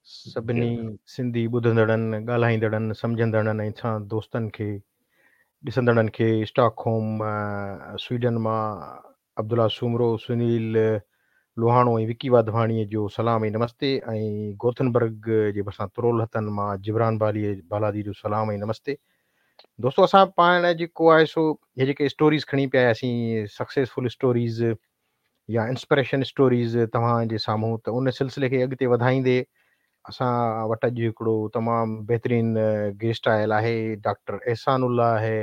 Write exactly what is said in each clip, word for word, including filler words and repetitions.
سڀني سنڌي ٻڌندڙن، ڳالهائيندڙن، سمجهندڙن ۽ اسان دوستن کي، ڏسندڙن کي اسٽاڪ هوم سوئيڊن مان عبدالله سومرو، سنيل لوهاڻو ۽ وڪي واڌواڻيءَ جو سلام ۽ نمستي ۽ گوٿنبرگ جي ڀرسان ترول هٿن مان جبران بالي بالادي جو سلام ۽ نمستي. دوستو اسان پاڻ جيڪو آهي سو هي جيڪي اسٽوريز کڻي پيا آياسين، سڪسيسفل اسٽوريز يا انسپريشن اسٽوريز توهان جي سامهون، ته ان سلسلي کي اڳتي وڌائيندي اسان وٽ اڄ هڪڙو تمام بهترين گيسٽ آيل آهي، ڊاڪٽر احسان الله آهي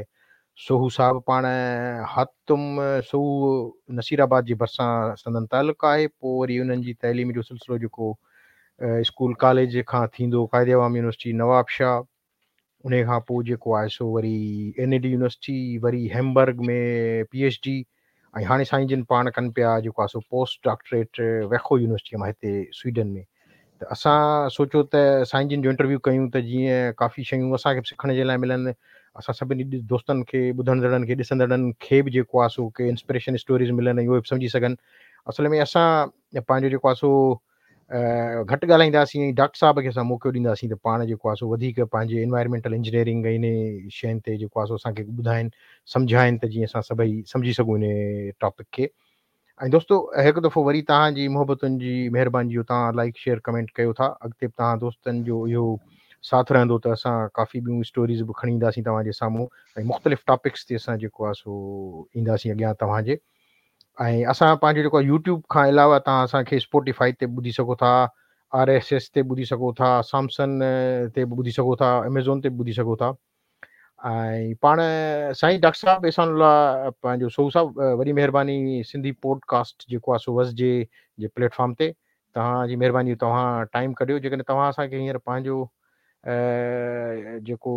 سوهو صاحب. پاڻ هاتم سوهو نصير آباد جي ڀرسان سندن تعلق آهي. پوءِ وري انهن جي تعليم جو سلسلو جيڪو اسڪول ڪاليج کان ٿيندو قائد عوام يونيورسٽي نواب شاهه، ان کان پوءِ جيڪو آهي سو وري اين اي ڊي يونيورسٽي، وري هيمبرگ ۾ پي ايڇ ڊي ۽ هاڻي سائين جن پاڻ ڪن پيا جيڪو آهي سو پوسٽ ڊاڪٽريٽ ويکو يونيورسٽيءَ مان هتي سوئيڊن ۾. ته اسان سوچيو ته سائين جن جو انٽرويو ڪيون ته جيئن ڪافي شيون اسان کي به سکڻ جي لاءِ ملن، اسان سڀني دوستن کي، ٻڌندڙن کي، ڏسندڙن کي به جيڪو آهي سو ڪي انسپريشن اسٽوريز ملن ۽ اهي به سمجهي سگهن. اصل ۾ اسان پنهنجو جيڪو آهي سو گهٽ ڳالهائينداسين ۽ ڊاڪٽر صاحب کي اسان موقعو ڏينداسين ته پاڻ جيڪو آهي سو وڌيڪ پنهنجي انوائرمينٽل انجنيئرنگ ۽ ان شين تي جيڪو آهي سو اسان کي ٻڌائين، سمجهائين ته جيئن اسان سڀئي سمجهي سگهون ان ٽاپڪ کي. ۽ دوستو هڪ دفعو وري توهان جي محبتن جي مهرباني جو توهان لائيڪ شيئر ڪمينٽ ڪيو ٿا. اڳتي به توهان دوستن جو اهو ساٿ رهندو ته اسان ڪافي ٻيون اسٽوريز به کڻي اينداسين توهان جي سامهون ۽ مختلف ٽاپڪس تي اسان جيڪو آهي سو اينداسين اڳيان توهان جي. ۽ اسان پنهنجو جيڪو آهي يوٽيوب کان علاوه توهان اسان کي اسپوٽيفائي تي ٻڌي سگهو ٿا، آر ايس ايس تي ٻڌي سگهو ٿا، سامسنگ تي به ٻڌي سگهو ٿا، ايميزون تي به ٻڌي سگهو ٿا. ۽ پاڻ سائين ڊاڪٽر صاحب احسان الله پنهنجو سوهو صاحب، وڏي مهرباني سنڌي پوڊڪاسٽ جيڪو آهي سو وسجي جي پليٽ فارم تي توهان جي مهرباني، توهان ٽائيم ڪڍيو. جيڪڏهن توهان اسان کي هينئر پنهنجو جيڪو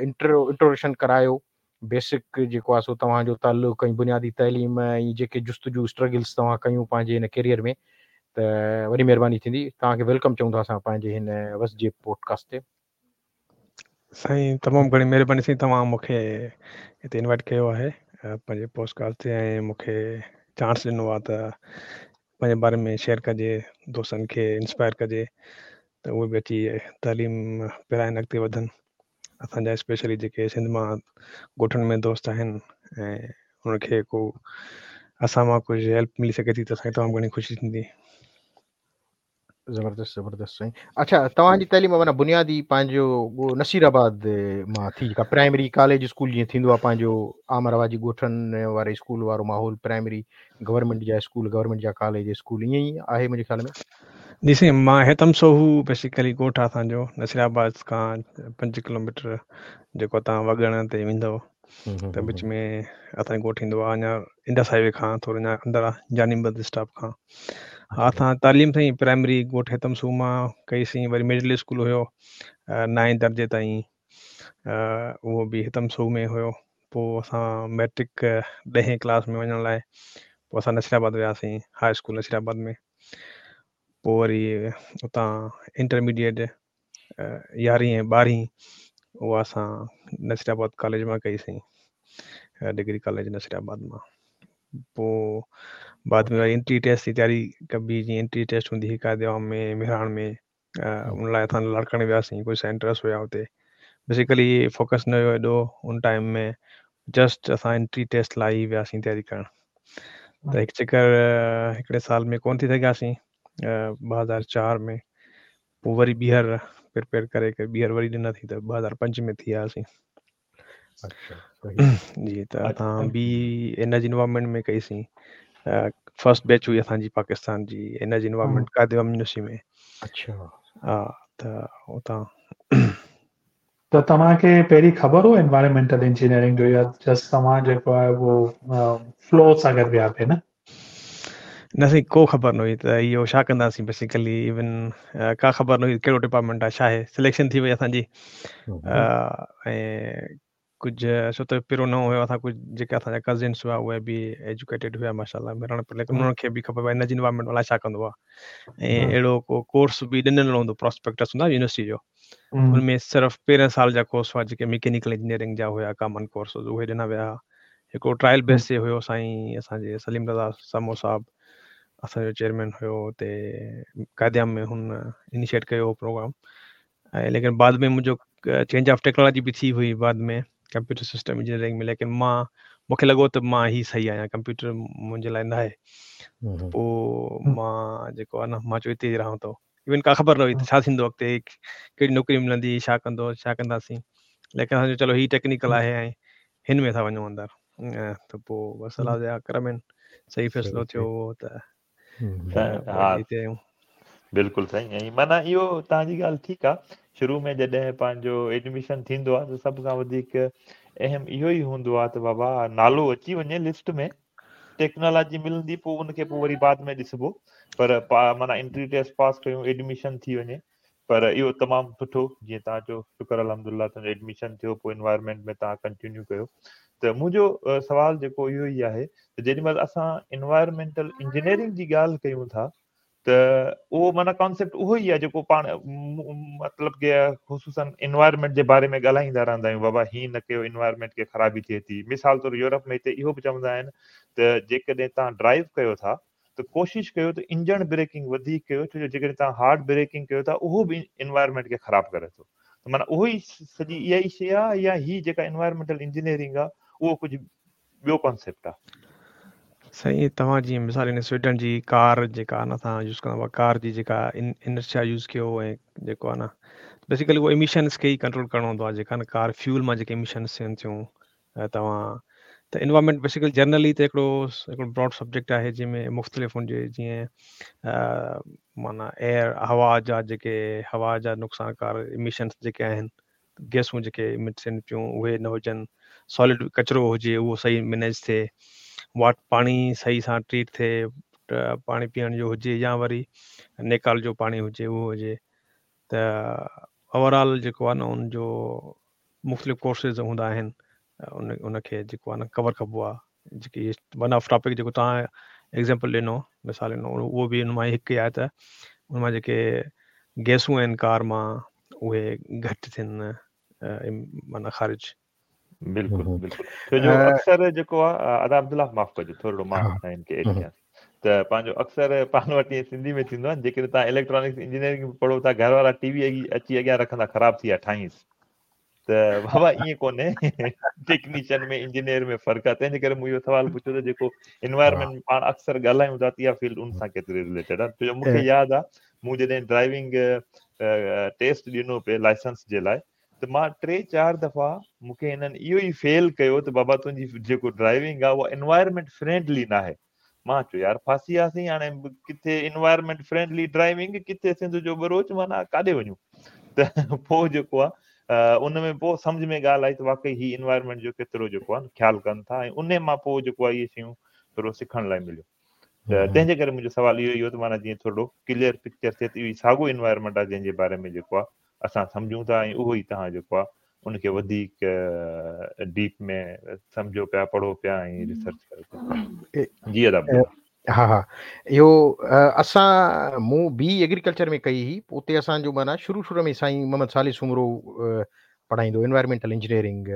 انٽرو انٽروڊڪشن ڪرايو، بيسڪ جيڪو آهي سو توهان جو تعلق ۽ بنيادي تعليم ۽ جيڪي جستجو اسٽرگلس توهان ڪيون پنهنجي هن ڪيريئر ۾، ته وڏي مهرباني ٿيندي. توهان کي welcome چئون ٿا اسان پنهنجي هن وسجي پوڊڪاسٽ تي. سائين تمام گهڻي مهرباني سائين، توهان مون کي هتي انوائيٽ ڪيو آهي پنهنجي پوڊڪاسٽ تي ۽ مون کي چانس ڏنو آهي ته پنهنجي باري ۾ شيئر ڪجي، دوستن کي انسپائر ڪجي ته اهي به اچي تعليم پرائن، اڳتي وڌن. اسان جا اسپيشلي جيڪي سنڌ مان ڳوٺن ۾ دوست آهن ۽ انهن کي ڪو اسان مان ڪجهه هيلپ ملي سگهي ٿي ته اسان کي تمام گهڻي خوشي ٿيندي. زبردست زبردست سائين. اڇا توهان جي تعليم معنيٰ بنيادي پنهنجو نصير آباد مان ٿي، جيڪا پرائمري ڪاليج اسڪول جيئن ٿيندو آهي پنهنجو عام رواجي ڳوٺن واري اسڪول وارو ماحول، پرائمري گورنمينٽ جا اسڪول، گورنمينٽ جا ڪاليج اسڪول، ائين ئي آهي منهنجي خيال ۾. جي سائين، مان هيتم سوهو بيسيڪلي ڳوٺ آهي اسان جو نصير آباد کان پنج ڪلو ميٽر جيڪو توهان وڳڻ تي ويندؤ ته وچ ۾ اسان جو ڳوٺ ايندو آهي، اڃا انڊس هاءِ وي کان ٿورو اڃا اندر آهي، جاني بند اسٽاپ کان. ها اسان تعليم سائين پرائمري ڳوٺ هيتم سوهو مان ڪئيسين، وري مڊل اسڪول هيو نائين درجي تائين، اهو به هيتم سوهو ۾ هيو. پوءِ اسان ميٽرڪ ڏهين ڪلاس ۾ وڃڻ لاءِ پوءِ اسان نصير آباد وياسين، هاءِ اسڪول نصير آباد ۾. پوءِ وري اتان انٽرميڊيئيٽ يارهين ۽ ٻارهين اها اسان نصير آباد ڪاليج مان ڪئيسين، ڊگري ڪاليج نصير آباد مان. پوءِ بعد ۾ وري انٽري ٽيسٽ جي تياري ڪبي، جيئن انٽري ٽيسٽ هوندي هئي قائد عوام ۾ مهراڻ ۾، ان لاءِ اسان لاڙڪاڻي وياسين. ڪجهه سينٽرس هئا اتي، بيسيڪلي فوڪس نه هيو ايڏو ان ٽائيم ۾، جسٽ اسان انٽري ٽيسٽ لاءِ ئي وياسين تياري ڪرڻ. ته هڪ چڪر هڪڙي سال ۾ ڪونه ٿي سگهياسين ٻه هزار چار ۾، پوءِ وري ٻيهر پريپيئر ڪري ڪري ٻيهر وري ڏناسين ته ٻه هزار پنج ۾ ٿي آياسين. جي ته اسان به انرجي انوائرمينٽ ۾ ڪئيسين، فرسٽ بيچ هئي اسان جي پاڪستان جي انرجي انوائرمينٽ قائد عوام يونيورسٽي ۾. اڇا. ها ته اتان ته توهان کي پهرين خبر هو انوائرمينٽل انجنيئرنگ جو يا جسٽ توهان جيڪو آهي اهو فلو سان گڏ ويا پئي؟ نه نه سائين، ڪو خبر نه هئي ته اهو ڇا ڪنداسين. بيسيڪلي ايون ڪا خبر نه هئي ڪهڙو ڊپارٽمينٽ آهي ڇا آهي. سليڪشن ٿي وئي اسان جي ۽ ڪجهه ڇو ته پهريون نئون هيو اسان، ڪجهه جيڪا اسان جا ڪزنس هئا اهي به ايجوڪيٽيڊ هئا ماشاءالله مهراڻ پر، ليڪن انهن کي به خبر پئي انرجي انوائرمينٽ الائي ڇا ڪندو آهي ۽ اهڙو ڪو ڪورس به ڏنل هوندو، پراسپيڪٽس هوندا يونيورسٽي جو، ان ۾ صرف پهرين سال جا ڪورس هئا جيڪي مڪينيڪل انجنيئرنگ جا هئا، ڪامن ڪورس اهي ڏنا ويا. هڪڙو ٽرائل بيس تي هيو سائين اسان جي سليم رضا سمو صاحب، असांजो चेयरमैन हुयो हुते क़ाइद-ए-आम में हुन इनिशिएट कयो प्रोग्राम। ऐं लेकिन बाद में मुंहिंजो चेंज ऑफ़ टेक्नोलॉजी बि थी हुई बाद में कंप्यूटर सिस्टम इंजीनियरिंग में, लेकिन मां मूंखे लॻो त मां ही सही आहियाँ, कंप्यूटर मुंहिंजे लाइ न आहे। पोइ मां जेको आहे न मां चयो हिते ई रहां थो। इवन का ख़बर न हुई त छा थींदो अॻिते, कहिड़ी नौकिरी मिलंदी, छा कंदो छा कंदासीं, लेकिन असांजो चलो ही टेक्निकल आहे ऐं हिन में था वञूं अंदरि, त पोइ बसि अलाह जा करम आहिनि, सही फ़ैसिलो थियो त हा बिल्कुलु सही। ऐं माना इहो तव्हांजी ॻाल्हि ठीकु आहे, शुरू में जॾहिं पंहिंजो एडमिशन थींदो आहे त सभ खां वधीक अहम इहो ई हूंदो आहे त बाबा नालो अची वञे लिस्ट में, टेक्नोलॉजी मिलंदी पोइ उनखे पोइ वरी बाद में ॾिसबो, पर माना एंट्री टेस्ट पास कयूं एडमिशन थी वञे। पर इहो तमामु सुठो जीअं तव्हां चयो शुक्र अल्हम्दुलिल्लाह तव्हांजो एडमिशन थियो, पोइ इन्वायरमेंट में तव्हां कंटिन्यू कयो। त मुंहिंजो सवाल जेको इहो ई आहे त जेॾी महिल असां इन्वायरमेंटल इंजीनियरिंग जी ॻाल्हि कयूं था त उहो माना कॉन्सेप्ट उहो ई आहे जेको पाण मतिलबु की ख़ुसूसन इन्वायरमेंट जे बारे में ॻाल्हाईंदा रहंदा आहियूं, बाबा हीअं न कयो इन्वायरमेंट खे ख़राबी थिए थी। मिसाल तौरु यूरोप में हिते इहो बि चवंदा आहिनि त जेकॾहिं तव्हां ड्राइव कयो था त कोशिशि कयो त इंजन ब्रेकिंग वधीक कयो, छो जो जेकॾहिं तव्हां हार्ड ब्रेकिंग कयो था उहो बि इन्वायरमेंट खे ख़राबु करे थो। त माना उहो ई सॼी इहा ई शइ आहे या ही जेका इन्वायरमेंटल इंजीनियरिंग आहे उहो कुझु ॿियो कॉन्सेप्ट आहे? सही, तव्हां जीअं मिसाल हिन स्वीडन जी कार जेका आहे न असां यूज़ कंदा हुआ, कार जी जेका इनर्शिया यूज़ कयो ऐं जेको आहे न बेसिकली उहो एमिशन्स खे ई कंट्रोल करिणो हूंदो आहे, जेका न कार फ्यूल मां जेके एमिशन्स थियनि थियूं तव्हां त इन्वायरमेंट बेसिकली जनरली त हिकिड़ो हिकिड़ो ब्रॉड सब्जेक्ट आहे जंहिंमें मुख़्तलिफ़ हुनजे जीअं माना एयर हवा जा जेके हवा जा नुक़सानकार एमिशन्स जेके आहिनि, गैसूं जेके इमिट थियनि पियूं उहे न हुजनि, सॉलिड कचरो हुजे उहो सही मैनेज थिए, वाट पाणी सही सां ट्रीट थिए, पाणी पीअण जो हुजे या वरी निकाल जो पाणी हुजे उहो हुजे। त ओवरऑल जेको आहे न उनजो मुख़्तलिफ़ कोर्सेज़ हूंदा आहिनि उन उनखे जेको आहे न कवर कबो आहे। जेकी वन ऑफ़ टॉपिक जेको तव्हां एग्ज़ाम्पल ॾिनो मिसाल ॾिनो उहो बि हुन मां हिकु आहे त हुन मां जेके गैसूं आहिनि कार मां उहे घटि थियनि माना ख़ारिज। बिल्कुलु बिल्कुलु, छो जो अक्सर जेको आहे अदा अब्दुल्ला माफ़ कजो थोरो मां हिन खे एड कयां त पंहिंजो अक्सर पाण वटि ईअं सिंधी में थींदो आहे जेकॾहिं तव्हां इलेक्ट्रॉनिक्स इंजीनियरिंग पढ़ो था घर वारा टीवी अची अॻियां रखंदा ख़राबु थी विया ठाहींसि, त बाबा ईअं कोन्हे, टेक्नीशियन में इंजीनियर में फ़र्क़ु आहे। तंहिंजे करे मूं इहो सवालु पुछियो त जेको इन्वायरमेंट पाण अक्सर ॻाल्हायूं था त इहा फील्ड उन सां केतिरी रिलेटेड आहे। छो जो मूंखे यादि आहे मूं जॾहिं ड्राइविंग टेस्ट ॾिनो पिए लाइसेंस जे लाइ त मां टे चारि दफ़ा मूंखे हिननि इहो ई फेल कयो त बाबा तुंहिंजी जेको ड्राइविंग आहे उहा इन्वायरमेंट फ्रेंडली न आहे। मां चयो यार फासी वियासीं हाणे किथे इन्वायरमेंट फ्रेंडली ड्राइविंग किथे सिंध जो ॿरोच माना काॾे वञूं। त पोइ जेको आहे उन में पोइ सम्झ में ॻाल्हि आई त वाकई ही इन्वायरमेंट जो केतिरो जेको आहे ख़्यालु कनि था ऐं उन मां पोइ जेको आहे इहे शयूं थोरो सिखण लाइ मिलियो। त तंहिंजे करे मुंहिंजो सवालु इहो ई हो त माना जीअं थोरो क्लियर पिक्चर थिए त इहो साॻियो इन्वायरमेंट आहे जंहिंजे बारे में जेको आहे असां सम्झूं था ऐं उहो ई तव्हां जेको आहे उनखे वधीक डीप में सम्झो पिया, पढ़ो पिया ऐं रिसर्च कयो पिया। जी अदा हा हा इहो असां मूं बी एग्रीकल्चर में कई हुई, उते असांजो माना शुरू शुरू में साईं मोहम्मद सालिह सूमरो पढ़ाईंदो इन्वायरमेंटल इंजीनियरिंग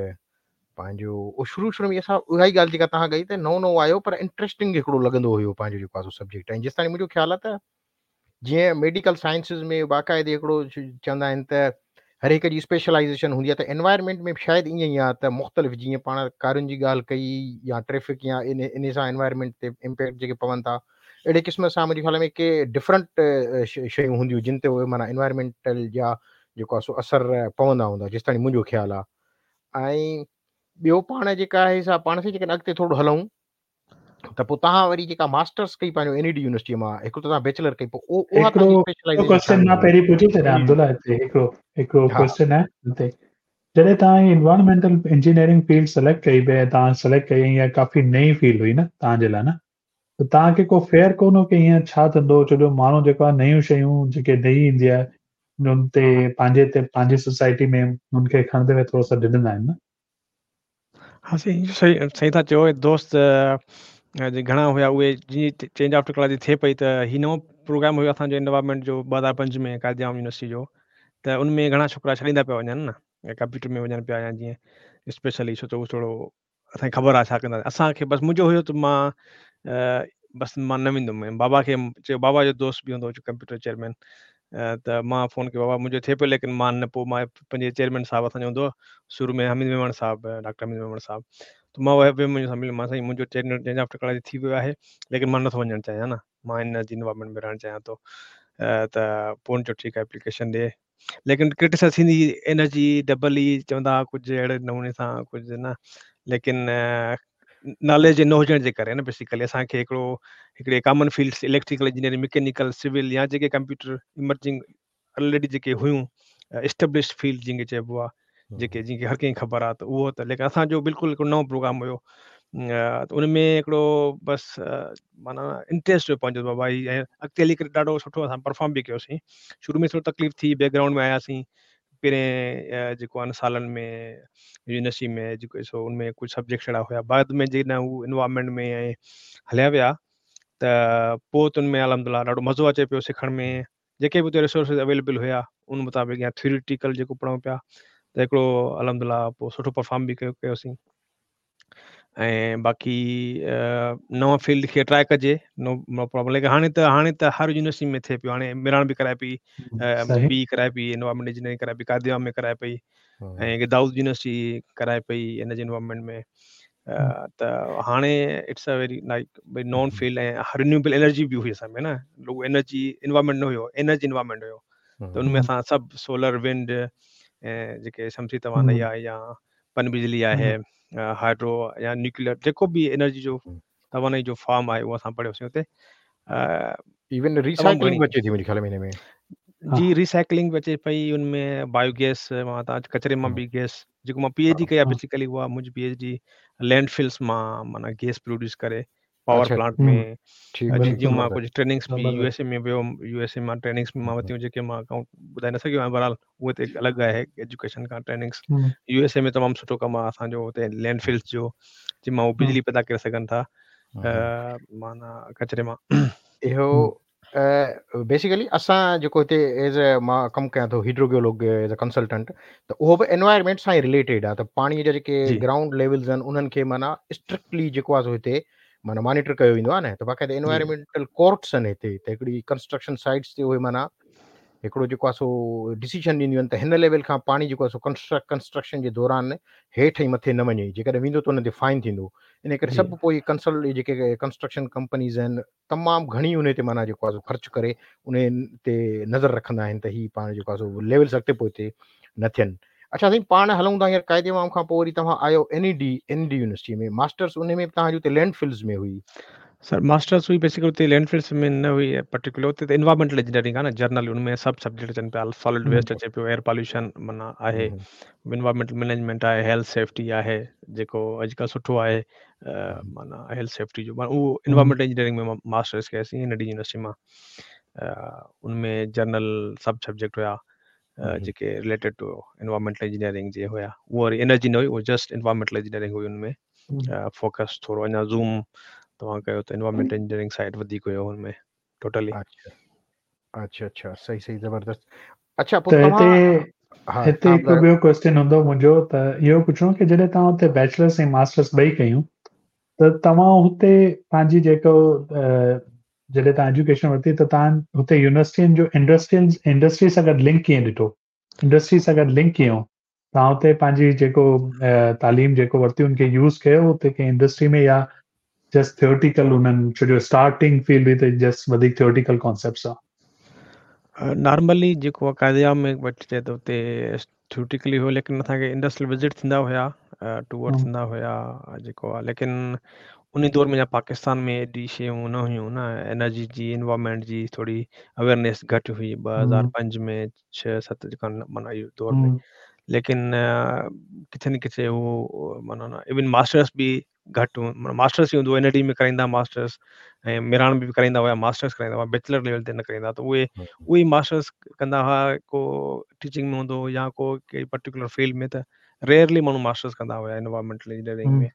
पंहिंजो उहो शुरू शुरू में असां उहा ई ॻाल्हि जेका तव्हां कई त नओं नओं आयो पर इंट्रस्टिंग हिकिड़ो लॻंदो हुयो पंहिंजो जेको आहे सब्जेक्ट। ऐं जेसि ताईं मुंहिंजो ख़्यालु आहे त जीअं मेडिकल साइंसिस में बाक़ाइदे हिकिड़ो चवंदा आहिनि त हर हिक जी स्पेशलाइज़ेशन हूंदी आहे त एनवायरमेंट में शायदि ईअं ई आहे त मुख़्तलिफ़ जीअं पाण कारनि जी ॻाल्हि कई या ट्रैफ़िक या इन इन सां एनवायरमेंट ते इम्पैक्ट जेके पवनि था अहिड़े क़िस्म सां मुंहिंजे ख़्याल में के डिफरेंट शयूं हूंदियूं जिन ते उहे माना एनवायरमेंटल जा जेको आहे सो असरु पवंदा हूंदा जेसि ताईं मुंहिंजो ख़्यालु आहे। ऐं ॿियो पाण जेका आहे सा पाण सां जेकॾहिं अॻिते थोरो हलूं त पोइ तव्हां वरी जेका मास्टर्स कई पंहिंजो एन ई डी यूनिवर्सिटीअ मां, हिकु त तव्हां बैचलर कई, पोइ उहा तव्हांजी स्पेशलाइज़ेशन क्वेश्चन मां पहिरीं पुछी छॾियां अब्दुल्ला हिते हिकिड़ो हिकिड़ो क्वेश्चन आहे हिते। जॾहिं तव्हां एनवायरमेंटल इंजीनियरिंग फील्ड सिलेक्ट कई पई तव्हां सिलेक्ट कई इहा काफ़ी नई फील्ड हुई न तव्हांजे लाइ न, त तव्हांखे को फेयर कोन हो की ईअं छा थींदो? छो जो माण्हू जेको आहे नयूं शयूं जेके नई ईंदी आहे उन ते पंहिंजे ते पंहिंजी सोसाइटी में हुनखे खणंदे हुए थोरो सो ॾिॾंदा आहिनि न। हा सही सही सही था चओ दोस्त घणा हुया उहे जीअं चेंज ऑफ़ टेक्नोलॉजी थिए पई त हीउ नओं प्रोग्राम हुयो असांजो एनवायरमेंट जो ॿ हज़ार पंज में क़ाइद-ए-आम यूनिवर्सिटी जो, त उन में घणा छोकिरा छॾींदा पिया वञनि न कंप्यूटर में वञनि पिया या जीअं स्पेशली छो त उहो थोरो असांखे ख़बर आहे छा कंदा। असांखे बसि मुंहिंजो हुयो त मां बसि मां न वेंदुमि। बाबा खे चयो, बाबा जो दोस्त बि हूंदो हो कंप्यूटर चेयरमैन, त मां फ़ोन कयो बाबा मुंहिंजो थिए पियो, लेकिन मां न पोइ मां पंहिंजे चेयरमैन साहिबु असांजो हूंदो हो शुरू में हमीद मेमण साहिबु, डॉक्टर हमीद मेमण साहिबु, त मां वियुमि हुन सां मिलियुमि, मां साईं मुंहिंजो चेंज ऑफ टेक्नोलॉजी थी वियो आहे, लेकिन मां नथो वञणु चाहियां न, मां हिन जी इन्वायरमेंट में रहणु चाहियां थो। त पोइ हुन चयो ठीकु आहे एप्लीकेशन ॾे, लेकिन क्रिटिसाइज़ थींदी एनर्जी डबल ई चवंदा हुआ कुझु अहिड़े नमूने सां कुझु न, लेकिन नॉलेज न हुजण जे करे न बेसिकली असांखे हिकिड़ो हिकिड़े common fields electrical engineering, mechanical, civil या जेके कंप्यूटर इमर्जिंग ऑलरेडी जेके हुयूं एस्टेब्लिश फील्ड जंहिंखे चइबो आहे, जेके जंहिंखे हर कंहिंखे ख़बर आहे त उहो त, लेकिन असांजो बिल्कुलु हिकिड़ो नओं प्रोग्राम हुयो त उन में हिकिड़ो बसि माना इंट्रस्ट हुयो पंहिंजो बाबा ऐं अॻिते हली करे ॾाढो सुठो असां परफॉर्म बि कयोसीं। शुरू में थोरी तकलीफ़ थी, बैकग्राउंड में आयासीं पहिरें जेको आहे न सालनि में यूनिवर्सिटी में जेको सो उन में कुझु सब्जेक्ट अहिड़ा हुया, बाद में जॾहिं हू इन्वायरमेंट में ऐं हलिया विया त पोइ त उन में अल्हम्दुलिल्लाह ॾाढो मज़ो अचे पियो सिखण में, जेके बि हुते रिसोर्सिस अवेलेबल हुया उन मुताबिक़ या थियोरिटिकल जेको पढ़ूं पिया त हिकिड़ो अल्हम्दुलिल्लाह पोइ सुठो परफॉर्म बि कयो कयोसीं। ऐं बाक़ी नवां फील्ड खे ट्राई कजे, नो नो प्रॉब्लम। लेकिन हाणे त हाणे त हर यूनिवर्सिटी में थिए पियो, हाणे मिराण बि कराए पई, बी कराए पई, एनवायरमेंट इंजीनियरिंग कराए पई, कादिया में कराए पई, ऐं दाऊद यूनिवर्सिटी कराए पई एनर्जी एनवायरमेंट में। त हाणे it's a very like भई नॉन फील्ड ऐं रिन्यूएबल एनर्जी बि हुई असां में न, रुॻो एनर्जी एनवायरमेंट न हुयो, एनर्जी एनवायरमेंट हुयो, त उन में असां सभु सोलर विंड ऐं जेके शमसी तवानाई आहे या पन बिजली आहे, हाइड्रो या न्यूक्लियर, जेको बि एनर्जी जो तवानाई जो फॉर्म आहे उहो असां पढ़ियोसीं हुते। इवन रिसाइकलिंग बि अचे थी मुंहिंजे ख़्याल में हिन में। जी रिसाइकलिंग बि अचे पई, उन में बायोगैस मां तव्हां कचरे मां बि गैस, जेको मां पी एच डी कई आहे बेसिकली उहा मुंहिंजी पी एच डी लैंड फिल्स मां माना गैस प्रोड्यूस करे पावर प्लांट में, जीअं मां कुझु ट्रेनिंग्स बि यूएसए में वियो, यूएसए मां ट्रेनिंग्स बि मां वरितियूं जेके मां अकाउंट ॿुधाए न सघियो आहियां, बहरहाल उहे त हिकु अलॻि आहे एजुकेशन खां ट्रेनिंग्स। यूएसए में तमामु सुठो कमु आहे असांजो हुते लैंड फिल्स जो, जंहिं मां उहे बिजली पैदा करे सघनि था माना कचरे मां। इहो बेसिकली असां जेको हिते एज मां कमु कयां थो हाइड्रोजियोलॉग एज अ कंसल्टेंट, त उहो बि एनवायरमेंट सां ई रिलेटेड आहे, त पाणीअ जा जेके ग्राउंड लेवल्स आहिनि उन्हनि खे माना स्ट्रिक्टली जेको आहे सो हिते माना मॉनिटर कयो वेंदो आहे न, त बाक़ाइदा एनवायरमेंटल कोर्ट्स आहिनि हिते, त हिकिड़ी कंस्ट्रक्शन साइट्स ते उहे माना हिकिड़ो जेको आहे सो डिसीजन ॾींदियूं आहिनि त हिन लेवल खां पाणी जेको आहे सो कंस्ट्रक्ट कंस्ट्रक्शन जे दौरान हेठि ऐं मथे न वञे, जेकॾहिं वेंदो त हुन ते फाइन थींदो। इन करे सभु पोइ कंसल्ट जेके कंस्ट्रक्शन कंपनीज़ आहिनि तमामु घणी उन ते माना जेको आहे सो ख़र्चु करे उन ते नज़र रखंदा आहिनि त हीउ पाण जेको आहे सो लेवल्स अॻिते पोइ न थियनि। अच्छा साईं, पाण हलूं था हींअर क़ाइदे आवाम खां पोइ वरी तव्हां आयो N E D N D university में मास्टर्स, उन में तव्हांजी उते लैंड फिल्स में हुई। सर मास्टर्स हुई बेसिकली उते लैंड फिल्स में न हुई पर्टिकुलर, उते त एनवायरमेंटल इंजीनियरिंग आहे न जनरल, उन में सभु सब्जेक्ट अचनि पिया, सॉलिड वेस्ट अचे पियो, एयर पॉल्यूशन माना आहे, एनवायरमेंटल मैनेजमेंट आहे, हेल्थ सेफ्टी आहे जेको अॼुकल्ह सुठो आहे माना हेल्थ सेफ्टी जो, उहो एनवायरमेंटल इंजीनियरिंग में मास्टर्स कयोसीं एन डी यूनिवर्सिटी मां। उन में जनरल सभु सब्जेक्ट हुया जेके रिलेटेड टू एनवायरमेंटल इंजीनियरिंग जे हुया, उहो वरी एनर्जी न हुई, उहो जस्ट एनवायरमेंटल इंजीनियरिंग हुई। उन में फोकस थोरो अञा ज़ूम तव्हां कयो त एनवायरमेंटल इंजीनियरिंग साइड वधीक हुयो हुन में टोटली। अच्छा अच्छा अच्छा, सही सही, ज़बरदस्त। अच्छा पोइ तव्हां हिते हिकु ॿियो क्वेश्चन हूंदो मुंहिंजो, त इहो पुछणो की जॾहिं तव्हां हुते बैचलर्स ऐं मास्टर्स ॿई कयूं त तव्हां हुते पंहिंजी जेको जॾहिं तव्हां एजुकेशन वरिती त तव्हां हुते यूनिवर्सिटियुनि जो इंडस्ट्री इंडस्ट्री सां गॾु लिंक कीअं ॾिठो, इंडस्ट्री सां गॾु लिंक कीअं तव्हां हुते पंहिंजी जेको तालीम जेको वरिती उनखे यूज़ कयो हुते कंहिं इंडस्ट्री में या जस्ट थियोरिटिकल उन्हनि, छो जो स्टार्टिंग फील्ड हुई त जस्ट वधीक थियोरिटिकल कॉन्सेप्ट्स आहे? नॉर्मली जेको क़ाइदे में वठिजे त हुते थियोरिटिकली हुयो, लेकिन असांखे इंडस्ट्रियल विज़िट थींदा हुया, टूर थींदा हुया जेको आहे, लेकिन उन दौर में पाकिस्तान में एॾी शयूं न हुयूं न, एनर्जी जी एनवायरमेंट जी थोरी अवेयरनेस घटि हुई ॿ हज़ार पंज में छह सत जेका माना इहो दौर में, लेकिन किथे न किथे उहो माना न इवन मास्टर्स बि घटि, मास्टर्स ई हूंदो एन डी में कराईंदा मास्टर्स ऐं मिराण में बि कराईंदा हुआ, मास्टर्स कराईंदा हुआ, बैचलर लेवल ते न कराईंदा, त उहे उहे ई मास्टर्स कंदा हुआ, को टीचिंग में हूंदो या को कंहिं पर्टिकुलर फील्ड में, त रेयरली माण्हू मास्टर्स कंदा हुआ एनवायरमेंटल इंजीनियरिंग में।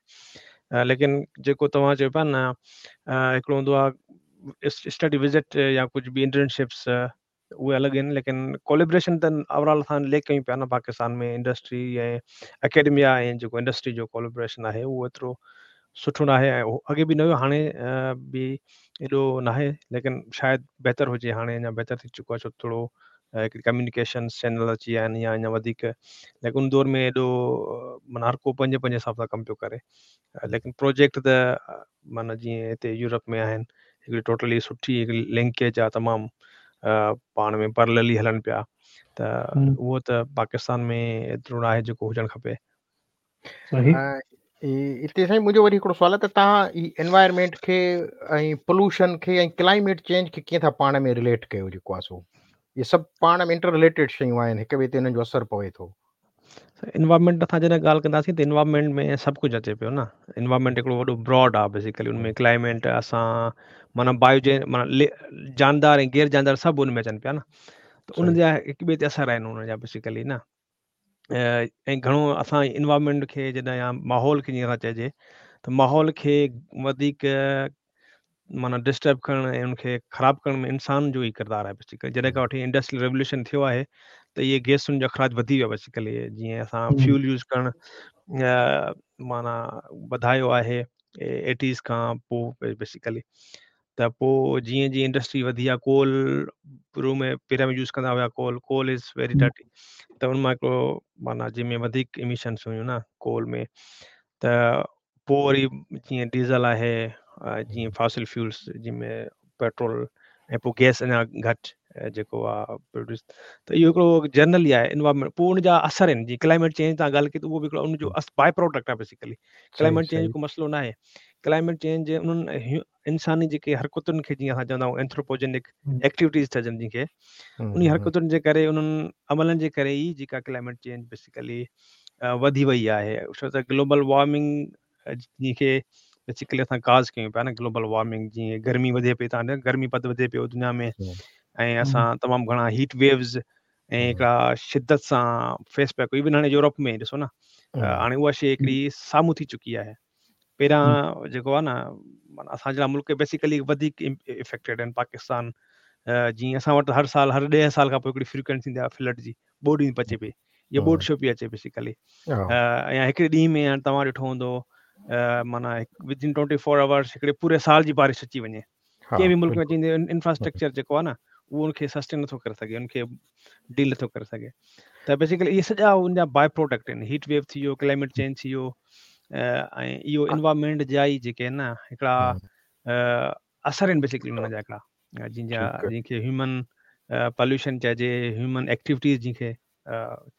लेकिन जेको तव्हां चयो पिया न, हिकिड़ो हूंदो आहे स्टडी विज़िट या कुझु बि इंटर्नशिप्स, उहे अलॻि आहिनि, लेकिन कोलेब्रेशन त ओवरऑल असां लेक कयूं पिया न पाकिस्तान में इंडस्ट्री ऐं अकेडमिया ऐं जेको इंडस्ट्री जो कोलेब्रेशन आहे उहो एतिरो सुठो न आहे, ऐं अॻे बि न हुयो, हाणे बि एॾो नाहे, लेकिन शायदि बहितर हुजे, हाणे अञा बहितर थी चुको आहे, छो थोरो हिकिड़ी कम्यूनिकेशन चैनल अची विया आहिनि या अञा वधीक, लेकिन उन दौर में एॾो माना हर को पंहिंजे पंहिंजे हिसाब सां कमु पियो करे। लेकिन प्रोजेक्ट त माना जीअं हिते यूरोप में आहिनि, हिकिड़ी टोटली सुठी हिकिड़ी लिंकेज आहे, तमामु पाण में पैरेलली हलनि पिया, त उहो त पाकिस्तान में एतिरो न आहे जेको हुजणु खपे। हिते साईं मुंहिंजो वरी हिकिड़ो सुवालु आहे त तव्हां ई एनवायरनमेंट खे ऐं पोल्यूशन खे ऐं क्लाइमेट चेंज खे कीअं था पाण में रिलेट कयो? जेको आहे सो इहे सभु पाण में इंटर रिलेटेड शयूं आहिनि, हिक ॿिए ते हिननि जो असरु पवे थो। एनवायरनमेंट असां जॾहिं ॻाल्हि कंदासीं त एनवायरनमेंट में सभु कुझु अचे पियो न। एनवायरनमेंट हिकिड़ो वॾो ब्रॉड आहे बेसिकली, उन में क्लाइमेट असां माना बायोजे माना जानदार ऐं गैर जानदार सभु उन में अचनि पिया न, त उन जा हिक ॿिए ते असरु आहिनि उन जा बेसिकली न। ऐं घणो असां एनवायरनमेंट खे जॾहिं या माहौल खे जीअं असां चइजे त माहौल खे वधीक माना डिस्टर्ब करणु ऐं उनखे ख़राबु करण में इंसान जो ई किरदारु आहे बेसिकली। जॾहिं खां वठी इंडस्ट्रियल रेवोल्यूशन थियो आहे त इहे गैसुनि जो अख़राज वधी वियो आहे बेसिकली, जीअं असां फ्यूल यूज़ करणु माना वधायो आहे एटीज़ खां पोइ बेसिकली। त पोइ जीअं जीअं इंडस्ट्री वधी आहे, कोल शुरू में पहिरियां में यूज़ कंदा हुआ coal, coal is very dirty, त उन मां हिकिड़ो माना जंहिंमें वधीक इमिशन्स हुयूं न कोल में, त पोइ वरी जीअं डीज़ल आहे, जीअं फॉसिल फ्यूल्स जंहिंमें पेट्रोल ऐं पोइ गैस अञा घटि जेको आहे प्रोड्यूस, त इहो हिकिड़ो जनरली आहे एनवायरनमेंट। पोइ उनजा असर आहिनि, जीअं क्लाइमेट चेंज तव्हां ॻाल्हि कई त उहो बि हिकिड़ो उनजो बाय प्रोडक्ट आहे बेसिकली। क्लाइमेट चेंज को मसइलो न आहे, क्लाइमेट चेंज उन्हनि इंसानी जेके हरकतुनि खे जीअं असां चवंदा आहियूं एंथ्रोपोजेनिक एक्टिविटीज़ चइजनि जंहिंखे, उन हरकतुनि जे करे उन्हनि अमलनि जे करे ई जेका क्लाइमेट चेंज बेसिकली वधी वई आहे। छो त ग्लोबल वार्मिंग जंहिंखे बेसिकली असां काज़ कयूं पिया न, ग्लोबल वार्मिंग जीअं गर्मी वधे पई, तव्हां गर्मी पद वधे पियो दुनिया में ऐं असां तमामु घणा हीट वेव्स ऐं हिकिड़ा शिदत सां फेस पिया कयूं। इवन हाणे यूरोप में ॾिसो न, हाणे उहा शइ हिकिड़ी साम्हूं थी चुकी आहे। पहिरियां जेको आहे न माना असां जहिड़ा मुल्क बेसिकली वधीक इफेक्टेड आहिनि। पाकिस्तान जीअं असां वटि हर साल हर ॾह साल खां पोइ हिकिड़ी फ्रीक्वेंसी ईंदी आहे फ्लड जी, ॿोॾ ईंदी अचे पई, इहा ॿोॾ छो पई अचे बेसिकली। या हिकिड़े ॾींहं में हाणे तव्हां ॾिठो हूंदो माना विदिन ट्वेंटी फोर आवर्स हिकिड़े पूरे साल जी बारिश अची वञे, कंहिं बि मुल्क में अची वञे, इंफ्रास्ट्रक्चर जेको आहे न उहो उनखे सस्टेन नथो करे सघे, उनखे डील नथो करे सघे। त बेसिकली इहे सॼा उनजा बाय प्रोडक्ट आहिनि, हीट वेव थी वियो, क्लाइमेट चेंज थी वियो, ऐं इहो एनवायरनमेंट जा ई जेके आहिनि न हिकिड़ा असर आहिनि बेसिकली उन्हनि जा हिकिड़ा, जंहिंजा जंहिंखे ह्यूमन पॉल्यूशन चइजे, ह्यूमन एक्टिविटीज़ जंहिंखे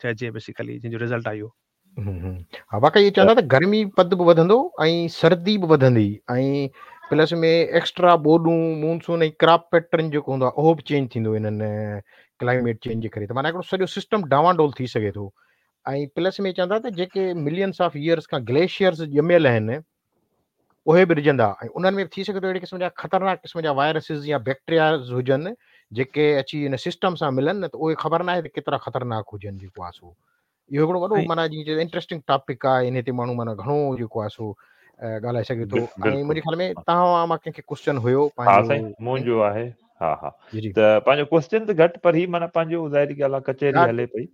चइजे बेसिकली, जंहिंजो रिज़ल्ट आयो। हा, वाकई इहे चवंदा त गर्मी पद बि वधंदो ऐं सर्दी बि वधंदी ऐं प्लस में एक्स्ट्रा ॿोॾूं, मूनसून ऐं क्रॉप पैटर्न जेको हूंदो आहे उहो बि चेंज थींदो हिननि क्लाइमेट चेंज जे करे। त माना हिकिड़ो सॼो सिस्टम डावांडोल थी सघे थो। ऐं प्लस में चवंदा त जेके मिलियंस ऑफ ईयर्स खां ग्लेशियर्स ॼमियल आहिनि उहे बि रिझंदा ऐं उन्हनि में बि थी सघे थो अहिड़े क़िस्म जा ख़तरनाक क़िस्म जा वायरसिस या बैक्टीरियाज़ हुजनि जेके अची हिन सिस्टम सां मिलनि न, त उहे ख़बर न आहे त केतिरा ख़तरनाक हुजनि जेको आहे सो। इहो हिकिड़ो वॾो माना जीअं इंटरेस्टिंग टॉपिक आहे, इन ते माण्हू माना घणो जेको आहे सो ॻाल्हाए सघे थो। ऐं मुंहिंजे ख़्याल में तव्हां मां कंहिंखे क्वेश्चन हुयो पंहिंजो? मुंहिंजो आहे। हा हा, त पंहिंजो क्वेश्चन त घटि पर ही माना पंहिंजो ज़ाहिरी ॻाल्हि आहे कचहरी हले पई,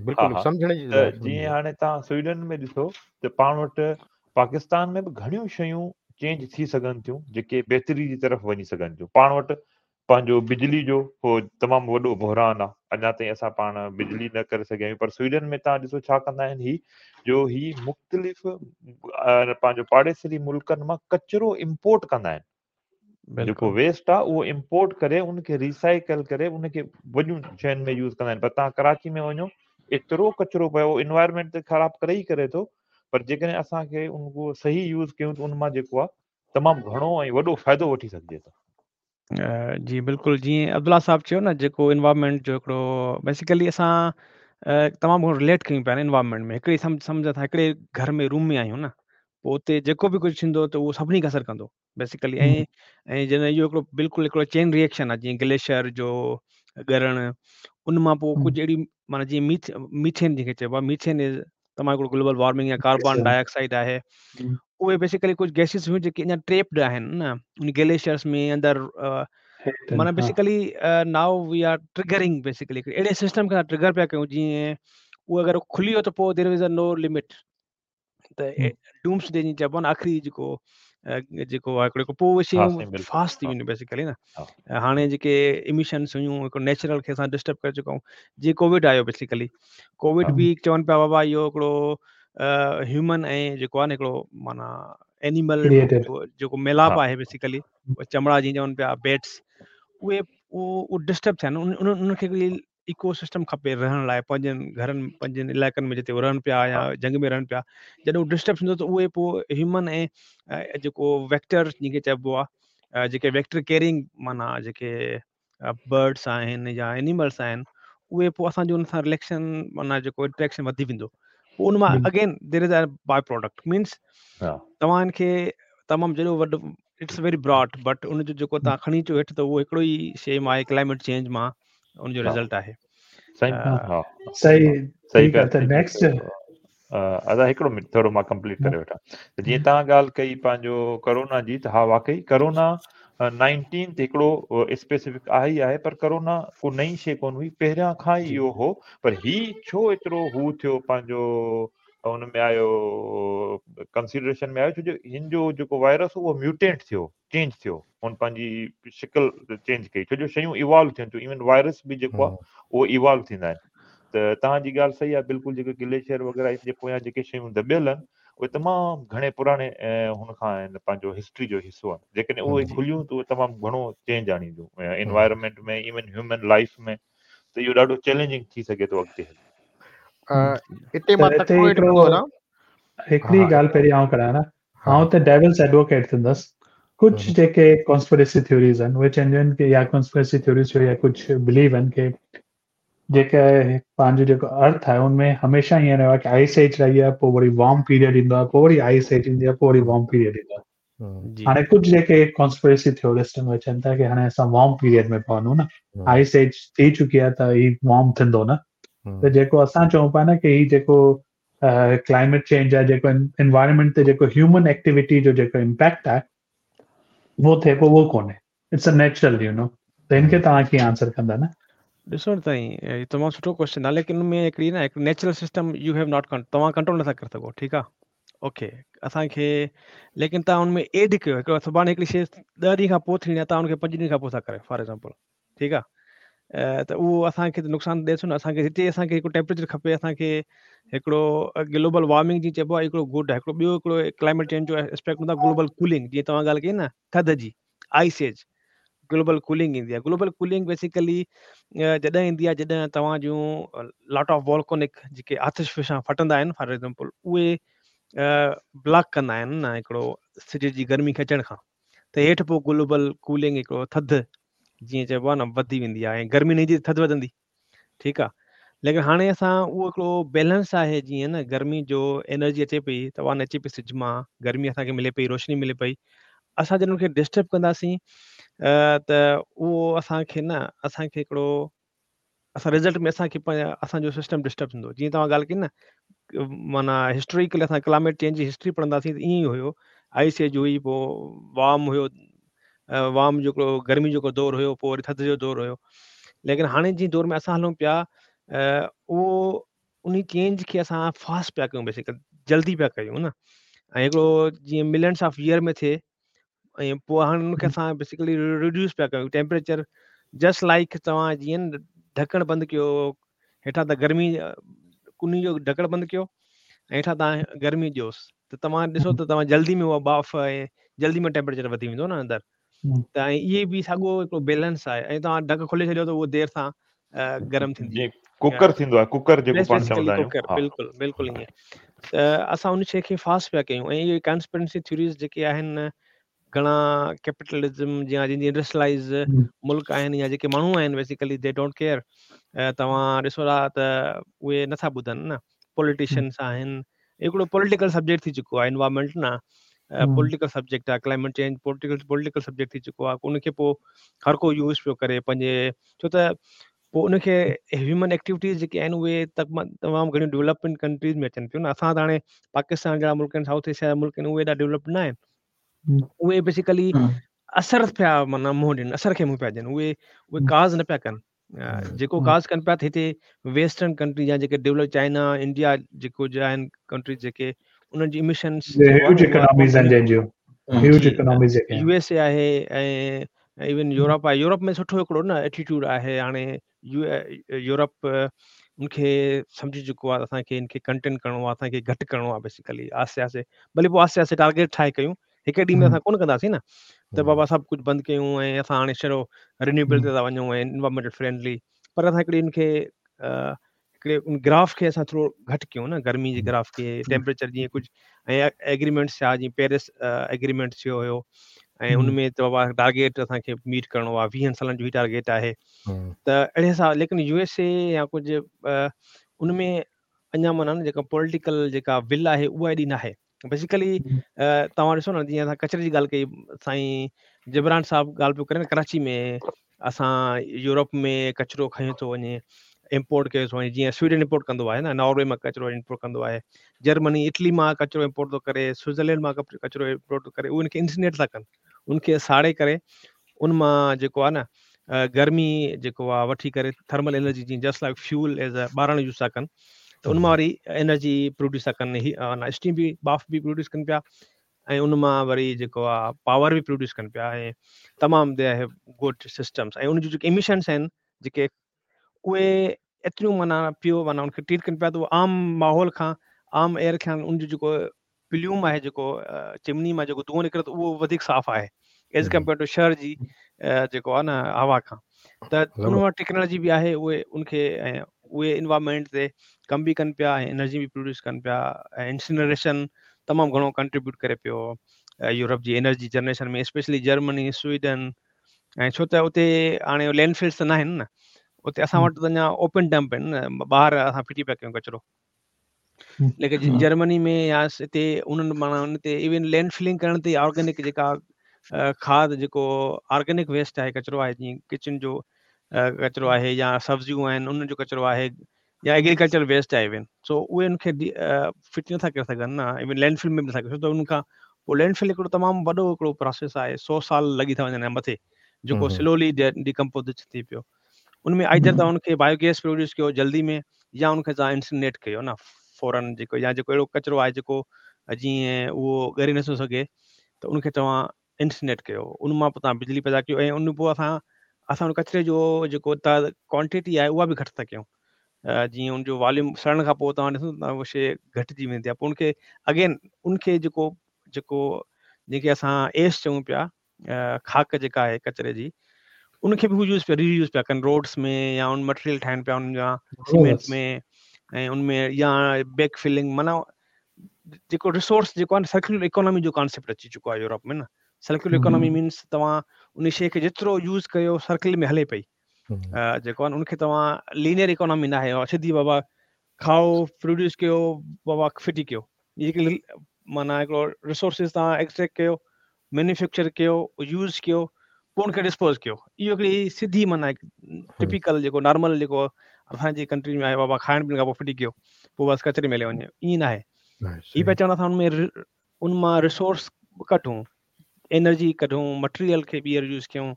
बिल्कुलु सम्झण जी। जीअं हाणे तव्हां स्वीडन में ॾिसो त पाण वटि पाकिस्तान में बि घणियूं शयूं चेंज थी सघनि थियूं जेके बहितरी जी तरफ़ वञी सघनि थियूं। पाण वटि पंहिंजो बिजली जो तमामु वॾो बहरान आहे, अञा ताईं असां पाण बिजली न करे सघिया आहियूं, पर स्वीडन में तव्हां ॾिसो छा कंदा आहिनि ही जो ही मुख़्तलिफ़ पंहिंजो पाड़ेसरी मुल्कनि मां कचरो इम्पोर्ट कंदा आहिनि, जेको वेस्ट आहे उहो इम्पोर्ट करे उनखे रिसाइकल करे उनखे वॾियूं शयुनि में यूज़ कंदा आहिनि। पर तव्हां कराची में वञो एतिरो कचरो पियो, इन्वायरमेंट त ख़राबु करे ई करे थो, पर जेकॾहिं असांखे उनको सही यूज़ कयूं त उन मां जेको आहे तमामु घणो ऐं वॾो फ़ाइदो वठी सघिजे थो। जी बिल्कुलु, जीअं अब्दुल्ला साहिबु चयो न जेको इन्वायरमेंट जो हिकिड़ो बेसिकली असां तमामु घणो रिलेट कयूं पिया न इन्वायरमेंट में, हिकिड़ी सम्झ सम्झ असां हिकिड़े घर में रूम में आहियूं न, पोइ उते जेको बि कुझु थींदो त उहो सभिनी खे असरु कंदो बेसिकली। ऐं ऐं जॾहिं इहो हिकिड़ो बिल्कुलु हिकिड़ो चेन रिएक्शन आहे, जीअं ग्लेशियर जो ॻरण उन मां पोइ कुझु अहिड़ी माना जीअं मीथ मीथेन जंहिंखे चइबो आहे, मीथेन is तमामु हिकिड़ो ग्लोबल वार्मिंग या कार्बन डाइऑक्साइड आहे, उहे बेसिकली कुझु गैसिस हुयूं जेके अञा ट्रेप्ड आहिनि न उन ग्लेशियर्स में अंदरि, माना basically now we are triggering basically अहिड़े सिस्टम खे ट्रिगर पिया कयूं, जीअं उहो अगरि खुली वियो त पोइ there is a no limit, त डूम्स डे जीअं चइबो आहे न, आख़िरी जेको जेको आहे हिकिड़ो पोइ उहे शयूं फास्ट थी वेंदियूं बेसिकली न। हाणे जेके इमिशन्स हुयूं हिकिड़ो नेचुरल खे असां डिस्टर्ब करे चुका आहियूं। जीअं कोविड आयो बेसिकली कोविड बि चवनि पिया बाबा इहो हिकिड़ो ह्यूमन ऐं जेको आहे न हिकिड़ो माना एनिमल जेको मिलाप आहे बेसिकली चमड़ा जीअं चवनि पिया बेट्स उहे उहो डिस्टर्ब थिया आहिनि। उन्हनि खे हिकिड़ी इकोसिस्टम खपे रहण लाइ पंहिंजनि घरनि पंहिंजनि इलाइक़नि में जिते रहनि पिया या जंग में रहनि पिया। जॾहिं उहो डिस्टर्ब थींदो त उहे पोइ ह्यूमन ऐं जेको वेक्टर जंहिंखे चइबो आहे जेके वेक्टर कैरिंग माना जेके बर्ड्स आहिनि या एनिमल्स आहिनि उहे पोइ असांजो उन सां रिलेशन माना जेको इंटरेक्शन वधी वेंदो। पोइ उन मां again there is a by product means तव्हां हिनखे तमामु जेॾो वॾो it's very broad but उनजो जेको तव्हां खणी अचो हेठि त उहो हिकिड़ो ई शइ मां आहे क्लाइमेट चेंज मां उनजो रिज़ल्ट आहे। सही हा सही सही त नेक्स्ट अदा हिकिड़ो मिंट थोरो मां कंप्लीट करे वठां। त जीअं तव्हां ॻाल्हि कई पंहिंजो कोरोना जी त हा वाकई कोरोना नाइनटीन ते हिकिड़ो स्पेसिफिक आहे ई आहे पर कोरोना को नई शइ कोन हुई पहिरियां खां ई इहो हो। पर ही छो एतिरो हू थियो पंहिंजो हुन में आयो कंसिडरेशन में आयो छो जो हिन जो जेको वायरस हो उहो म्यूटेंट थियो चेंज थियो हुन पंहिंजी शिकल चेंज कई छो जो शयूं इवॉल्व थियनि थियूं इवन वायरस बि जेको आहे उहो इवॉल्व थींदा आहिनि। त तव्हांजी ॻाल्हि सही आहे बिल्कुलु जेके ग्लेशियर वग़ैरह हिन जे पोयां जेके शयूं दॿियल आहिनि उहे तमामु घणे पुराणे हुन खां आहिनि पंहिंजो हिस्ट्री जो हिसो आहिनि। जेकॾहिं उहे खुलियूं त उहे तमामु घणो चेंज आणींदियूं एनवायरनमेंट में इवन ह्यूमन लाइफ में त इहो ॾाढो चैलेंजिंग थी सघे थो अॻिते हली। हिते मां तकिड़ो हेठि कंदो हलां। हिकिड़ी ॻाल्हि पहिरीं आउं करां न आउं त डेविल्स एडवोकेट थींदुसि। कुझु जेके कॉन्स्पिरेसी थ्योरीज आहिनि उहे चवंदियूं आहिनि की या कॉन्स्पिरेसी थ्योरीज या कुझु बिलीव आहिनि की जेके पंहिंजो जेको अर्थ आहे उनमें हमेशा ईअं रहियो आहे की आइस एज रही आहे पोइ वरी वार्म पीरियड ईंदो आहे पोइ वरी आइस एज ईंदी आहे पोइ वरी वार्म पीरियड ईंदो आहे। हाणे कुझु जेके कॉन्स्पिरेसी थ्योरिस्ट आहिनि उहे चवनि था की हाणे असां वार्म पीरियड में पहुतूं न आइस एज थी चुकी आहे त हीउ वार्म थींदो न। त जेको असां चऊं पिया न की हीउ जेको क्लाइमेट चेंज आहे जेको एनवायरनमेंट ते जेको ह्यूमन एक्टिविटी जो जेको इम्पैक्ट आहे उहो थिए पियो उहो कोन्हे it's a natural you know. त हिनखे तव्हां कीअं आंसर कंदा न? ॾिसो न साईं तमामु सुठो क्वेश्चन आहे लेकिन उनमें हिकिड़ी न हिकु natural system you have not तव्हां कंट्रोल नथा करे सघो ठीकु आहे ओके असांखे लेकिन तव्हां उनमें एड कयो हिकिड़ो सुभाणे हिकिड़ी शइ ॾह ॾींहं खां पोइ थींदी आहे तव्हां हुनखे पंज ॾींहं खां पोइ था करियो फॉर एग्ज़ाम्पल ठीकु आहे त उहो असांखे त नुक़सानु ॾिए थो न। असांखे हिते असांखे हिकिड़ो टेम्परेचर खपे असांखे हिकिड़ो ग्लोबल वार्मिंग जीअं चइबो आहे हिकिड़ो गुड आहे हिकिड़ो ॿियो हिकिड़ो क्लाइमेट चेंज जो एस्पेक्ट हूंदो आहे ग्लोबल कूलिंग जीअं तव्हां ॻाल्हि कई न थधि जी आइस एज ग्लोबल कूलिंग ईंदी आहे। ग्लोबल कूलिंग बेसिकली जॾहिं ईंदी आहे जॾहिं तव्हांजूं लॉट ऑफ़ वॉल्कोनिक जेके आतिश फिशां फटंदा आहिनि फॉर एग्ज़ाम्पल उहे ब्लॉक कंदा आहिनि न हिकिड़ो सिज जी गर्मी खे अचण खां त हेठि पोइ ग्लोबल कूलिंग हिकिड़ो थधि जीअं चइबो आहे न वधी वेंदी आहे ऐं गर्मी न ईंदी त थधि वधंदी ठीकु आहे। लेकिन हाणे असां उहो हिकिड़ो बैलेंस आहे जीअं न गर्मी जो एनर्जी अचे पई तवान अचे पई सिज मां गर्मी असांखे मिले पई रोशनी मिले पई असां जॾहिं उनखे डिस्टर्ब कंदासीं त उहो असांखे न असांखे हिकिड़ो असां रिज़ल्ट में असांखे असांजो सिस्टम डिस्टर्ब थींदो। जीअं तव्हां ॻाल्हि कई न माना हिस्टोरिकली असां क्लाइमेट चेंज जी हिस्ट्री पढ़ंदासीं त ईअं ई हुयो आइस एज हुई पोइ वार्म हुयो वार्म जो गर्मी जो दौरु हुयो पोइ वरी थधि जो दौरु हुयो। लेकिन हाणे जीअं दौर में असां हलूं पिया उहो उन चेंज खे असां फास्ट पिया कयूं बेसिकली जल्दी पिया कयूं न। ऐं हिकिड़ो जीअं मिलियंस ऑफ़ ईयर में थिए ऐं पोइ हाणे हुनखे असां बेसिकली रिड्यूस पिया कयूं टेम्परेचर जस्ट लाइक तव्हां जीअं ढकणु बंदि कयो हेठां त गर्मी कुनी जो ढकणु बंदि कयो ऐं हेठां तव्हां गर्मी ॾियोसि त तव्हां ॾिसो त तव्हां जल्दी में उहा ॿाफ़ ऐं जल्दी में टेम्परेचर वधी वेंदो न अंदरि। त ऐं इहे बि साॻियो हिकिड़ो बैलेंस आहे ऐं तव्हां ढक खोले छॾियो त उहो देरि सां गरम थींदी। कुकर थींदो आहे कुकर जेको पाण चवंदा आहियूं। कुकर बिल्कुलु बिल्कुलु ईअं। त असां उन शइ खे फास्ट पिया कयूं ऐं इहे कॉन्स्पिरेसी थ्योरीज जेके आहिनि घणा कैपिटलिज़म या जंहिंजी इंडस्ट्रियलाइज़ मुल्क आहिनि या जेके माण्हू आहिनि बेसिकली they don't care. तव्हां ॾिसो था त उहे नथा ॿुधनि न पॉलिटिशियंस आहिनि हिकिड़ो पॉलिटिकल सब्जेक्ट थी चुको आहे एनवायरनमेंट न पॉलिटिकल सब्जेक्ट आहे climate change political political subject थी चुको आहे उनखे पोइ हर को यूज़ पियो करे पंहिंजे छो त पोइ उनखे ह्यूमन एक्टिविटीज़ जेके आहिनि उहे तमामु घणियूं डेवलपमेंट कंट्रीज़ में अचनि पियूं न। असां त हाणे पाकिस्तान जहिड़ा मुल्क आहिनि साउथ एशिया जा मुल्क आहिनि उहे एॾा डेवलप न आहिनि उहे बेसिकली असर पिया माना मुंहुं ॾियनि असर खे मुंहुं पिया ॾियनि उहे उहे काज़ न पिया कनि। जेको काज़ कनि पिया त हिते वेस्टर्न कंट्री या जेके डेवलप चाइना इंडिया जेको आहिनि कंट्रीज़ जेके उन्हनि जी इमिशन्स ह्यूज इकोनॉमीज़ आहिनि जंहिंजूं। هيوج اڪاناميز جيڪي يو ايس اي آهي ۽ ايون يورپ آهي. يورپ ۾ سٺو هڪڙو نه ايٽيٽيوڊ آهي. هاڻي يورپ ان کي سمجهي چڪو آهي اسان کي ان کي ڪنٽين ڪرڻو آهي، اسان کي گهٽ ڪرڻو آهي بيسيڪلي آهستي آهستي، ڀلي پوءِ آهستي آهستي ٽارگيٽ ٺاهي ڪيون، هڪ ڏينهن ۾ اسان ڪونه ڪنداسين نه ته بابا سڀ ڪجهه بند ڪيون ۽ اسان هاڻي ڇڙو رينيوئيبل تي ٿا وڃون ۽ انوائرمينٽل فرينڊلي، پر اسان هڪڙي ان کي هڪڙي ان گراف کي اسان ٿورو گهٽ ڪيون نه، گرمي جي گراف کي، ٽيمپريچر جيئن ڪجهه ۽ ايگريمينٽس ٿيا، جيئن پيرس ايگريمينٽ ٿيو هيو ۽ ان ۾ ته بابا ٽارگيٽ اسان کي ميٽ ڪرڻو آهي، ويهن سالن جو هي ٽارگيٽ آهي ته اهڙي حساب. ليڪن يو ايس اي يا ڪجهه ان ۾ اڃا معنيٰ نه جيڪا پوليٽيڪل جيڪا ول آهي اها ايڏي نه آهي. بيسيڪلي توهان ڏسو نه جيئن اسان ڪچري جي ڳالهه ڪئي، سائين جبران صاحب ڳالهه پيو ڪري نه ڪراچي ۾ اسان يورپ ۾ ڪچرو کڻي ٿو وڃي، امپورٽ ڪيو ٿو وڃي، جيئن سوئيڊن امپورٽ ڪندو آهي نه، ناروي مان ڪچرو امپورٽ ڪندو آهي، جرمني اٽلي مان ڪچرو امپورٽ ٿو ڪري، سوئٽزرلينڊ مان ڪچرو امپورٽ ٿو ڪري، اهي ان کي انسينيٽ ٿا ڪن، ان کي ساڙي ڪري ان مان جيڪو آهي نه گرمي جيڪو آهي وٺي ڪري ٿرمل انرجي جيئن just like fuel as a ٻارڻ يوز ٿا ڪن، ته ان مان وري انرجي پروڊيوس ٿا ڪن، اسٽيم به ٻاڦ به پروڊيوس ڪن پيا ۽ ان مان وري جيڪو آهي پاور به پروڊيوس ڪن پيا ۽ تمام they have good systems. ۽ ان جون جيڪي ايمشنس آهن جيڪي اهي ايتريون معنيٰ پيو معنيٰ ان کي ٽريٽ ڪن پيا ته اهو عام ماحول کان عام ايئر کان ان جو جيڪو پليوم آهي جيڪو چمني مان جيڪو دونهون نڪري ٿو اهو وڌيڪ صاف آهي ايز ڪمپيئر ٽو شهر جي جيڪو آهي نه هوا کان. ته ان وٽ ٽيڪنالاجي به آهي، اهي ان کي ۽ اهي انوائرمينٽ تي ڪم به ڪن پيا ۽ انرجي به پروڊيوس ڪن پيا ۽ انسنريشن تمام گهڻو ڪنٽريبيوٽ ڪري پيو يورپ جي energy generation ۾، specially Germany, Sweden. ۽ ڇو ته اتي هاڻي لينڊ فلس ته نه آهن نه، اتي اسان وٽ ته اڃا اوپن ڊمپ آهن نه، ٻاهر اسان ڦٽي پيا ڪيون ڪچرو. ليڪن جرمني ۾ يا هتي انهن معنيٰ ان تي ايون لينڊ فلنگ ڪرڻ تي آرگينڪ جيڪا کاد جيڪو آرگينڪ ويسٽ آهي ڪچرو آهي، جيئن ڪچن جو ڪچرو آهي يا سبزيون آهن انهن جو ڪچرو آهي يا ايگريڪلچر ويسٽ آهي ايون، سو اهي ان کي فٽ نٿا ڪري سگهن نه، ايون لينڊ فل ۾ به نٿا ڪري، ڇو ته ان کان پوءِ لينڊ فل هڪڙو تمام وڏو هڪڙو پروسيس آهي، سؤ سال لڳي ٿا وڃن مٿي جيڪو سلولي ڊيڪمپوز ٿي پيو. ان ۾ آئيدر توهان ان کي بايوگيس پروڊيوس ڪيو جلدي ۾ يا ان کي توهان انسنيٽ ڪيو نه فورن، جيڪو يا جيڪو اهڙو ڪچرو آهي جيڪو جيئن اهو ڳري نٿو سگهي ته ان کي توهان انسنيٽ ڪيو، ان مان پوءِ توهان بجلي پيدا ڪيو ۽ ان پوءِ اسان اسان ان ڪچري جو جيڪو ڪوانٽٽي آهي اها به گهٽ ٿا ڪيون، جيئن ان جو واليوم سڙڻ کان پوءِ توهان ڏسو ته اها شيءِ گهٽجي ويندي آهي. پوءِ ان کي اگين ان کي جيڪو جيڪو جنهن کي اسان ايس چئون پيا خاڪ جيڪا آهي ڪچري جي، ان کي به هو يوز پيا ري يوز پيا ڪن روڊس ۾ يا ان مٽيريل ٺاهين پيا انهن جا سيمينٽ ۾ ۽ ان ۾ يا بيڪ فلنگ، معنيٰ جيڪو ريسورس جيڪو آهي نه سرڪيولر اڪانامي جو ڪانسيپٽ اچي چڪو آهي يورپ ۾ نه. سرڪيولر اڪانامي مينس توهان ان شيءِ کي جيترو يوز ڪيو سرڪل ۾ هلي پئي، جيڪو آهي ان کي توهان لينيئر اڪانامي نه آهي سڌي بابا کائو پروڊيوس ڪيو بابا ڦٽي ڪيو، جيڪي معنيٰ هڪڙو ريسورسز توهان ايڪسٽريڪٽ ڪيو، مينوفيڪچر ڪيو، يوز ڪيو، پوءِ ان کي ڊسپوز ڪيو. اهو هڪڙي سڌي معنيٰ ٽپيڪل جيڪو نارمل جيڪو اسان جي ڪنٽري ۾ آهي بابا کائڻ پيئڻ کان پوءِ ڦٽي ڪيو پوءِ بس ڪچري ۾ هلي وڃي، ائين نه آهي. هي پيا چون اسان ان ۾ ان مان ريسورس ڪڍون، انرجي ڪڍون، مٽيريل کي ٻيهر يوز ڪيون.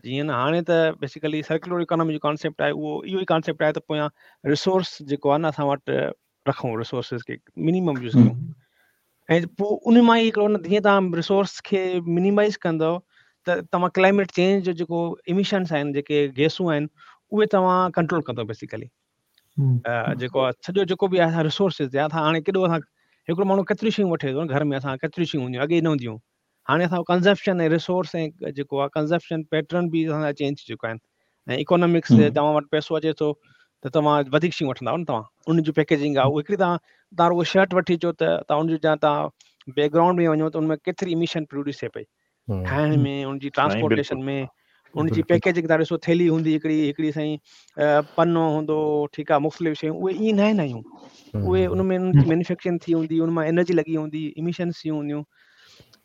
جيئن نه هاڻي ته بيسيڪلي سرڪيولر اڪانامي جو ڪانسيپٽ آهي اهو اهو ئي ڪانسيپٽ آهي ته پويان ريسورس جيڪو آهي نه اسان وٽ رکون، ريسورسز کي منيمم يوز ڪيون ۽ پوءِ ان مان ئي هڪڙو نه جيئن توهان ريسورس کي منيمائز ڪندؤ ته توهان ڪلائيميٽ چينج جو جيڪو ايمشنس آهن جيڪي گيسون آهن اهي توهان ڪنٽرول ڪندؤ بيسيڪلي. جيڪو آهي سڄو جيڪو به آهي ريسورسز تي اسان هاڻي ڪيڏو اسان هڪڙو ماڻهو ڪيتريون شيون وٺي ٿو گهر ۾، اسان ڪيتريون شيون هونديون اڳي نه هونديون، هاڻي اسان ڪنزمپشن ۽ ريسورس ۽ جيڪو آهي ڪنزمپشن پيٽرن به اسان جا چينج ٿي چڪا آهن ۽ اڪانامڪس توهان وٽ پئسو اچي ٿو ته توهان وڌيڪ شيون وٺندا نه، توهان ان جو پيڪيجنگ آهي اهو هڪڙي توهان توهان رڳو شرٽ وٺي اچو ته توهان ان جو توهان بيڪ گرائونڊ ۾ وڃو ته ان ۾ ڪيتري اميشن پروڊيوس ٿئي پئي ٺاهڻ ۾، ان جي ٽرانسپورٽيشن ۾، ان جي پيڪيجنگ توهان ڏسو ٿيلهي هوندي هڪڙي هڪڙي سائين پنو هوندو، ٺيڪ آهي، مختلف شيون اهي ائين نه آهن آهيون، اهي ان ۾ مينوفيڪچرنگ ٿي هوندي، ان مان انرجي لڳي هوندي، اميشنس ٿي هونديون.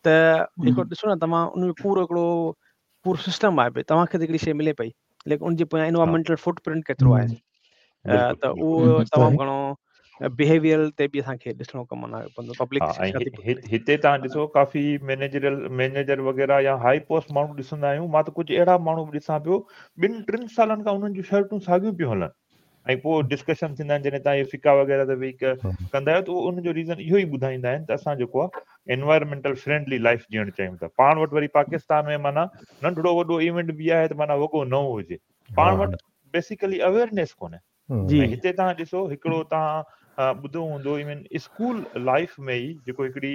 ته هڪڙو ڏسو نه توهان ان ۾ پورو هڪڙو پورو سسٽم آهي ڀئي توهان کي ته هڪڙي شيءِ ملي پئي ليڪن ان جي پويان انوائرمينٽل فٽ پرنٽ ڪيترو آهي، ته اهو تمام گهڻو بهيويئر تي به اسان کي ڏسڻو ڪم نه پوندو. پبلڪ هتي توهان ڏسو ڪافي مئنيجرل مئنيجر وغيره يا هاءِ پوسٽ ماڻهو ڏسندا آهيون، مان ته ڪجهه اهڙا ماڻهو به ڏسان پيو ٻن ٽن سالن کان انهن جون شرٽون ساڳيون پيون هلن. ऐं पोइ डिस्कशन थींदा आहिनि जॾहिं तव्हां इहे फिका वग़ैरह ते वेही कंदा आहियो त उहो उन जो रीज़न इहो ई ॿुधाईंदा आहिनि त असां जेको आहे एनवायरमेंटल फ्रेंडली लाइफ जीअणु चाहियूं था। पाण वटि वरी पाकिस्तान में माना नंढड़ो वॾो इवेंट बि आहे त माना वॻो न हुजे, पाण वटि बेसिकली अवेयरनेस कोन्हे। ऐं हिते तव्हां ॾिसो हिकिड़ो तव्हां ॿुधो हूंदो इवन स्कूल लाइफ में ई जेको हिकिड़ी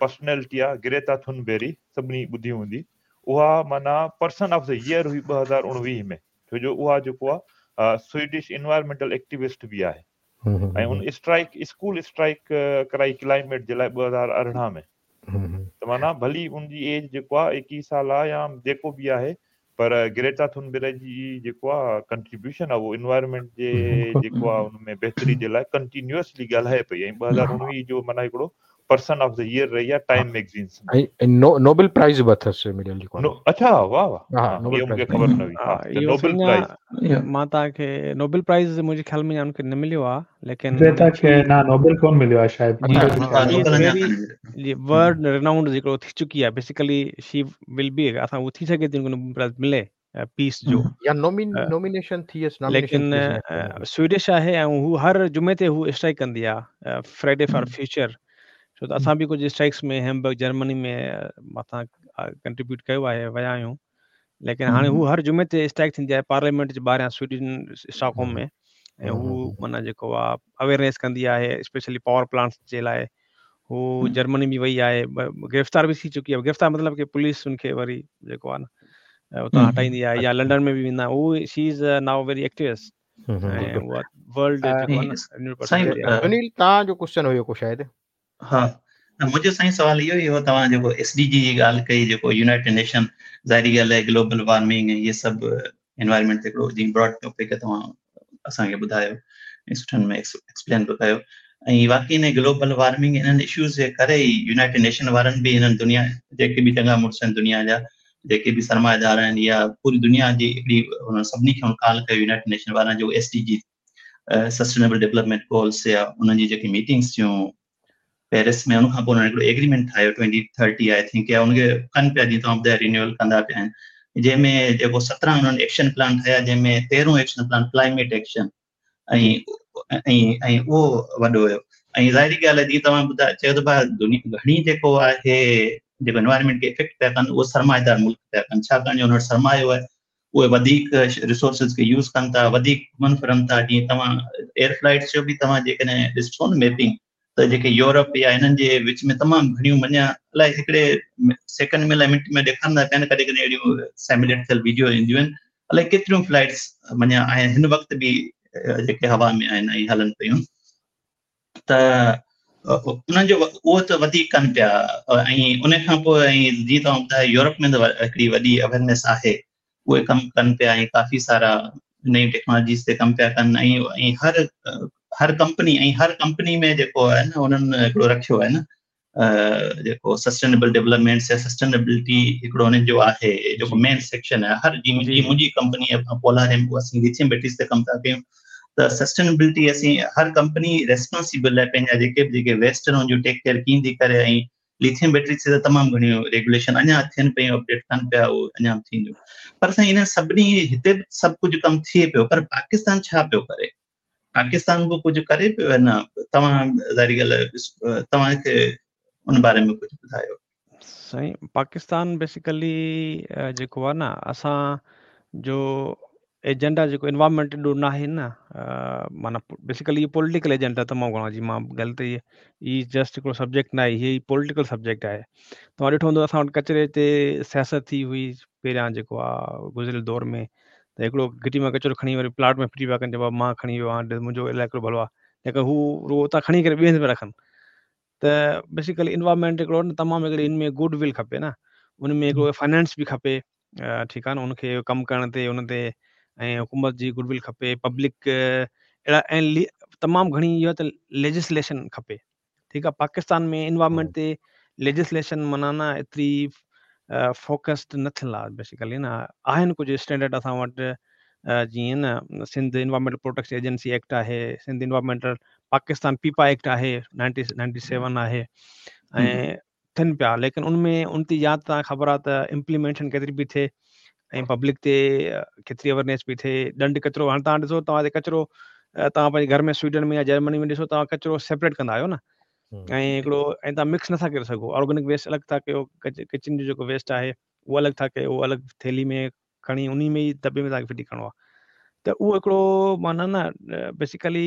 पर्सनैलिटी आहे ग्रेटा थुनबेरी सभिनी ॿुधी हूंदी, उहा माना पर्सन ऑफ the year हुई ॿ हज़ार उणिवीह में, छो जो उहा जेको आहे स्वीडिश एनवायरमेंटल एक्टिविस्ट बि आहे ऐं उन स्ट्राइक स्कूल स्ट्राइक कराई क्लाइमेट जे लाइ ॿ हज़ार अरिड़हं में। त माना भली उनजी एज जेको आहे एकवीह साल आहे या जेको बि आहे, पर ग्रेटा थुनबेरी जी जेको आहे कंट्रीब्यूशन आहे उहो एनवायरमेंट जे जेको आहे उन में बहितरी जे लाइ कंटिन्यूअसली ॻाल्हाए पई ऐं ॿ हज़ार उणिवीह जो माना हिकिड़ो पर्सन ऑफ the year रही आहे टाइम मैगज़ीन्स में। ऐं नोबेल प्राइज़ बि अथसि मिलियल जेको आहे। अच्छा, वाह वाह, हा इहो मूंखे ख़बर न हुई। हा, नोबेल प्राइज़ मां तव्हांखे नोबेल प्राइज़ मुंहिंजे ख़्याल में उनखे न मिलियो आहे, लेकिन ग्रेटा खे न नोबेल कोन मिलियो आहे शायदि। वर्ल्ड रिनाउंड जेको थी चुकी आहे, बेसिकली she will be असां उहो थी सघे थी नोबेल प्राइज़ मिले पीस जो या नॉमिनेशन थी यसि, लेकिन स्वीडिश आहे ऐं हू हर जुमे ते हू स्ट्राइक कंदी आहे फ्राइडे फॉर फ्यूचर। छो त असां बि कुझु स्ट्राइक्स में हैम्बर्ग जर्मनी में असां कंट्रीब्यूट कयो आहे, विया आहियूं, लेकिन हाणे हू हर जुमे ते स्ट्राइक थींदी आहे पार्लियामेंट जे ॿाहिरां स्वीडन स्टॉकहोम में, ऐं हू माना जेको आहे अवेयरनेस कंदी आहे स्पेशली पावर प्लांट्स जे लाइ। हू जर्मनी बि वई आहे, गिरफ़्तार बि थी चुकी आहे, गिरफ़्तार मतिलबु की पुलिस उनखे वरी जेको आहे न उतां हटाईंदी आहे या लंडन में बि वेंदा। हू she is now very activist ऐं उहा वर्ल्ड जेको आहे न। सुनील, तव्हांजो क्वेश्चन हुयो को शायदि? हा, मुंहिंजो साईं सवाल इहो ई हो, तव्हां जेको एस डी जी जी ॻाल्हि कई, जेको यूनाइटेड नेशन, ज़ाहिरी ॻाल्हि आहे ग्लोबल वार्मिंग ऐं इहे सभु एनवायरमेंट ते हिकिड़ो जीअं ब्रॉड टॉपिक तव्हां असांखे ॿुधायो ऐं सुठनि में एक्सप्लेन बि कयो, ऐं वाकई इन ग्लोबल वार्मिंग इन्हनि इश्यूज़ जे करे ई यूनाइटेड नेशन वारनि बि हिननि दुनिया जेके बि चङा मुड़ुस आहिनि दुनिया जा, जेके बि सरमाएदार आहिनि या पूरी दुनिया जी हिकिड़ी हुन सभिनी खे कॉल कयो यूनाइटेड नेशन वारनि जो S D G sustainable development goals या उन्हनि जी जेकी मीटिंग्स थियूं पेरिस में, उन खां पोइ उन्हनि हिकिड़ो एग्रीमेंट ठाहियो ट्वेंटी थर्टी I think, या उनखे कनि पिया जीअं तव्हां ॿुधायो रिन्यूअल कंदा पिया आहिनि, जंहिंमें जेको सत्रहं उन्हनि एक्शन प्लान ठाहिया, जंहिंमें तेरहों एक्शन प्लान क्लाइमेट एक्शन ऐं ऐं ऐं उहो वॾो हुयो। ऐं ज़ाहिरी ॻाल्हि आहे जीअं तव्हां ॿुधायो चयो त भाउ दुनिया घणी जेको आहे जेको एनवायरमेंट खे इफ़ेक्ट पिया कनि उहो सरमाएदार मुल्क पिया कनि, छाकाणि जो हुन वटि सरमायो आहे, उहे वधीक रिसोर्सिस खे यूज़ कनि था, वधीक घुमनि फिरनि था। जीअं तव्हां एयर फ्लाइट्स जो बि तव्हां जेकॾहिं ॾिसो न मैपिंग, त जेके यूरोप या हिननि जे विच में तमामु घणियूं मञा अलाए हिकिड़े सेकंड में अलाए मिंट में ॾेखारींदा पिया आहिनि, कॾहिं कॾहिं अहिड़ियूं सिमुलेट थियल वीडियो ईंदियूं आहिनि, अलाए केतिरियूं फ्लाइट्स मञा आहिनि हिन वक़्तु बि जेके हवा में आहिनि ऐं हलनि पियूं, त उन्हनि जो उहो त वधीक कनि पिया। ऐं उन खां पोइ ऐं जीअं तव्हां ॿुधायो यूरोप में त हिकिड़ी वॾी अवेयरनेस आहे, उहे कमु कनि पिया ऐं काफ़ी सारा नयूं टेक्नोलॉजीज़ ते कमु पिया कनि ऐं ऐं हर हर कंपनी ऐं हर कंपनी में जेको आहे न उन्हनि हिकिड़ो रखियो आहे न जेको सस्टेनेबल डेवलपमेंट या सस्टेनेबिलिटी हिकिड़ो हुननि जो आहे जेको मेन सेक्शन आहे हर जीअं मुंहिंजी कंपनी आहे पोलार असीं लिथियम बैटरीज़ ते कमु था कयूं, त सस्टेनेबिलिटी असीं हर कंपनी रेस्पॉन्सिबल आहे पंहिंजा जेके बि जेके वेस्ट आहिनि हुनजो टेक केयर कीअं थी करे। ऐं लिथियम बैटरी ते त तमामु घणियूं रेगुलेशन अञा थियनि पियूं, अपडेट कनि पिया, उहो अञा बि थींदियूं। पर साईं इन सभिनी हिते बि सभु कुझु कमु थिए पियो, पर पाकिस्तान छा पियो करे? पाकिस्तान बि कुझु करे पियो या न? तव्हां ज़ाहिरी ॻाल्हि तव्हांखे उन बारे में कुझु ॿुधायो। साईं पाकिस्तान बेसिकली जेको आहे न असां जो एजेंडा जेको एनवायरमेंट ॾो न आहे न, माना बेसिकली इहो पॉलिटिकल एजेंडा तमामु घणो आहे। जीअं मां ॻाल्हि त इहा ई जस्ट हिकिड़ो सब्जेक्ट न आहे, हीअ पॉलिटिकल सब्जेक्ट आहे। तव्हां ॾिठो हूंदो असां वटि कचरे ते सियासत थी हुई पहिरियां जेको आहे गुज़िरियल दौर में, त हिकिड़ो घिटी मां कचरो खणी वरी प्लाट में फिटी पिया कनि, चइबो आहे मां खणी वियो आहियाँ, मुंहिंजो इलाइक़ो भलो आहे, लेकिन हू रुॻो उतां खणी करे ॿिए हंधि पिया रखनि। त बेसिकली इन्वायरमेंट हिकिड़ो न तमामु हिकिड़ी इन में गुड will खपे न, उन में हिकिड़ो फाइनेंस बि खपे, ठीकु आहे न, उनखे कमु करण ते उन ते ऐं हुकूमत जी गुडविल खपे, पब्लिक अहिड़ा ऐं तमामु घणी इहो त लेजिस्लेशन खपे, ठीकु आहे। पाकिस्तान में इन्वायरमेंट ते लेजिस्लेशन माना न एतिरी फोकस्ड न थियल आहे बेसिकली न। आहिनि कुझु स्टैंडर्ड असां वटि, जीअं न Sindh environmental protection agency act आहे, सिंध इन्वायरमेंटल पाकिस्तान पीपा एक्ट आहे, नाइनटी नाइनटी सेवन आहे, ऐं थियनि पिया, लेकिन उनमें उन ते या तव्हांखे ख़बर आहे त इम्प्लीमेंटेशन केतिरी पई थिए ऐं पब्लिक ते केतिरी अवेयरनेस पई थिए, ॾंड केतिरो। हाणे तव्हां ॾिसो तव्हां ते कचरो توهان پنهنجي گهر ۾ سوئيڊن ۾ يا جرمني ۾ ڏسو توهان ڪچرو سيپريٽ ڪندا آهيو نه ۽ هڪڙو ۽ توهان مڪس نٿا ڪري سگهو آرگينڪ ويسٽ الڳ ٿا ڪيو ڪچن جو جيڪو ويسٽ آهي اهو الڳ ٿا ڪيو اهو الڳ ٿيلهي ۾ کڻي ان ۾ ئي دٻي ۾ توهان کي ڦٽي ڪرڻو آهي ته اهو هڪڙو معنيٰ نه بيسيڪلي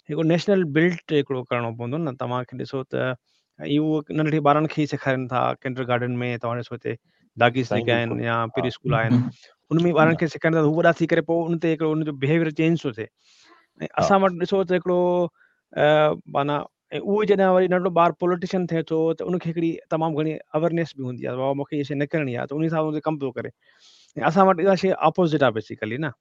هڪڙو نيشنل بلٽ هڪڙو ڪرڻو پوندو نه توهان کي ڏسو ته اهو ننڍڙي ٻارن کي ئي سيکارين ٿا ڪنڊر گارڊن ۾ توهان ڏسو هتي داگيس جيڪي آهن يا پري اسڪول آهن ان ۾ ٻارن کي سيکارين ٿا هو وڏا ٿي ڪري پوءِ ان تي هڪڙو ان جو بهيويئر چينج ٿو ٿئي ۽ اسان وٽ ڏسو ته هڪڙو معنيٰ ۽ اهو جڏهن وري ننڍڙو ٻار پوليٽيشن ٿئي ٿو ته ان کي هڪڙي تمام گهڻي اويئرنيس به هوندي آهي بابا مون کي اها شيءِ نه ڪرڻي آهي ته ان حساب سان ڪم پيو ڪري ۽ اسان وٽ اها شيءِ اپوزٽ آهي بيسيڪلي نه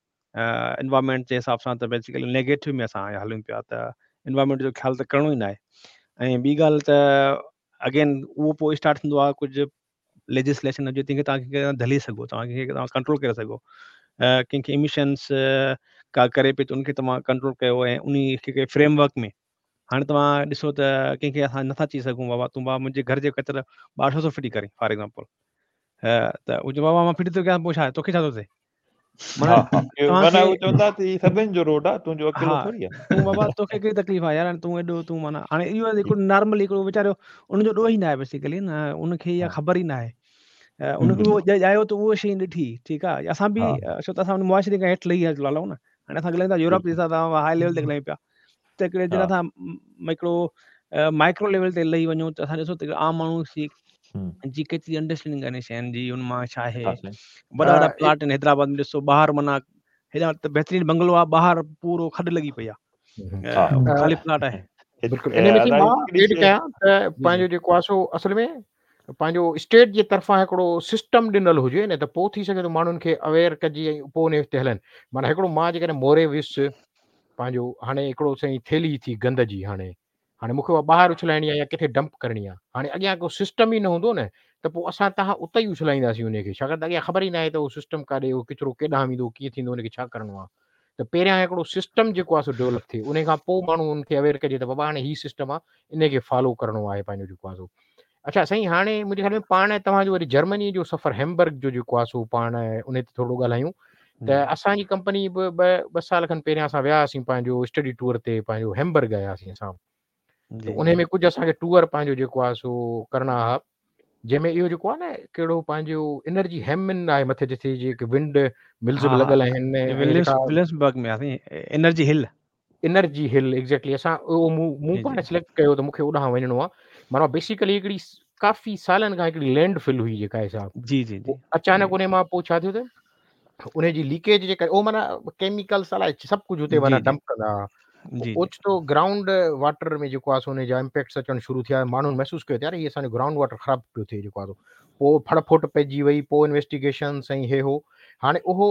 انوائرمينٽ جي حساب سان ته بيسيڪلي نيگيٽو ۾ اسان هلون پيا ته انوائرمينٽ جو خيال ته ڪرڻو ئي نه آهي ۽ ٻي ڳالهه ته اگين اهو پوءِ اسٽارٽ ٿيندو آهي ڪجهه ليجسليشن هجي تنهن کي توهان کي ڌلي سگهو توهان کي توهان ڪنٽرول ڪري سگهو ڪنهن کي اميشنس ڪا ڪري پئي ته ان کي توهان ڪنٽرول ڪيو ۽ ان کي فريم ورڪ ۾ هاڻي توهان ڏسو ته ڪنهن کي اسان نٿا چئي سگهون بابا تون بابا منهنجي گهر جي ڪچرو ٻاهر ڇو ٿو ڦٽي ڪرين فار ايگزامپل ته اهو چئي بابا مان ڦٽي ٿو ڪيان پوءِ ڇا توکي ڇا ٿو ٿئي تون بابا توکي ڪهڙي تڪليف آهي يار تون ايڏو تون معنيٰ هاڻي اهو هڪڙو نارمل هڪڙو ويچارو ان جو ڏوهه ئي نه آهي بيسيڪلي نه ان کي اها خبر ئي نه آهي ان کي اهو ڄايو ته اهو شيءِ ڏٺي ٺيڪ آهي اسان به ڇو ته اسان معاشري کان هيٺ لهي هلون نه هاڻي اسان ڳالهايون ٿا يورپ جي حساب سان هاءِ ليول تي ڳالهايون پيا ته هڪڙي جڏهن اسان هڪڙو مائڪرو ليول تي لهي وڃون ته اسان ڏسو ته عام ماڻهو جي ڪيتري انڊرسٽينڊنگ آهي شين جي ان مان ڇا آهي وڏا وڏا پلاٽ آهن حيدرآباد ۾ ڏسو ٻاهر معنيٰ هيڏا ته بهترين بنگلو آهي ٻاهر پورو کڏ لڳي پئي آهي خالي پلاٽ آهي بلڪل ان ۾ مان ايڊ ڪيان ته پنهنجو جيڪو آهي سو اصل ۾ پنهنجو اسٽيٽ جي طرفان هڪڙو سسٽم ڏنل هجي نه ته پوءِ ٿي سگهي ٿو ماڻهن کي اويئر ڪجي ۽ پوءِ ان تي هلن معنيٰ هڪڙو مان جيڪڏهن موري ويس پنهنجو هاڻي هڪڙو سائين ٿيلهي ٿي گند جي هاڻي هاڻي مون کي اها ٻاهر اڇلائڻي آهي يا ڪٿي ڊمپ ڪرڻي آهي هاڻي اڳيان ڪو سسٽم ئي نه هوندو نه ته پوءِ اسان توهان اتي ئي اڇلائينداسين ان کي ڇاڪاڻ ته اڳيان خبر ئي نه آهي ته اهو سسٽم ڪاڏي اهو ڪچرو ڪيڏانهن ويندو ڪيئن ٿيندو ان کي ڇا ڪرڻو آهي ته پهريان هڪڙو سسٽم جيڪو آهي سو ڊيولپ ٿئي ان کان پوءِ ماڻهو ان کي اويئر ڪجي ته بابا هاڻي هيءُ سسٽم آهي ان کي فالو ڪرڻو آهي پنهنجو جيڪو آهي سو اڇا سائين هاڻي منهنجي خيال ۾ پاڻ توهان جو وري جرمني جو سفر هيمبرگ جو جيڪو آهي سو پاڻ ان تي ٿورو ڳالهايون ته اسان جي ڪمپني به ٻه ٻه سال کن پهريان اسان ويا هئاسين پنهنجو اسٽڊي ٽوئر تي پنهنجو هيمبرگ آياسين اسان ته ان ۾ ڪجهه اسان کي ٽوئر پنهنجو جيڪو آهي سو ڪرڻا هئا جنهن ۾ اهو جيڪو آهي نه ڪهڙو پنهنجو انرجي هيمن آهي مٿي جتي جيڪي ونڊ ملز به لڳل آهن وليمسبرگ ۾ آهي energy hill energy hill exactly اسان اهو مون مون پاڻ سليڪٽ ڪيو ته مون کي اوڏانهن وڃڻو آهي معنيٰ بيسيڪلي هڪڙي ڪافي سالن کان هڪڙي لينڊ فل هئي جيڪا حساب جي جي جي اچانڪ ان مان پوءِ ڇا ٿيو ته ان جي ليڪيج جي ڪري اهو معنيٰ ڪيميڪلس الائي سڀ ڪجهه هتي معنيٰ ڊمپ ڪندا هئا اوچتو گرائونڊ واٽر ۾ جيڪو آهي سو ان جا امپيڪٽس اچڻ شروع ٿيا ماڻهن محسوس ڪيو ته يار هي اسان جو گرائونڊ واٽر خراب پيو ٿئي جيڪو آهي پوءِ ڦڙ ڦوٽ پئجي وئي پوءِ انويسٽيگيشنس ۽ هي هو هاڻي اهو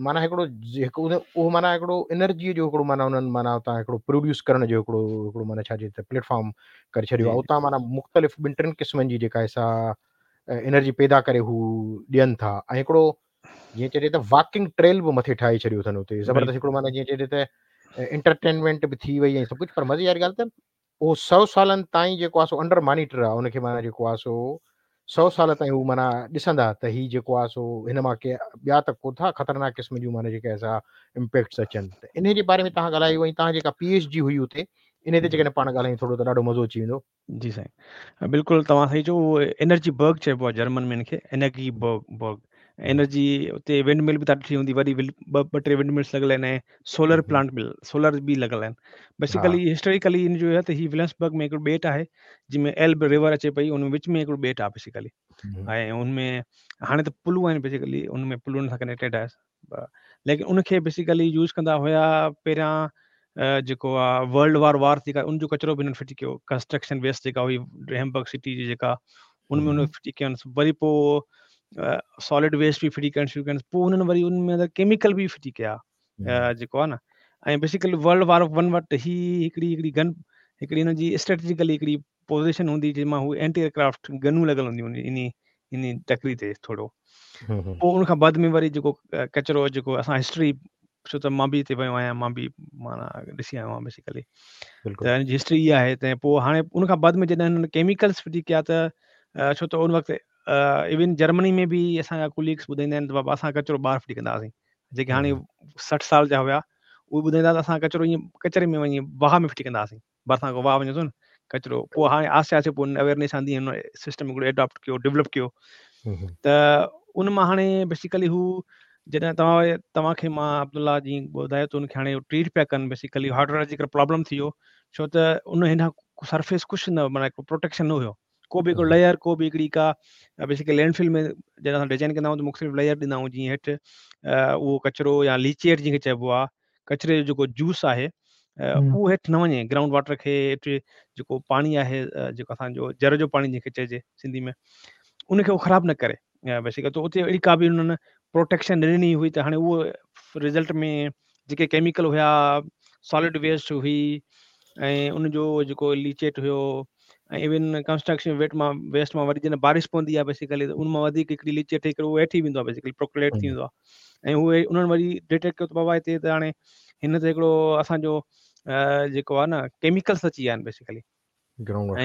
معنيٰ هڪڙو هڪ اهو معنيٰ هڪڙو انرجيءَ جو هڪڙو معنيٰ انهن معنيٰ اتان هڪڙو پروڊيوس ڪرڻ جو هڪڙو هڪڙو معنيٰ ڇا چئجي ته پليٽ فارم ڪري ڇڏيو آهي اتان معنيٰ مختلف ٻن ٽن قسمن جي جيڪا آهي سا انرجي پيدا ڪري هو ڏين ٿا ۽ هڪڙو جيئن چئجي ته واڪنگ ٽريل به مٿي ٺاهي ڇڏيو اٿن اتي زبردست هڪڙو معنيٰ جيئن چئجي ته انٽرٽينمينٽ به ٿي وئي ۽ سڀ ڪجهه پر مزي واري ڳالهه ته اهو سؤ سالن تائين جيڪو آهي سو انڊر مانيٽر آهي ان کي معنيٰ جيڪو آهي سو سؤ سال تائين هو معنيٰ ڏسندا ته هي جيڪو آهي سو هن مان ڪي ٻيا ته ڪو ٿا خطرناڪ قسم جون معنيٰ جيڪي سا امپيڪٽس اچن ته ان جي باري ۾ توهان ڳالهايو ۽ توهان جيڪا پي ايڇ ڊي هئي اتي ان تي جيڪڏهن پاڻ ڳالهايون ٿورو ته ڏاڍو مزو اچي ويندو. جي سائين بلڪل توهان صحيح چيو اهو انرجي برگ چئبو آهي جرمن ۾ ان کي انرجي برگ برگ انرجي اتي ونڊ مل به توهان ڏٺي هوندي وڏي ٻه ٻه ٽي ونڊ ملس لڳل آهن ۽ سولر پلانٽ به سولر به لڳل آهن بيسيڪلي هسٽوريڪلي ان جو آهي ته هي وليمسبرگ ۾ هڪڙو ٻيٽ آهي جنهن ۾ ايلب ريور اچي پئي ان وچ ۾ هڪڙو ٻيٽ آهي بيسيڪلي ۽ ان ۾ هاڻي ته پلون آهن بيسيڪلي ان ۾ پلن سان ڪنيڪٽيڊ آهي ليڪن ان کي بيسيڪلي يوز ڪندا هئا پهريان جيڪو آهي ورلڊ وار وار ٿي ان جو ڪچرو به هنن ڦٽي ڪيو ڪنسٽرڪشن ويسٽ جيڪا هئي هيمبرگ سٽي جي جيڪا ان ۾ هن ڦٽي ڪين وري پوءِ سالڊ ويسٽ به ڦٽي ڪرڻ شروع ڪين پوءِ هنن وري ان ۾ اندر ڪيميڪل به ڦٽي ڪيا جيڪو آهي نه ۽ بيسيڪلي ورلڊ وار ون وٽ هي هڪڙي هڪڙي گن هڪڙي هن جي اسٽريٽجيڪلي هڪڙي پوزيشن هوندي جنهن مان هو اينٽي ايئرڪرافٽ گنون لڳل هونديون ان ان ٽڪري تي ٿورو پوءِ ان کان بعد ۾ وري جيڪو ڪچرو جيڪو اسان هسٽري ڇو ته مان به هتي ويو آهيان مان به معنيٰ ڏسي آيو آهيان بيسيڪلي ته هن جي هسٽري اها آهي ته پوءِ هاڻي ان کان بعد ۾ جڏهن هنن ڪيميڪلس ڦٽي ڪيا ته ڇو ته ان وقت ايون جرمني ۾ به اسان جا ڪليگس ٻڌائيندا آهن ته بابا اسان ڪچرو ٻاهر ڦٽي ڪندا هئاسين جيڪي هاڻي سٺ سال جا هئا اهي ٻڌائيندا ته اسان ڪچرو ائين ڪچري ۾ وڃي واهه ۾ ڦٽي ڪندا هئاسين، ڀرسان کان واهه وڃي ٿو نه ڪچرو. پوءِ هاڻي آهستي آهستي پوءِ اويئرنيس آندي، هن سسٽم هڪڙو ايڊاپٽ ڪيو، ڊيولپ ڪيو. ته ان مان هاڻي بيسڪلي هو جڏهن توهان توهان کي مان عبدالله جي ٻڌايو ته ان کي هاڻي ٽريٽ پيا ڪن، بيسڪلي هائيڊرولاجيڪل پرابلم ٿي ويو، ڇو ته ان هن سرفيس ڪجهه نه معنيٰ هڪڙو پروٽيڪشن نه هيو، ڪو به هڪڙو ليئر، ڪو به هڪڙي ڪا بيسڪلي لينڊ فل ۾ جڏهن اسان ڊزائن ڪندا آهيون ته مختلف ليئر ڏيندا آهيون، جيئن هيٺ اهو ڪچرو يا ليچيٽ جنهن کي چئبو آهي، ڪچري جو جيڪو جوس آهي اهو هيٺ نه وڃي، گرائونڊ واٽر کي هيٺ جيڪو پاڻي آهي، جيڪو اسانجو جر جو پاڻي جنهن کي چئجي سنڌي ۾، ان کي اهو خراب نه ڪري بيسڪلي. ته اتي اهڙي ڪا به انهن پروٽيڪشن نه ڏني هئي، ته هاڻي اهو رزلٽ ۾ جيڪي ڪيميڪل هئا، سالڊ ويسٽ هئي ۽ ان جو جيڪو ليچيٽ هيو ۽ ايون ڪنسٽرڪشن ويٽ مان ويسٽ مان وري جڏهن بارش پوندي آهي بيسڪلي ته ان مان وڌيڪ هڪڙي ليچيٽ ٺهي ڪري اهو هيٺ ئي ويندو آهي، بيسڪلي پروڪليٽ ٿي ويندو آهي. ۽ اهي انهن وري ڊٽيڪٽ ڪيو ته بابا هتي ته هاڻي هن تي هڪڙو اسانجو جيڪو آهي نه ڪيميڪلس اچي ويا آهن basically,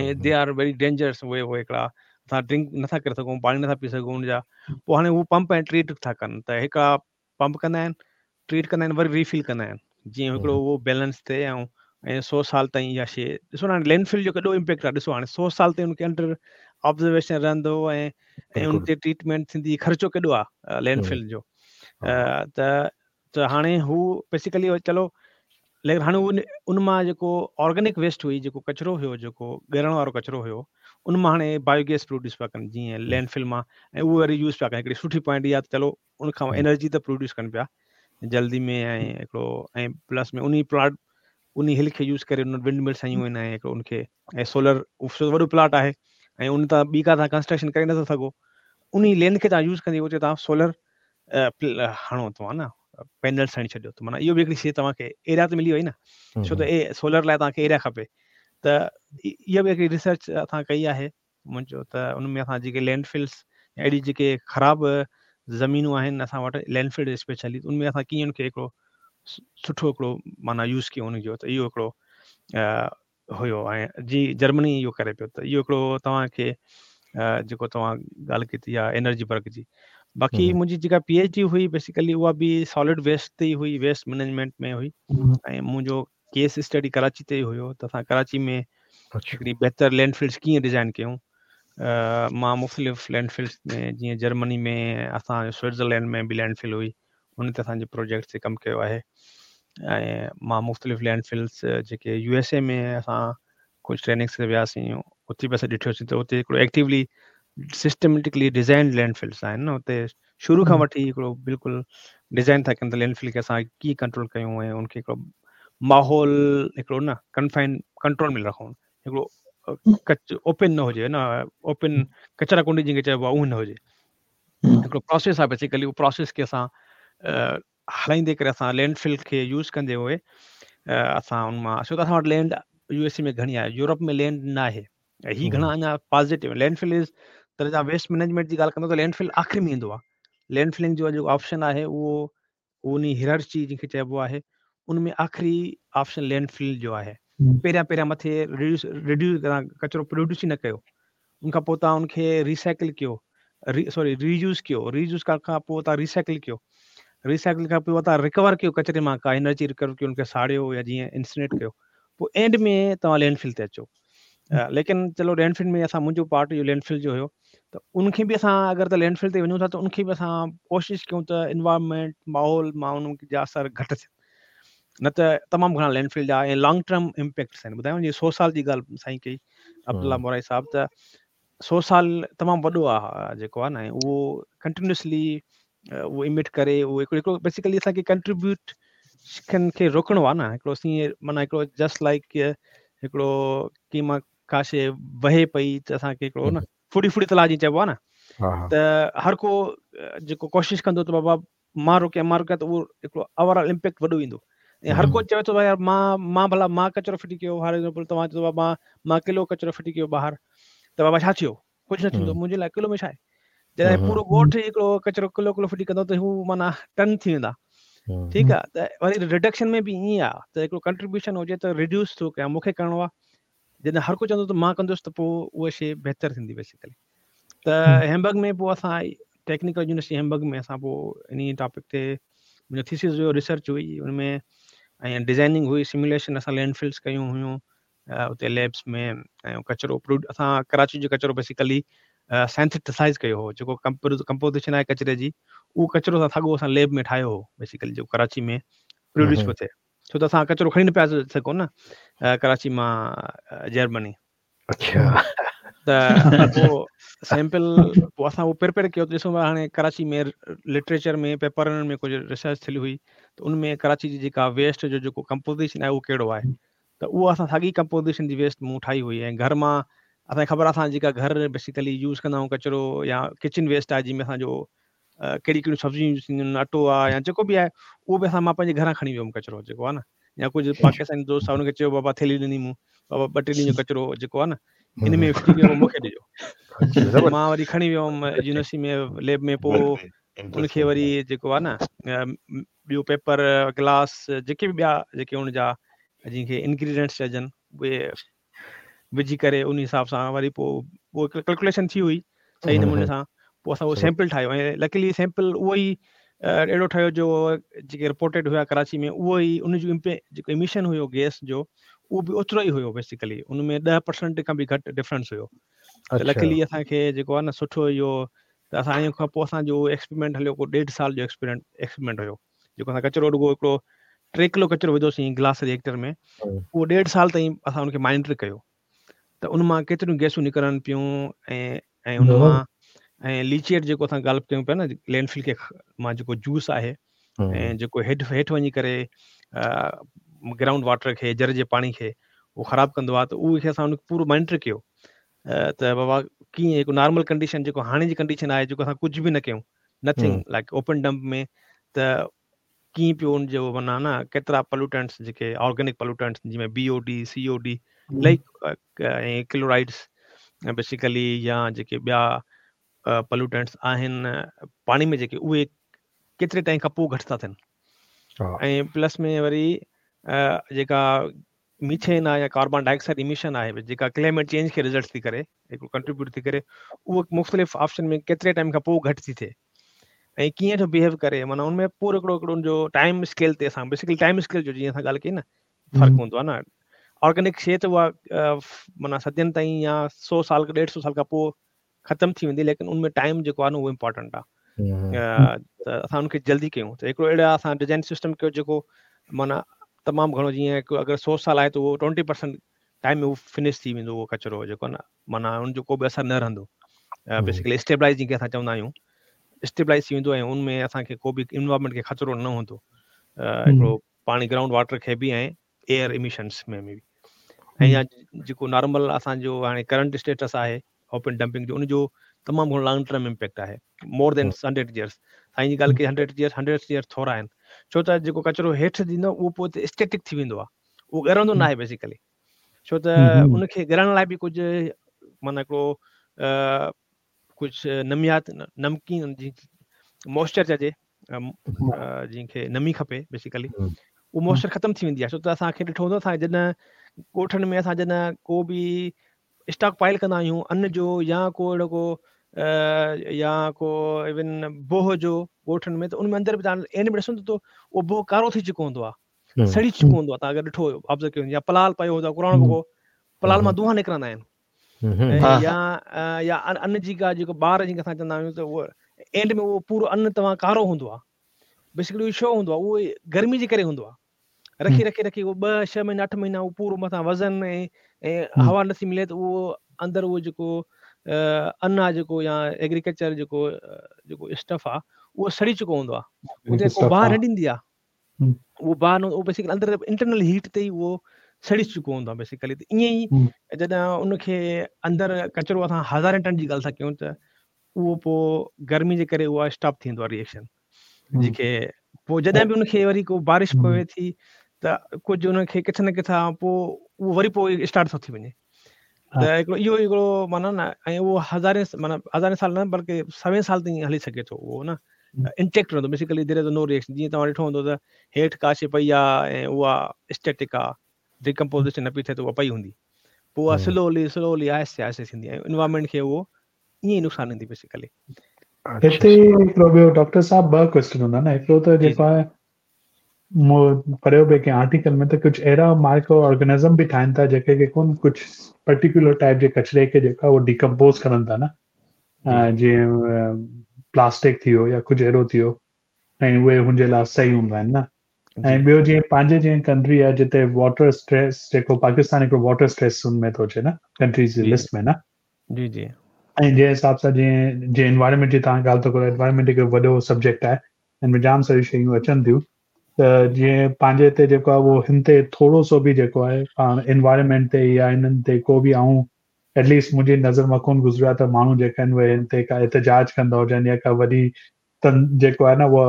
۽ they are very dangerous. اهي اهي هڪڙا اسان ڊرنڪ نٿا ڪري سگهون، پاڻي نٿا پي سگهون ان جا. پوءِ هاڻي هو پمپ ۽ ٽريٽ ٿا ڪن، ته هڪڙا پمپ ڪندا آهن، ٽريٽ ڪندا آهن، وري ريفل ڪندا آهن، جيئن هڪڙو اهو بيلنس ٿئي. ۽ ۽ سؤ سال تائين اها شيءِ ڏسو نه، هاڻي لينڊ فل جو ڪيڏو امپيڪٽ آهي ڏسو، هاڻي سؤ سال تائين ان کي انڊر آبزرويشن رهندو ۽ ۽ ان تي ٽريٽمينٽ ٿيندي، خرچو ڪيڏو آهي لينڊ فل جو. ته ته هاڻي هو بيسڪلي چلو، ليڪن هاڻي ان ان مان جيڪو آرگينڪ ويسٽ هئي، جيڪو ڪچرو هيو، جيڪو ڳرڻ وارو ڪچرو هيو، ان مان هاڻي بايوگيس پروڊيوس پيا ڪن جيئن لينڊ فل مان، ۽ اهو وري يوز پيا ڪن. هڪڙي سٺي پوائنٽ اها ته چلو ان کان انرجي ته پروڊيوس ڪن پيا جلدي ۾، ۽ هڪڙو ۽ پلس ۾ ان پلاٽ ان هل کي يوز ڪري ان ونڊ ملس هنيون آهن، ۽ هڪڙو ان کي ۽ سولر وڏو پلاٽ آهي ۽ ان تان ٻي ڪا توهان ڪنسٽرڪشن ڪري نٿا سگهو، ان لينڊ کي توهان يوز ڪندي اتي توهان سولر هڻو توهان نه پينلس هڻي ڇڏيو، ته معنيٰ اهو به هڪڙي شيءِ توهان کي ايريا ته ملي وئي نه، ڇو ته اي سولر لاءِ توهان کي ايريا کپي. ته اها به هڪڙي ريسرچ اسان ڪئي آهي منهنجو، ته ان ۾ اسان جيڪي لينڊ فلس اهڙي جيڪي خراب زمينون آهن اسان وٽ لينڊ فل اسپيشلي، ان ۾ اسان ڪيئن ان کي هڪڙو سٺو هڪڙو معنيٰ يوز ڪيون ان جو، ته اهو هڪڙو هيو. ۽ جي جرمني اهو ڪري پيو، ته اهو هڪڙو توهان کي جيڪو توهان ڳالهه ڪئي آهي انرجي برگ جي. باقي منهنجي جيڪا پي ايڇ ڊي هئي بيسڪلي اها به سالڊ ويسٽ تي ئي هئي، ويسٽ مئنيجمينٽ ۾ هئي، ۽ منهنجو ڪيس اسٽڊي ڪراچي تي ئي هيو. ته اسان ڪراچي ۾ هڪڙي بهتر لينڊ فلس ڪيئن ڊزائن ڪيون. مان مختلف لينڊ فلس ۾ جيئن جرمني ۾ اسان سوئٽزرلينڊ ۾ به لينڊ فل هئي، ان تي اسان جي پروجيڪٽ تي ڪم ڪيو آهي. ۽ مان مختلف لينڊ فلس جيڪي يو ايس اي ۾ اسان ڪجهه ٽريننگس تي وياسين، اتي به اسان ڏٺوسين ته اتي هڪڙو ايڪٽيولي سسٽميٽڪلي ڊزائن لينڊ فلس آهن نه، اتي شروع کان وٺي هڪڙو بلڪل ڊزائن ٿا ڪن ته لينڊ فل کي اسان ڪيئن ڪنٽرول ڪيون ۽ ان کي هڪڙو ماحول هڪڙو نه ڪنفائن ڪنٽرول ۾ رکون، هڪڙو ڪچ اوپن نه هجي نه، اوپن ڪچرا ڪونڊي جنهن کي چئبو آهي اهو نه هجي، هڪڙو پروسيس آهي بيسڪلي. اهو پروسيس کي اسان هلائيندي ڪري اسان لينڊ فل کي يوز ڪندي هئي اسان ان مان، ڇو ته اسان وٽ لينڊ يو ايس اي ۾ گهڻي آهي، يورپ ۾ لينڊ نه آهي. هي گهڻا اڃا پازيٽو لينڊ فل از ته توهان ويسٽ مئنيجمينٽ جي ڳالهه ڪندو ته لينڊ فل آخري ۾ ايندو آهي. لينڊ فلنگ جو جيڪو آپشن آهي اهو ان هيرارچي جنهن کي چئبو آهي ان ۾ آخري آپشن لينڊ فل جو آهي. پهريان پهريان مٿي ريڊيوس ريڊيوس ڪچرو پروڊيوس ئي نه ڪيو، ان کان پوءِ توهان ان کي ريسائيڪل ڪيو، سوري رييوز ڪيو، رييوز ڪرڻ کان پوءِ توهان ريسائيڪل ڪيو، ريسائيڪل کان پوءِ توهان رڪور ڪيو ڪچري مان ڪا انرجي رڪور ڪيو، ان کي ساڙيو يا جيئن انسنيٽ ڪيو، پوءِ اينڊ ۾ توهان لينڊ فل تي اچو. ليڪن چلو لينڊ فل ۾ اسان منهنجو پارٽ اهو لينڊ فل جو هيو، ته ان کي به اسان اگر ته لينڊ فل تي وڃون ٿا ته ان کي به اسان ڪوشش ڪيون ته انوائرمينٽ ماحول مان ان جا اثر گهٽ ٿين، نه ته تمام گهڻا لينڊ فل جا ۽ لانگ ٽرم امپيڪٽس آهن. ٻڌايو جيئن سؤ سال جي ڳالهه سائين ڪئي عبدالله مورائي صاحب، ته سؤ سال تمام وڏو آهي جيڪو آهي نه، اهو ڪنٽينيوسلي اهو امٽ ڪري اهو هڪڙو هڪڙو بيسڪلي اسان کي ڪنٽريبيوٽ کي روڪڻو آهي نه، هڪڙو اسين معنيٰ هڪڙو جسٽ لائيڪ هڪڙو ڪه مان ڪا شيءِ وهي پئي ته اسان کي هڪڙو نه ڦڙي ڦڙي تلاءُ جيئن چئبو آهي نه، ته هر ڪو جيڪو ڪوشش ڪندو ته بابا مان روڪيان مان روڪيان ته اهو هڪڙو اوور آل امپيڪٽ وڏو ايندو. ۽ هر ڪو چوي ٿو ڀئي يار مان مان ڀلا مان ڪچرو ڦٽي ڪيو، هر ايگزامپل توهان چئو مان مان ڪلو ڪچرو ڦٽي ڪيو ٻاهر ته بابا ڇا ٿيو، ڪجهه نه ٿيندو منهنجي لاءِ، ڪلو ۾ ڇا آهي. جڏهن پورو ڳوٺ هڪڙو ڪچرو ڪلو ڪلو ڦٽي ڪندو ته هو معنيٰ ٽن ٿي ويندا. ٺيڪ آهي، ته وري رڊڪشن ۾ به ائين آهي ته هڪڙو ڪنٽريبيوشن هجي ته رڊيوس ٿو ڪيان، مون کي ڪرڻو آهي. جڏهن هر ڪو چوندو ته مان ڪندس ته پوءِ اها شيءِ بهتر ٿيندي بيسڪلي. ته هيمبرگ ۾ پوءِ اسان ٽيڪنيڪل يونيورسٽي هيمبرگ ۾ اسان پوءِ ان ٽاپڪ تي منهنجو ٿيسز جو ريسرچ هئي، ان ۾ ۽ ڊزائننگ هئي سميوليشن اسان لينڊ فلز ڪيون هيون اتي ليبس ۾ ۽ ڪچرو اسان ڪراچي جو ڪچرو بيسيڪلي سينٿيٽسائز ڪيو هو جيڪو ڪمپوزيشن آهي ڪچري جي اهو ڪچرو اسان ساڳيو اسان ليب ۾ ٺاهيو هو بيسيڪلي جيڪو ڪراچي ۾ پروڊيوس پيو ٿئي ڇو ته اسان ڪچرو کڻي نه پيا سگهون نه ڪراچي مان جرمني اڇا ته پوء سيمپل پوء اسان اهو پريپيئر ڪيو ته ڏسون هاڻي ڪراچي ۾ لٽريچر ۾ پيپرن ۾ ڪجهه ريسرچ ٿيل هئي ته ان ۾ ڪراچي جي جيڪا ويسٽ جو جيڪو ڪمپوزيشن آهي اهو ڪهڙو آهي ته اهو اسان ساڳي ڪمپوزيشن جي ويسٽ مون ٺاهي هئي ۽ گهر مان اسان کي خبر آهي اسان جيڪا گهر بيسيڪلي يوز ڪندا آهيون ڪچرو يا ڪچن ويسٽ آهي جنهن ۾ اسان جو ڪهڙي ڪهڙيون سبزيون يوز ٿينديون آهن اٽو آهي يا جيڪو به آهي اهو به اسان مان پنهنجي گهران کڻي ويو هوم ڪچرو جيڪو آهي نه يا ڪجهه پاڪستاني دوست آهي ان کي چيو بابا ٿيلهي ڏني مون بابا ٻه ٽي ڏينهن جو ڪچرو جيڪو آهي نه ان ۾ ڦٽي ڪيو مون کي ڏجو مان وري کڻي ويو هوم يونيورسٽي ۾ ليب ۾ پوء ان کي وري جيڪو آهي نه ٻيو پيپر گلاس جيڪي به ٻيا جيڪي ان جا جن کي انگريڊينٽس چئجن اهي وجهي ڪري ان حساب سان وري پوء اهو ڪلڪوليشن ٿي هئي صحيح نموني سان پوء اسان اهو سيمپل ٺاهيو ۽ لڪلي سيمپل اهو ئي اهڙو ٺهيو جو جيڪي رپورٽيڊ هيا ڪراچي ۾ اهو ئي ان جو جيڪو ايميشن هيو گيس جو اهو به اوترو ئي هيو بيسيڪلي ان ۾ ڏهه پرسنٽ کان به گهٽ ڊفرنس هيو ته لڪلي اسان کي جيڪو آهي نه سٺو اهو ته اسان ان کان پوء اسان جو ايڪسپريمينٽ هليو ڪو ڏيڍ سال جو ايڪسپريمينٽ ايڪسپريمينٽ هيو جيڪو اسان ڪچرو رڳو هڪڙو ٽي ڪلو ڪچرو وڌوسين گلاس ريئيڪٽر ۾ اهو ڏيڍ سال تائين اسان ان کي مانيٽر ڪيو ته ان مان ڪيتريون گيسون نڪرن پيون ۽ ۽ ان مان ۽ ليچيٽ جيڪو اسان ڳالهه ڪيون پيا نه لينڊ فل کي مان جيڪو جوس آهي ۽ جيڪو هيٺ هيٺ وڃي ڪري گرائونڊ واٽر کي جر جي پاڻي کي اهو خراب ڪندو آهي ته اهو کي اسان ان کي پورو مانيٽر ڪيو ته بابا ڪيئن هڪ نارمل ڪنڊيشن جيڪو هاڻي جي ڪنڊيشن آهي جيڪو اسان ڪجهه به نه ڪيون نٿنگ لائڪ اوپن ڊمپ ۾ ته ڪيئن پيو ان جو معنيٰ نه ڪيترا پلوٽنٽس جيڪي آرگينڪ پلوٽنٽس جنهن ۾ B O D C O D like ۽ chlorides basically يا جيڪي ٻيا پلوٽنٽس آهن پاڻي ۾ جيڪي اهي ڪيتري ٽائيم کان پوء گهٽ ٿا ٿين ۽ پلس ۾ وري جيڪا ميٿين آهي يا ڪاربان ڊاء آڪسائيڊ ايميشن آهي جيڪا ڪلائميٽ چينج کي رزلٽ ٿي ڪري هڪڙو ڪنٽريبيوٽ ٿي ڪري اهو مختلف آپشن ۾ ڪيتري ٽائيم کان پوء گهٽ ٿي ٿئي ۽ ڪيئن ٿو بيهيو ڪري معنيٰ ان ۾ پورو هڪڙو هڪڙو ان جو ٽائيم اسڪيل تي اسان بيسڪلي ٽائيم اسڪيل جو جيئن اسان ڳالهه ڪئي نه فرق هوندو آهي نه آرگينڪ شي ته اها معنيٰ صدين تائين يا سو سال ڏيڍ سو سال کان پوء ختم ٿي ويندي ليڪن ان ۾ ٽائيم جيڪو آهي نه اهو امپورٽنٽ آهي ته اسان ان کي جلدي ڪيون ته هڪڙو اهڙا اسان ڊزائن سسٽم ڪيو جيڪو معنيٰ تمام گهڻو جيئن اگر سو سال آهي ته اهو ٽوئنٽي پرسنٽ ٽائيم ۾ اهو فنش ٿي ويندو اهو ڪچرو جيڪو نه معنيٰ ان جو ڪو به اثر نه رهندو بيسڪلي اسٽيبلائز جنهن کي اسان چوندا آهيون اسٽيبلائز ٿي ويندو ۽ ان ۾ اسان کي ڪو به انوائرمينٽ کي خطرو نه هوندو هڪڙو پاڻي گرائونڊ واٽر کي به ۽ ايئر ايميشنس ۾ به ۽ يا جيڪو نارمل اسان جو هاڻي ڪرنٽ اسٽيٽس آهي اوپن ڊمپنگ جو ان جو تمام گهڻو لانگ ٽرم امپيڪٽ آهي مور دين هنڊريڊ ايئرس سائين جي ڳالهه ڪئي هنڊريڊ ايئرس هنڊريڊ ايئرس ٿورا آهن ڇو ته جيڪو ڪچرو هيٺ ٿيندو اهو پوء اسٽيٽڪ ٿي ويندو آهي اهو ڳرندو نه آهي بيسيڪلي ڇو ته ان کي ڳرڻ لاء به ڪجهه معنيٰ هڪڙو ڪجهه نميات نمڪين جي موئسچر چئجي جنهن کي نمي کپي بيسيڪلي اهو موئسچر ختم ٿي ويندي آهي ڇو ته اسان کي ڏٺو هوندو اسان جڏهن ڳوٺن ۾ اسان جڏهن ڪو به اسٽاڪ پائل ڪندا آهيون ان جو يا ڪو اهڙو ڪو يا ڪو ايون بوهه جو ڳوٺن ۾ ته ان ۾ اندر به توهان اينڊ ۾ ڏسندو ته اهو بوهه ڪارو ٿي چڪو هوندو آهي سڙي چڪو هوندو آهي توهان اگر ڏٺو آبزرو ڪيو يا پلال پيو هوندو آهي پراڻو بوهه پلال مان دونهان نڪرندا آهن يا يا ان جي ڪا جيڪو ٻار جنهن کي اسان چوندا آهيون ته اهو اينڊ ۾ اهو پورو ان توهان ڪارو هوندو آهي بيسڪلي اهو ڇو هوندو آهي اهو گرمي جي ڪري هوندو آهي رکي رکي رکي اهو ٻه ڇهه مهينا اٺ مهينا اهو پورو مٿان وزن ۽ ۽ هوا نٿي ملي ته اهو اندر اهو جيڪو ان آهي جيڪو يا ايگريڪلچر جيڪو جيڪو اسٽف آهي اهو سڙي چڪو هوندو آهي اتي ڪو باهه نه ڏيندي آهي اهو باهه نه اهو بيسيڪلي اندر انٽرنل هيٽ تي ئي اهو سڙي چڪو هوندو آهي بيسيڪلي ته ائين ئي جڏهن ان کي اندر ڪچرو اسان هزارين ٽن جي ڳالهه ٿا ڪيون ته اهو پوء گرمي جي ڪري اها اسٽاپ ٿيندو آهي ريئيڪشن جيڪي پوء جڏهن به ان کي وري ڪو بارش پوي ٿي ته ڪجهه ان کي ڪٿي نه ڪٿان پوء اهو وري پوء اسٽارٽ ٿو ٿي وڃي ته هڪڙو اهو هڪڙو معنيٰ نه ۽ اهو هزارين معنيٰ هزارين سال نه بلڪه سوين سال تائين هلي سگهي ٿو اهو نه انٽيڪٽ رهندو basically there is no reaction جيئن توهان ڏٺو هوندو ته هيٺ ڪا شي پئي آهي ۽ اها اسٽيٽڪ آهي ڊيڪمپوزيشن نه پئي ٿئي ته اها پئي هوندي پوء اها سلولي سلولي آهستي آهستي ٿيندي ۽ انوائرمينٽ کي اهو ائين ئي نقصان ڏيندي بيسيڪلي هتي هڪڙو ٻيو ڊاڪٽر صاحب ٻه ڪويسچن هوندا نه هڪڙو ته جيڪو آهي मूं पढ़ियो पिए कंहिं आर्टिकल में त कुझु अहिड़ा माइक्रो ऑर्गेनिज़म बि ठाहिनि था जेके खे कोन कुझु पर्टिकुलर टाइप जे कचरे खे जेको आहे उहो डिकम्पोज़ करनि था न, जीअं प्लास्टिक थी वियो या कुझु अहिड़ो थी वियो, ऐं उहे हुनजे लाइ सही हूंदा आहिनि न। ऐं ॿियो जीअं पंहिंजे जीअं कंट्री आहे जिते वाटर स्ट्रेस, जेको पाकिस्तान हिकिड़ो वाटर स्ट्रेस हुन में थो अचे न कंट्रीज़ जी लिस्ट में न। जी जी। ऐं जंहिं हिसाब सां जीअं जीअं एनवायरनमेंट जी तव्हां ॻाल्हि था करो, एनवायरनमेंट हिकिड़ो वॾो सब्जेक्ट आहे, हिन में जाम सारियूं शयूं अचनि थियूं, त जीअं पंहिंजे हिते जेको आहे उहो हिन ते थोरो सो बि जेको आहे पाण एनवायरनमेंट ते या हिननि ते को बि आऊं एटलीस्ट मुंहिंजी नज़र मां कोन गुज़रियो आहे त माण्हू जेका आहिनि उहे हिन ते का एहतजाज कंदा हुजनि या का वॾी तन जेको आहे न उहो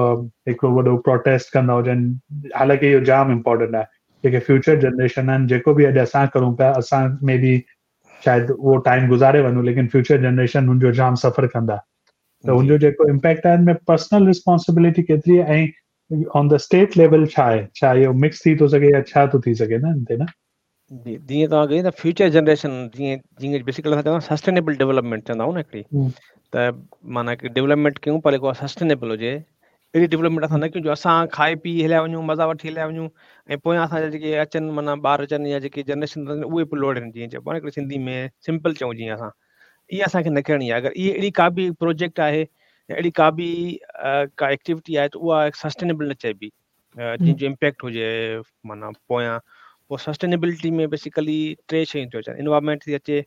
हिकिड़ो वॾो प्रोटेस्ट कंदा हुजनि। हालांकि इहो जाम इम्पोर्टेंट आहे, जेके फ्यूचर जनरेशन आहिनि, जेको बि अॼु असां करूं पिया, असां मे बी शायदि उहो टाइम गुज़ारे वञूं, लेकिन फ्यूचर जनरेशन हुनजो जाम सफ़र कंदा, त हुनजो जेको इम्पैक्ट आहे हिन में पर्सनल रिस्पॉन्सिबिलिटी केतिरी आहे ऐं ऑन the state level छा आहे, छा इहो मिक्स थी थो सघे या छा थो थी सघे न हिन ते न। जी, जीअं तव्हां कई त फ्यूचर जनरेशन, जीअं जीअं बेसिकली असां चवंदा सस्टेनेबल डेवलपमेंट चवंदा आहियूं न हिकिड़ी, त माना की डेवलपमेंट कयूं पर जेको सस्टेनेबल हुजे, अहिड़ी डेवलपमेंट असां न कयूं जो असां खाए पी हलिया वञूं, मज़ा वठी हलिया वञूं ऐं पोयां असांजा जेके अचनि माना ॿार अचनि या जेके जनरेशन अचनि उहे पोइ लोड़नि, जीअं चइबो आहे न हिकिड़ी सिंधी में सिंपल चऊं जीअं असां, इहा असांखे न करणी आहे। अगरि इहा अहिड़ी का बि प्रोजेक्ट आहे या अहिड़ी का बि का एक्टिविटी आहे त उहा सस्टेनेबल न चइबी, जंहिंजो इम्पैक्ट हुजे माना पोयां। पोइ सस्टेनेबिलिटी में बेसिकली टे शयूं थियूं अचनि, इन्वायरमेंट थी अचे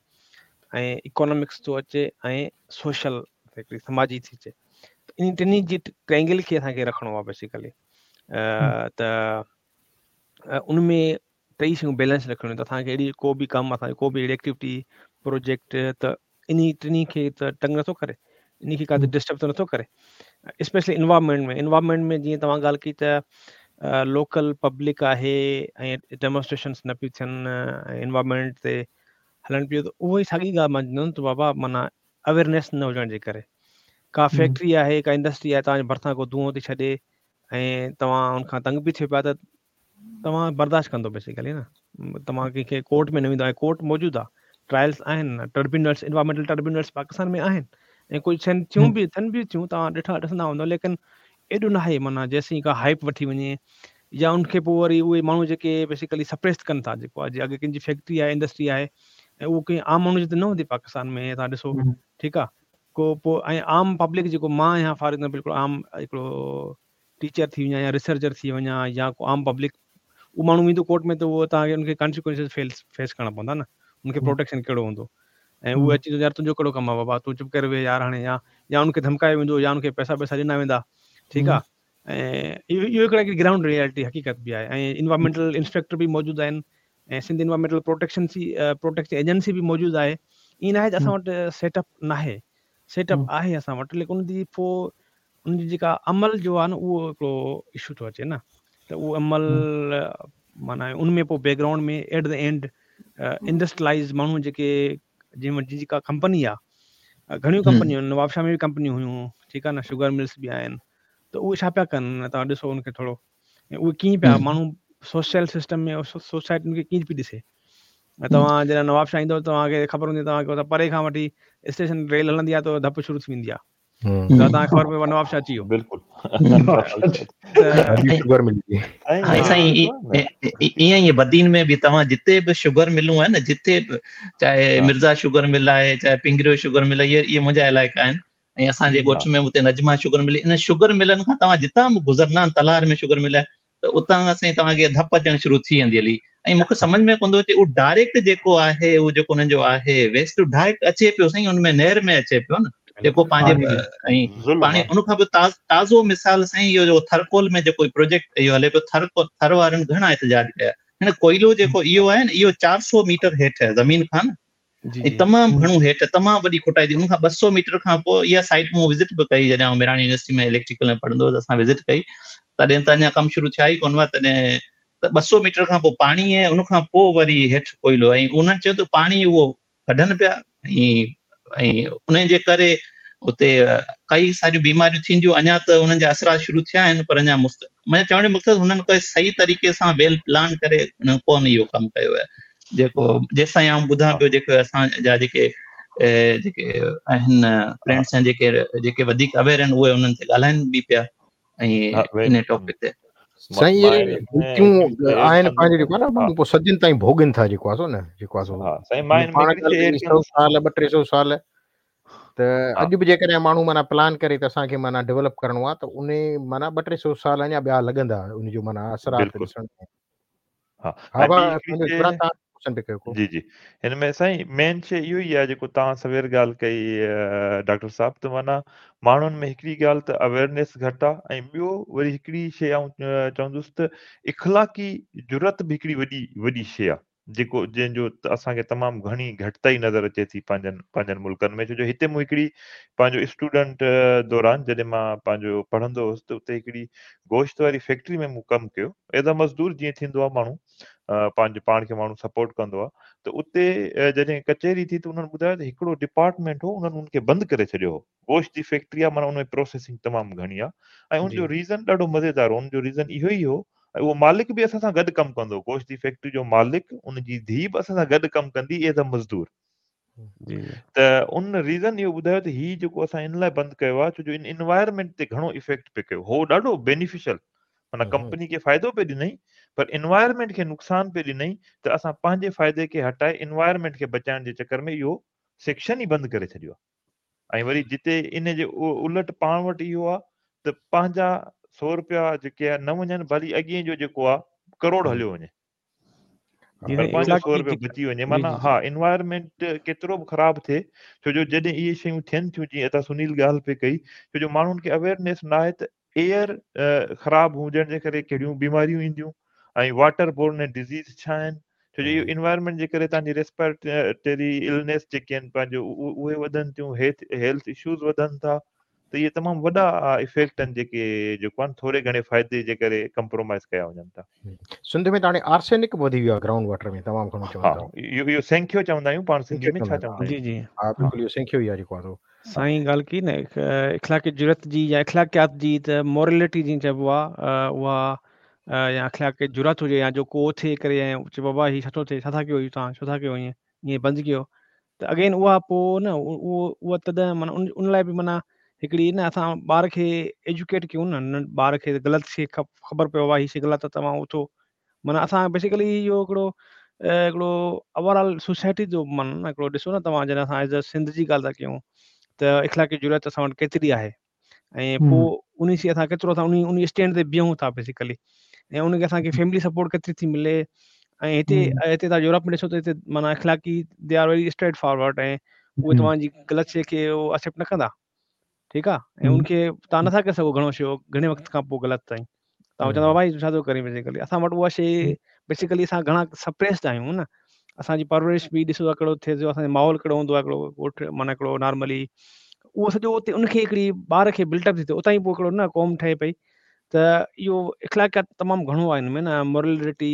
ऐं इकोनॉमिक्स थो अचे ऐं सोशल हिकिड़ी समाजी थी अचे। इन टिन्ही जी ट्रायंगल खे असांखे रखिणो आहे बेसिकली, त उन में टई शयूं बैलेंस रखणियूं। त असांखे अहिड़ी को बि कमु, असांजो को बि अहिड़ी एक्टिविटी प्रोजेक्ट त इन टिन्ही खे त तंग नथो करे, इन खे काथे डिस्टर्ब त नथो करे। स्पेशली इन्वायरमेंट में, इन्वायरमेंट में जीअं तव्हां ॻाल्हि कई त लोकल पब्लिक आहे ऐं डेमॉन्स्ट्रेशन्स न पियूं थियनि ऐं इन्वायरमेंट ते हलनि पियो, त उहो ई साॻी ॻाल्हि मां चवंदुमि त बाबा माना अवेयरनेस न हुजण जे करे का फैक्ट्री आहे का इंडस्ट्री आहे तव्हांजे भरिसां को धुओं थी छॾे ऐं तव्हां हुनखां तंग बि थियो पिया त तव्हां बर्दाश्त कंदो बेसिकली न, तव्हां कंहिंखे कोर्ट में न वेंदो। ऐं कोर्ट मौजूदु आहे, ट्रायल्स आहिनि, ट्रिब्यूनल्स, इन्वायरमेंटल ट्रिब्यूनल्स पाकिस्तान में आहिनि ऐं कुझु थियनि थियूं बि, थियनि बि थियूं, तव्हां ॾिठा ॾिसंदा हूंदव, लेकिन एॾो न आहे माना जेसीं का हाइप वठी वञे या उनखे पोइ वरी उहे माण्हू जेके बेसिकली सप्रेस कनि था, जेको आहे अॻु कंहिंजी फैक्ट्री आहे इंडस्ट्री आहे ऐं उहो कंहिं आम माण्हू जे त न हूंदी पाकिस्तान में, तव्हां ॾिसो ठीकु आहे को पोइ ऐं आम पब्लिक जेको मां आहियां फॉर एग्ज़ाम्पल हिकिड़ो आम हिकिड़ो टीचर थी वञा या रिसर्चर थी वञा या को आम पब्लिक, उहो माण्हू वेंदो कोर्ट में त उहो तव्हांखे उनखे कॉन्सिक्वेंसेस फेस फेस करणा पवंदा न, उनखे प्रोटेक्शन कहिड़ो हूंदो ऐं उहो अची यार तुंहिंजो कहिड़ो कमु आहे बाबा, तूं चुप करे वेह यार हाणे, या या उनखे धमकायो वेंदो या उनखे पैसा पैसा ॾिना वेंदा, ठीकु आहे। ऐं इहो इहो हिकिड़ा ग्राउंड रियलिटी हक़ीक़त बि आहे ऐं इन्वायरमेंटल इंस्पेक्टर बि मौजूदु आहिनि ऐं Sindh environmental protection protection agency बि मौजूदु आहे। ईअं न आहे त असां वटि सेटअप न आहे, सेटअप आहे असां वटि, लेकिन उनजी पोइ उनजी जेका अमल जो आहे न उहो हिकिड़ो इशू थो अचे न, त उहो अमल माना उन में पोइ background में एट the and industrialise माण्हू जेके जंहिं वटि जेका कंपनी आहे, घणियूं कंपनियूं आहिनि, नवाबशाह में बि कंपनियूं हुयूं, ठीकु आहे न, शुगर मिल्स बि आहिनि, त उहे छा पिया कनि, तव्हां ॾिसो उनखे थोरो, ऐं उहे कीअं पिया माण्हू सोशल सिस्टम में सोसाइटी उनखे कीअं पई ॾिसे। ऐं तव्हां जॾहिं नवाबशाह ईंदव तव्हांखे ख़बर हूंदी, तव्हांखे परे खां वठी स्टेशन रेल हलंदी आहे त धप शुरू थी वेंदी आहे, त तव्हांखे ख़बर पए नवाबशाह अची वियो। बिल्कुलु शुगर मिल साईं ईअं ई बदीन में बि तव्हां जिते बि शुगर मिलूं आहिनि न, जिते बि चाहे मिर्ज़ा शुगर मिल आहे चाहे पिंगरियो शुगर मिल आहे, इहे इहे मुंहिंजा इलाइक़ा आहिनि ऐं असांजे ॻोठ में उते नजमा शुगर मिल, इन शुगर मिलनि खां तव्हां जितां बि गुज़रंदा आहिनि, तलार में शुगर मिल आहे त उतां खां साईं तव्हांखे धप अचणु शुरू थी वेंदी हली। ऐं मूंखे सम्झ में कोन थो अचे उहो डायरेक्ट जेको आहे उहो जेको हुननि जो आहे वेस्ट डायरेक्ट अचे पियो साईं, हुन में नहर में अचे पियो न जेको पंहिंजे ऐं पाणी। उन खां पोइ ताज़ो मिसाल साईं इहो जो थरकोल में जेको प्रोजेक्ट इहो हले पियो, थर थर वारनि घणा एहतजाज कया। हिन कोइलो जेको इहो आहे न इहो चारि सौ मीटर हेठि आहे ज़मीन खां न, तमामु घणो हेठि, तमामु वॾी खुटाई थी। उन खां ॿ सौ मीटर खां पोइ इहा साइट मूं विज़िट बि कई, जॾहिं आउं मिरानी यूनिवर्सिटी में इलेक्ट्रिकल में पढ़ंदो हुउसि, असां विज़िट कई, तॾहिं त अञा कमु शुरू थिया ई कोन हुआ तॾहिं। त ॿ सौ मीटर खां पोइ पाणी आहे, उन खां पोइ वरी हेठि कोइलो। ऐं उन्हनि चयो त पाणी उहो कढनि पिया ऐं ऐं उन जे करे उते कई सारियूं बीमारियूं थींदियूं। अञा त उन्हनि जा असरात शुरू थिया आहिनि, पर अञा मुस्त माना चवण जो मक़सदु हुननि कोई सही तरीक़े सां वेल प्लान करे हुननि कोन इहो कमु कयो आहे। जेको जेसि ताईं आउं ॿुधां पियो, जेको असांजा जेके जेके आहिनि फ्रेंड्स आहिनि जेके जेके वधीक अवेयर आहिनि, उहे उन्हनि ते ॻाल्हाइनि बि पिया ऐं इन टॉपिक ते। سائين اهي غلطيون آهن پنهنجو جيڪو آهي نه ماڻهو پوءِ صدين تائين ڀوڳين ٿا جيڪو آهي سو نه جيڪو آهي سو ها سائين مان پاڻ سؤ سال ٻه ٽي سؤ سال ته اڄ به جيڪڏهن ماڻهو معنيٰ پلان ڪري ته اسان کي معنيٰ ڊيولپ ڪرڻو آهي ته ان معنيٰ ٻه ٽي سؤ سال اڃا ٻيا لڳندا ان جو معنيٰ اثرات ڏسڻ ۾. ها ها ۽ ٻي هڪڙي شيءِ جي جي هن ۾ سائين مين شيءِ اهو ئي آهي جيڪو توهان سوير ڳالهه ڪئي ڊاڪٽر صاحب ته معنيٰ ماڻهن ۾ هڪڙي ڳالهه ته اويئرنيس گهٽ آهي ۽ ٻيو وري هڪڙي شيءِ آئون چوندس ته اخلاقي جرئت به هڪڙي وڏي وڏي شيءِ آهي جيڪو جنهن جو اسان کي تمام گهڻي گهٽتائي نظر اچي ٿي پنهنجن پنهنجن ملڪن ۾ ڇو جو هتي مون هڪڙي پنهنجو اسٽوڊنٽ دوران جڏهن مان پنهنجو پڙهندو هوس ته اتي هڪڙي گوشت واري فيڪٽري ۾ مون ڪم ڪيو ايز ا مزدور جيئن ٿيندو آهي ماڻهو پنهنجو پاڻ کي ماڻهو سپورٽ ڪندو آهي ته اتي جڏهن ڪچهري ٿي ته انهن ٻڌايو ته هڪڙو ڊپارٽمينٽ هو انهن ان کي بند ڪري ڇڏيو هو. گوشت جي فيڪٽري آهي معنيٰ ان ۾ پروسيسنگ تمام گهڻي آهي ۽ ان جو ريزن ڏاڍو مزيدار هو. ان جو ريزن اهو ئي هو ۽ اهو مالڪ به اسان سان گڏ ڪم ڪندو هو. گوشت جي فيڪٽري جو مالڪ ان جي ڌيءُ به اسان سان گڏ ڪم ڪندي ايز ا مزدور. ته ان ريزن اهو ٻڌايو ته هي جيڪو اسان ان لاءِ بند ڪيو آهي ڇو جو ان انوائرمينٽ تي گهڻو افيڪٽ پئي ڪيو. هو ڏاڍو بينيفيشل معنيٰ ڪمپني کي فائدو پئي ڏنئي پر انوائرمينٽ کي نقصان پئي ڏنئي ته اسان پنهنجي فائدي کي هٽائي انوائرمينٽ کي بچائڻ جي چڪر ۾ اهو سيڪشن ئي بند ڪري ڇڏيو آهي. ۽ وري جتي ان جي الٽ پاڻ وٽ اهو آهي ته پنهنجا سؤ رپيا جيڪي آهي نه وڃن ڀلي اڳئين جو جيڪو آهي ڪروڙ هليو وڃي پر پنهنجو سؤ رپيو بچي وڃي. معنيٰ ها انوائرمينٽ ڪيترو به خراب ٿئي ڇو جو جڏهن اهي شيون ٿين ٿيون جيئن هتان سنيل ڳالهه پئي ڪئي ڇو جو ماڻهن کي اويئرنيس نه آهي ته ايئر خراب هجڻ جي ڪري ڪهڙيون بيماريون اينديون ۽ واٽر بورن ڊزيز ڇا آهن ڇو جو اهو انوائرمينٽ جي ڪري توهان جي ريسپائريٽري النيس جيڪي آهن پنهنجو اهي وڌن ٿيون هيلٿ اشوز وڌن ٿا ته اهي تمام وڏا افيڪٽ آهن جيڪي جيڪو آهي ٿوري گهڻي فائدي جي ڪري ڪمپرومائز ڪيا وڃن ٿا. سنڌ ۾ ته هاڻي آرسينڪ به وڌي ويو آهي گرائونڊ واٽر ۾ تمام گهڻو چون ٿا. اهو اهو سينکيو چوندا آهيون پاڻ سنڌي ۾ ڇا چوندا آهيون؟ جي جي ها بلڪل اهو سينکيو ئي آهي جيڪو آهي. سائين ڳالهه ڪئي نه اخلاقي جرئت جي يا اخلاقيات جي ته مورلٽي جيئن چئبو آهي اها يا اخلاقي جرئت هجي يا جو ڪو ٿئي ڪري ۽ چئي بابا هيءَ ڇا ٿو ٿئي ڇا ٿا ڪيو توهان ڇو ٿا ڪيو ائين ائين بند ڪيو ته اگين اها پوءِ نه اهو اها تڏهن معنيٰ ان ان لاءِ به معنيٰ هڪڙي نه اسان ٻار کي ايجوڪيٽ ڪيون نه ٻار کي غلط شيءِ خبر پيو آهي هيءَ شيءِ غلط آهي توهان اٿو معنيٰ اسان بيسڪلي اهو هڪڙو هڪڙو اوور آل سوسائٽي جو معنيٰ هڪڙو ڏسو نه توهان جڏهن اسان ايز ا سنڌ جي ڳالهه ٿا ڪيون ته اخلاقي جرئت اسان وٽ ڪيتري آهي ۽ پوءِ ان شيءِ اسان ڪيترو اسان ان ان اسٽينڊ تي بيهون ٿا بيسڪلي ۽ ان کي اسان کي فيملي سپورٽ ڪيتري ٿي ملي ۽ هتي هتي توهان يورپ ۾ ڏسو ته هتي معنيٰ اخلاقي they are very straightforward ۽ اهي توهان جي غلط شيءِ کي اهو ايڪسيپٽ نه ڪندا ٺيڪ آهي ۽ ان کي توهان نٿا ڪري سگهو گهڻو شيءِ گهڻي وقت کان پوءِ غلط تائين توهان چوندا ڀائي ڇا ٿو ڪرين بيسڪلي اسان وٽ اها شيءِ بيسڪلي اسان گهڻا سپريسڊ آهيون نه اسان جي پرورش به ڏسو ٿا ڪهڙو ٿئي ٿو اسان جو ماحول ڪهڙو هوندو آهي هڪڙو ڳوٺ معنيٰ هڪڙو نارملي اهو سڄو اتي ان کي هڪڙي ٻار کي بلڊ اپ ٿي ٿئي اتان ئي پوءِ هڪڙو نه قوم ٺهي پئي ته اهو اخلاقيات تمام گهڻو آهي هن ۾ نه مورلٽي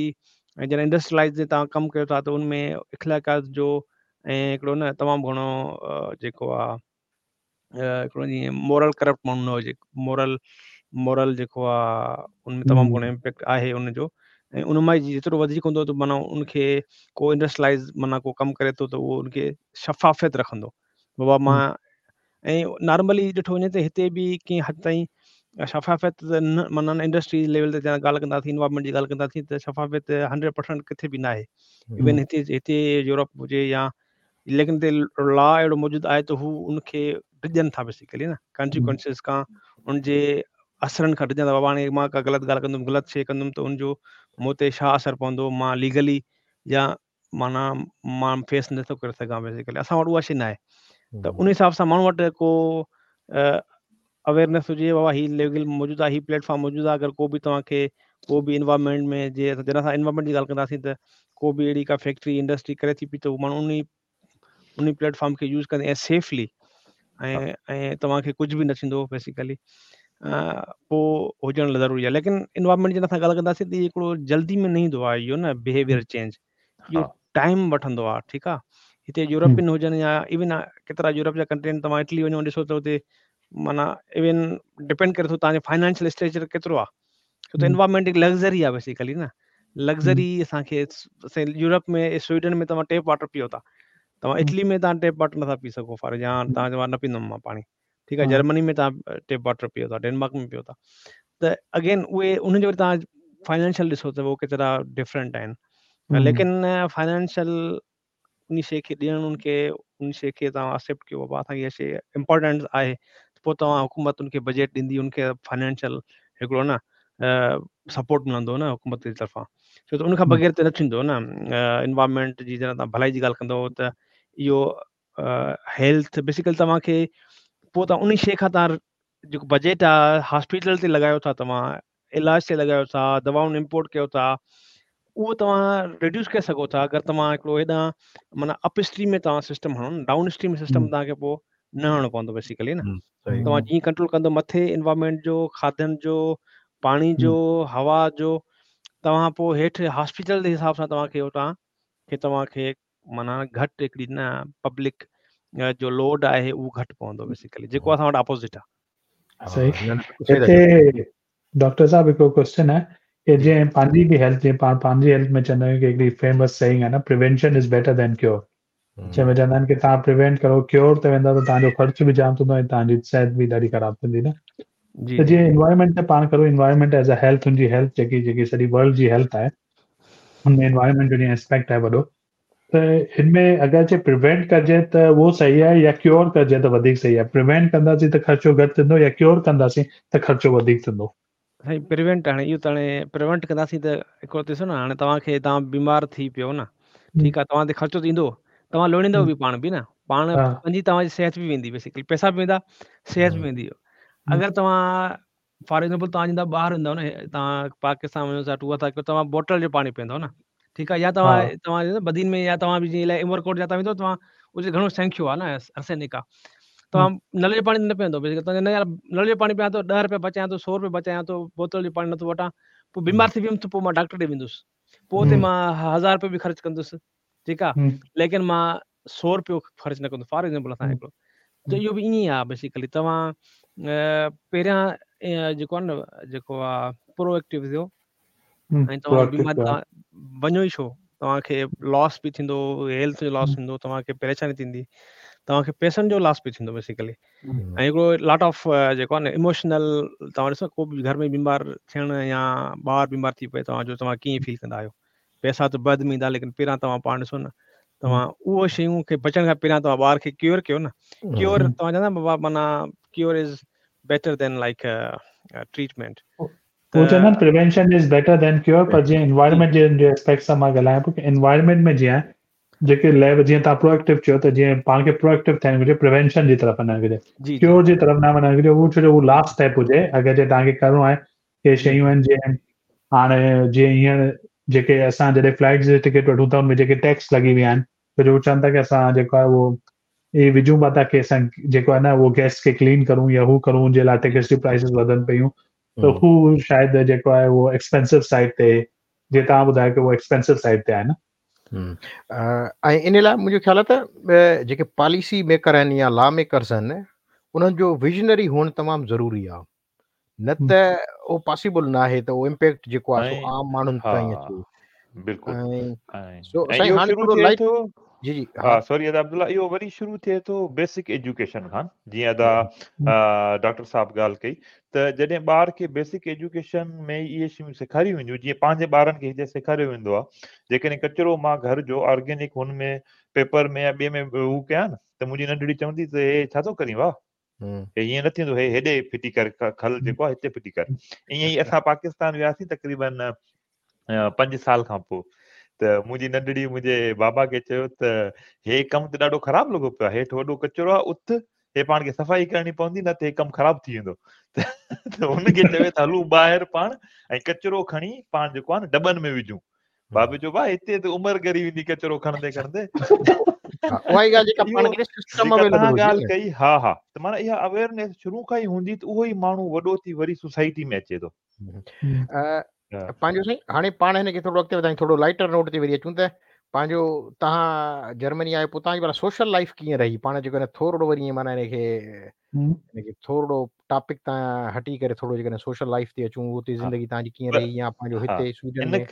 ۽ جڏهن انڊسٽريلائز توهان ڪم ڪيو ٿا ته ان ۾ اخلاقيات جو ۽ هڪڙو نه تمام گهڻو جيڪو آهي هڪڙو جيئن مورل ڪرپٽ ماڻهو نه هجي مورل مورل جيڪو آهي ان ۾ تمام گهڻو امپيڪٽ آهي ان جو ۽ ان مان جيترو وڌيڪ هوندو ته معنيٰ ان کي ڪو انڊسٽريلائز معنيٰ ڪو ڪم ڪري ٿو ته اهو ان کي شفافيت رکندو بابا مان ۽ نارملي ڏٺو وڃي ته هتي به ڪنهن حد تائين شفافيت نه معنيٰ انڊسٽري ليول تي ڳالهه ڪنداسين انوائرمينٽ جي ڳالهه ڪنداسين ته شفافيت هنڊريڊ پرسينٽ ڪٿي به نه آهي. ايون هتي هتي يورپ هجي يا ليڪن هتي لا اهڙو موجود آهي ته هو ان کي ڊڄن ٿا بيسڪلي نه ڪانسيڪوئنسز کان ان جي اثرن کان ڊڄن ٿا. بابا هاڻي مان ڪا غلط ڳالهه ڪندم غلط شيءِ ڪندم ته ان جو مون تي ڇا اثر پوندو مان ليگلي يا معنيٰ مان فيس نٿو ڪري سگهان بيسڪلي. اسان وٽ اها شيءِ نه آهي ته ان حساب سان ماڻهو وٽ ڪو اويئرنيس هجي بابا هيءَ ليگل موجود آهي هيءَ پليٽ فارم موجود آهي اگر ڪو به توهان کي ڪو به انوائرمينٽ ۾ جيئن جڏهن اسان انوائرمينٽ جي ڳالهه ڪنداسين ته ڪو به اهڙي ڪا فيڪٽري انڊسٽري ڪري ٿي پئي ته اهو ماڻهو ان ان پليٽ فارم کي يوز ڪندي ۽ سيفلي ۽ ۽ توهان کي ڪجهه به نه ٿيندو بيسڪلي پوءِ هجڻ ضروري آهي. ليڪن انوائرمينٽ جي اسان ڳالهه ڪنداسين ته هڪڙو جلدي ۾ نه ايندو آهي اهو نه بهيويئر چينج اهو ٽائيم وٺندو آهي. ٺيڪ آهي هتي يورپين هجن يا ايون ڪيترا يورپ جا ڪنٽري آهن توهان اٽلي وڃو ڏسو ته هتي معنيٰ ايون ڊپينڊ ڪري ٿو توهان جو فائنانشل اسٽرڪچر ڪيترو آهي ڇو ته انوائرمينٽ هڪ لگزري آهي بيسڪلي نه. لگزري اسان کي يورپ ۾ سوئيڊن ۾ توهان ٽيپ واٽر پيئو ٿا توهان اٽلي ۾ توهان ٽيپ واٽر نٿا پي سگهو فار يا توهان چئو نه پيئندم مان پاڻي. ٺيڪ آهي جرمني ۾ توهان ٽيپ واٽر پيئو ٿا ڊينمارڪ ۾ پيئو ٿا. त अगेन उहे उन्हनि जो वरी तव्हां फाइनेंशियल ॾिसो त उहो केतिरा डिफरेंट आहिनि। लेकिन फाइनेंशियल उन शइ खे ॾियणु उनखे उन शइ खे तव्हां एक्सेप्ट कयो बाबा असांखे इहा शइ इम्पोर्टेंट आहे पोइ तव्हां हुकूमत उनखे बजट ॾींदी उनखे फाइनेंशियल हिकिड़ो न सपोर्ट मिलंदो न हुकूमत जी तरफ़ां। छो त उनखां बग़ैर त न थींदो न। इन्वायरमेंट जी जॾहिं तव्हां भलाई जी ॻाल्हि कंदव त इहो हेल्थ बेसिकली तव्हांखे पोइ तव्हां उन शइ खां तव्हां जेको बजट आहे हॉस्पिटल ते लॻायो था तव्हां इलाज ते लॻायो था दवाउनि इम्पोर्ट कयो था उहो तव्हां रिड्यूस करे सघो था। अगरि तव्हां हिकिड़ो हेॾां माना अप स्ट्रीम में तव्हां सिस्टम हणो न डाउन स्ट्रीम सिस्टम तव्हांखे पोइ न हणणो पवंदो बेसिकली न। तव्हां जीअं कंट्रोल कंदो मथे इन्वायरमेंट जो खाधनि जो पाणी जो हवा जो तव्हां पोइ हेठि हॉस्पिटल जे हिसाब सां तव्हांखे उतां तव्हांखे माना घटि हिकिड़ी न पब्लिक जो लोड आहे उहो घटि पवंदो बेसिकली जेको असां वटि अपोज़िट आहे। सही। हिते डॉक्टर साहब हिकिड़ो क्वेश्चन आहे की जीअं पंहिंजी बि हेल्थ जीअं पाण पंहिंजी हेल्थ में चवंदा आहियूं की हिकिड़ी फेमस सेइंग आहे न prevention is better than cure. जंहिंमें चवंदा आहिनि की तव्हां प्रिवेंट करो क्योर ते वेंदा त तव्हांजो ख़र्चु बि जाम थींदो ऐं तव्हांजी सिहत बि ॾाढी ख़राबु थींदी न। त जीअं इन्वायरमेंट ते पाण करूं इन्वायरमेंट एज़ अ हेल्थ हुनजी हेल्थ जेकी जेकी सॼी वर्ल्ड जी हेल्थ आहे हुन में इन्वायरमेंट जो जीअं एस्पेक्ट आहे वॾो त हिन में अगरि जे प्रिवेंट कजे त उहो सही आहे या क्योर कजे त वधीक सही आहे? प्रिवेंट कंदासीं त ख़र्चो घटि थींदो या क्योर कंदासीं त ख़र्चो वधीक थींदो? साईं प्रिवेंट हाणे इहो त हाणे प्रिवेंट कंदासीं त हिकिड़ो ॾिसो न हाणे तव्हांखे तव्हां बीमार थी पियो न ठीकु आहे तव्हां ते ख़र्चो त ईंदो तव्हां लोणींदव बि पाण बि न पाण पंहिंजी तव्हांजी सिहत बि वेंदी बेसिकली पैसा बि वेंदा सिहत बि वेंदी। अगरि तव्हां फॉर एग्ज़ाम्पल तव्हां ईंदा ॿाहिरि वेंदव न तव्हां पाकिस्तान वञो था टूअर था कयो तव्हां बोटल जो पाणी पीअंदव न ठीकु आहे या तव्हां तव्हां बदीन में या तव्हां बि जीअं इलाए उमरकोट जा तव्हां वेंदव तव्हां उते घणो संख्यो आहे न आर्सेनिक आहे तव्हां नल जो पाणी न पीअंदव बेसिकली न यार नल जो पाणी पियां थो ॾह रुपया बचायां थो सौ रुपया बचायां थो बोतल जो पाणी नथो वठां पोइ बीमार थी वियुमि त पोइ माँ डॉक्टर ॾे वेंदुसि पोइ उते माँ हज़ार रुपयो बि ख़र्चु कंदुसि ठीकु आहे लेकिन माँ सौ रुपयो ख़र्चु न कंदुसि फॉर एग्ज़ाम्पल असां हिकिड़ो त इहो बि ईअं ई आहे बेसिकली तव्हां पहिरियाँ जेको आहे न जेको आहे प्रोएक्टिव थियो ऐं तव्हां बीमार तव्हां वञो ई छो तव्हांखे लॉस बि थींदो हेल्थ जो लॉस थींदो तव्हांखे परेशानी थींदी तव्हांखे पैसनि जो लॉस बि थींदो बेसिकली। ऐं हिकिड़ो लॉट ऑफ़ जेको आहे न इमोशनल तव्हां ॾिसो को बि घर में बीमार थियणु या ॿार बीमार थी पए तव्हांजो तव्हां कीअं फील कंदा आहियो? पैसा त बाद में ईंदा लेकिन पहिरियाँ तव्हां पाण ॾिसो न तव्हां उहो शयूं खे बचण खां पहिरियाँ तव्हां ॿार खे क्योर कयो न। क्योर तव्हां चवंदा बाबा माना cure is better than like treatment. उहो चवंदा आहिनि prevention is better than cure पर जीअं इन्वायरमेंट जे जे एस्पेक्ट सां माँ ॻाल्हायां पियो की इन्वायरमेंट में जीअं जेके लेव जीअं तव्हां प्रोएक्टिव चयो त जीअं पाण खे प्रोएक्टिव थियणु घुरिजे प्रिवेंशन जी तरफ़ वञणु घुरिजे क्योर जी तरफ़ न वञणु घुरिजे उहो छो जो उहो लास्ट स्टेप हुजे अगरि जे तव्हांखे करिणो आहे के शयूं आहिनि जीअं हाणे जीअं हींअर जेके असां जॾहिं फ्लाइट जे टिकट वठूं था हुन में जेके टैक्स लॻी विया आहिनि छो जो चवनि था की असां जेको आहे उहो इहे विझूं पिया था की असां जेको आहे न उहो गैस खे क्लीन करूँ या हू करूँ जे लाइ टिकट्स जी प्राइसिस वधनि पयूं त हू शायदि जेको आहे उहो एक्सपेंसिव साइड ते जीअं तव्हां ॿुधायो की उहो एक्सपेंसिव साइड ते आहे न। ऐं इन लाइ मुंहिंजो ख़्यालु आहे त जेके पॉलिसी मेकर आहिनि या लॉ मेकर्स आहिनि उन्हनि जो विजनरी हुअणु तमामु ज़रूरी आहे। न त उहो पॉसिबल न आहे त उहो इम्पैक्ट जेको आहे सो आम माण्हुनि ताईं अचे। बिल्कुलु। साईं हाणे थोरो लाइट जी जी हा। सॉरी अदा अब्दुल्ला इहो वरी शुरू थिए थो बेसिक एजुकेशन खां जीअं अदा डॉक्टर साहब ॻाल्हि कई त जॾहिं ॿार खे बेसिक एजुकेशन में इहे शयूं सेखारियूं वेंदियूं जीअं पंहिंजे ॿारनि खे हिते सेखारियो वेंदो आहे जेकॾहिं कचिरो माँ घर जो ऑर्गेनिक हुन में पेपर में या ॿिए में हू कयां न त मुंहिंजी नंढड़ी चवंदी त हे छा थो करीं वाह? हे हीअं न थींदो हे हेॾे फिटी कर खल जेको आहे हिते फिटी कर। ईअं ई असां पाकिस्तान वियासीं तक़रीबन पंज साल खां पोइ। त मुंहिंजी नंढड़ी मुंहिंजे बाबा खे चयो त हे कमु त ॾाढो ख़राबु लॻो पियो आहे हेठि वॾो कचिरो आहे उथ हे पाण खे सफ़ाई करणी पवंदी न त हे कमु ख़राबु थी वेंदो। त हुनखे चवे त हलूं ॿाहिरि पाण ऐं कचिरो खणी पाण जेको आहे न डॿनि में विझूं। बाबे चयो भाउ हिते त उमिरि ॻरी वेंदी कचिरो खणंदे खणंदे। उहा ई ॻाल्हि जेका पाण खे सिस्टम अवेलेबल ॻाल्हि कई हा हा। त माना इहा अवेयरनेस शुरू खां ई हूंदी त उहो ई माण्हू वॾो थी वरी सोसाइटी में अचे थो। पंहिंजो साईं हाणे पाण हिनखे थोरो अॻिते वधायूं थोरो लाइटर नोट ते वरी अचूं त पंहिंजो तव्हां जर्मनी आयो पोइ तव्हांजी माना सोशल लाइफ कीअं रही? पाण जेको आहे थोरो वरी ईअं माना हिनखे हिनखे थोरो टॉपिक तां हटी करे थोरो जेकॾहिं सोशल लाइफ ते अचूं उते ज़िंदगी तव्हांजी कीअं रही या पंहिंजो हिते स्वीडन में?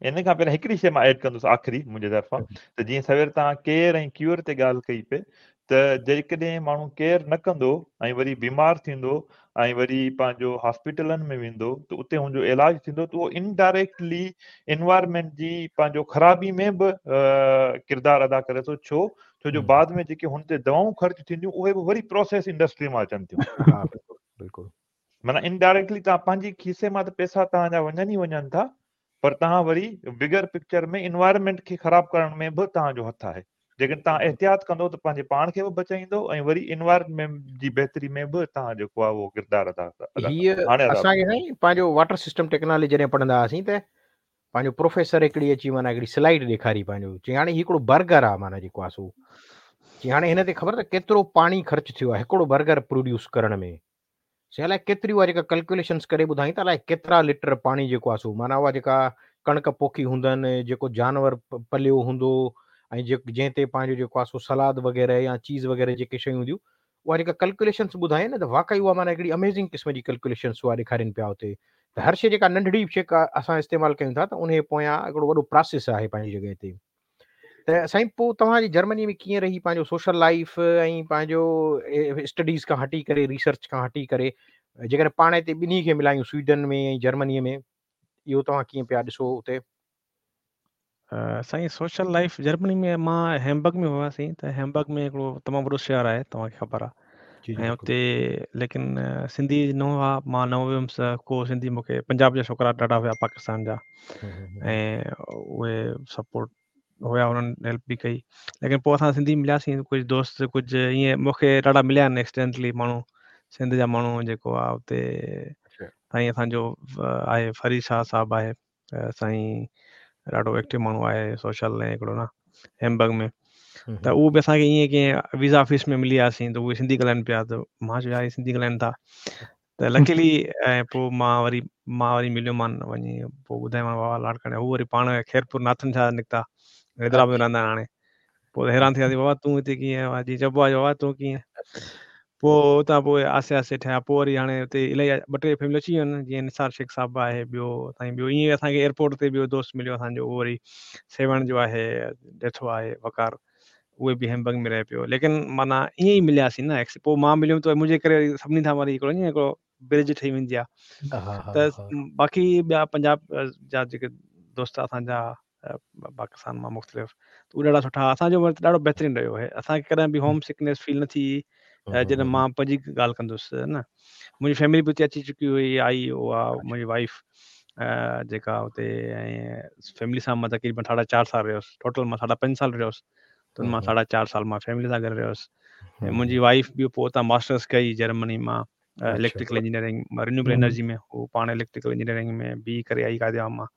ان کان پهريان هڪڙي شيء مان ايڊ ڪندس آخري منهنجي طرفان ته جيئن سوير توهان ڪيئر ۽ ڪيور تي ڳالهه ڪئي پئي ته جيڪڏهن ماڻهو ڪيئر نه ڪندو ۽ وري بيمار ٿيندو ۽ وري پنهنجو هاسپيٽلن ۾ ويندو ته اتي هن جو علاج ٿيندو ته اهو انڊائريڪٽلي انوائرمينٽ جي پنهنجو خرابي ۾ به ڪردار ادا ڪري ٿو ڇو ڇو جو بعد ۾ جيڪي هن تي دوائون خرچ ٿينديون اهي به وري پروسيس انڊسٽري مان اچن ٿيون ها بلڪل بلڪل معنيٰ انڊائريڪٽلي توهان پنهنجي کيسي مان ته پئسا توهان جا وڃن ئي وڃن ٿا پر توهان وري بگر پڪچر ۾ انوائرمينٽ کي خراب ڪرڻ ۾ به توهان جو هٿ آهي جيڪڏهن توهان احتياط ڪندو ته پنهنجي پاڻ کي به بچائيندو ۽ وري انوائرمينٽ جي بهتري ۾ به توهان جيڪو آهي اهو ڪردار ادا هيء هاڻي ادا اسان کي سائين پنهنجو واٽر سسٽم ٽيڪنالاجي جڏهن پڙهندا هئاسين ته پنهنجو پروفيسر هڪڙي اچي معنيٰ هڪڙي سلائيڊ ڏيکاري پنهنجو چي هاڻي هي هڪڙو برگر آهي معنيٰ جيڪو آهي سو چي هاڻي هن تي خبر ته ڪيترو پاڻي خرچ ٿيو آهي هڪڙو برگر پروڊيوس ڪرڻ ۾ سي الائي ڪيتري اها جيڪا ڪلڪيوليشنس ڪري ٻڌائين ته الائي ڪيترا لٽر پاڻي جيڪو آهي سو معنيٰ اها جيڪا ڪڻڪ پوکي هوندن جيڪو جانور پليو هوندو ۽ جنهن تي پنهنجو جيڪو آهي سو سلاد وغيره يا چيز وغيره جيڪي شيون هونديون اها جيڪا ڪلڪيوليشنس ٻڌائين نه ته واقعي اها معنيٰ هڪڙي اميزنگ قسم جي ڪلڪيوليشنس اها ڏيکارين پيا اتي ته هر شيء جيڪا ننڍڙي شيء اسان استعمال ڪيون ٿا ته ان پويان هڪڙو وڏو پراسيس آهي پنهنجي جڳهه تي ته سائين پوء توهان جي جرمني ۾ ڪيئن رهي پنهنجو سوشل لائيف ۽ پنهنجو اسٽڊيز کان هٽي ڪري ريسرچ کان هٽي ڪري جيڪڏهن پاڻ هتي ٻنهي کي ملايون سوئيڊن ۾ ۽ جرمني ۾ اهو توهان ڪيئن پيا ڏسو اتي؟ سائين سوشل لائيف جرمني ۾ مان هيمبرگ ۾ هئاسين ته هيمبرگ ۾ هڪڙو تمام وڏو شهر آهي توهان کي خبر آهي ۽ اتي ليڪن سنڌي نه هئا مان نه ويم ته ڪو سنڌي مون کي پنجاب جا ڇوڪرا ڏاڍا هيا پاڪستان جا ۽ اهي سپورٽ هيا انهن هيلپ به ڪئي ليڪن پوء اسان سنڌي ملياسين ڪجهه دوست ڪجهه ائين مون کي ڏاڍا مليا آهن ايڪسيڊنٽلي ماڻهو سنڌ جا ماڻهو جيڪو آهي اتي سائين اسان جو آهي فريد شاهه صاحب آهي سائين ڏاڍو ايڪٽو ماڻهو آهي سوشل ۽ هڪڙو نه هيمبرگ ۾ ته اهو به اسان کي ائين ڪنهن ويزا آفيس ۾ ملي وياسين ته اهي سنڌي ڳالهائن پيا ته مان چيو يار هي سنڌي ڳالهائن ٿا ته لڪيلي ۽ پوءِ مان وري مان وري مليو مان وڃي پوءِ ٻڌايومان بابا لاڙڪاڻي هو وري پاڻ خيرپور ناٿن شاهه نڪتا حيدرآباد ۾ رهندا آهن هاڻي پوءِ حيران ٿي وياسين بابا تون هتي ڪيئن آيو آهين جيئن چئبو آهي بابا تون ڪيئن پوءِ اتان پوءِ آهستي آهستي ٺهيا پوءِ وري هاڻي اتي الاهي ٻه ٽي فيملي اچي ويون آهن جيئن نثار شيخ صاحب آهي ٻيو سائين ٻيو ائين اسان کي ايئرپورٽ تي ٻيو دوست مليو اسان جو اهو وري سيوهڻ جو آهي ڏيٿو آهي وقار اهي به هيمبرگ ۾ رهي پيو ليڪن معنيٰ ائين ئي ملياسين نه پوءِ مان مليم ته منهنجي ڪري سڀني سان وري هڪڙو ائين هڪڙو برج ٺهي ويندي آهي ته باقي ٻيا پنجاب جا جيڪي دوست اسان جا پاڪستان مان مختلف اهي ڏاڍا سٺا اسان جو ڏاڍو بهترين رهيو آهي اسان کي ڪڏهن به هوم سڪنيس فيل نه ٿي جڏهن مان پنهنجي ڳالهه ڪندس نه منهنجي فيملي به اتي اچي چڪي هئي آئي اها منهنجي وائيف جيڪا اتي ۽ فيملي سان مان تقريبن ساڍا چار سال رهيس ٽوٽل مان ساڍا پنج سال رهيس ته ان مان ساڍا چار سال مان فيملي سان گڏ رهيس ۽ منهنجي وائيف به پوءِ اتان ماسٽرس ڪئي جرمني مان اليڪٽريڪل انجنيئرنگ رينيوبل انرجي ۾ هو پاڻ اليڪٽريڪل انجنيئرنگ ۾ بي ڪري آئي قائد عام مان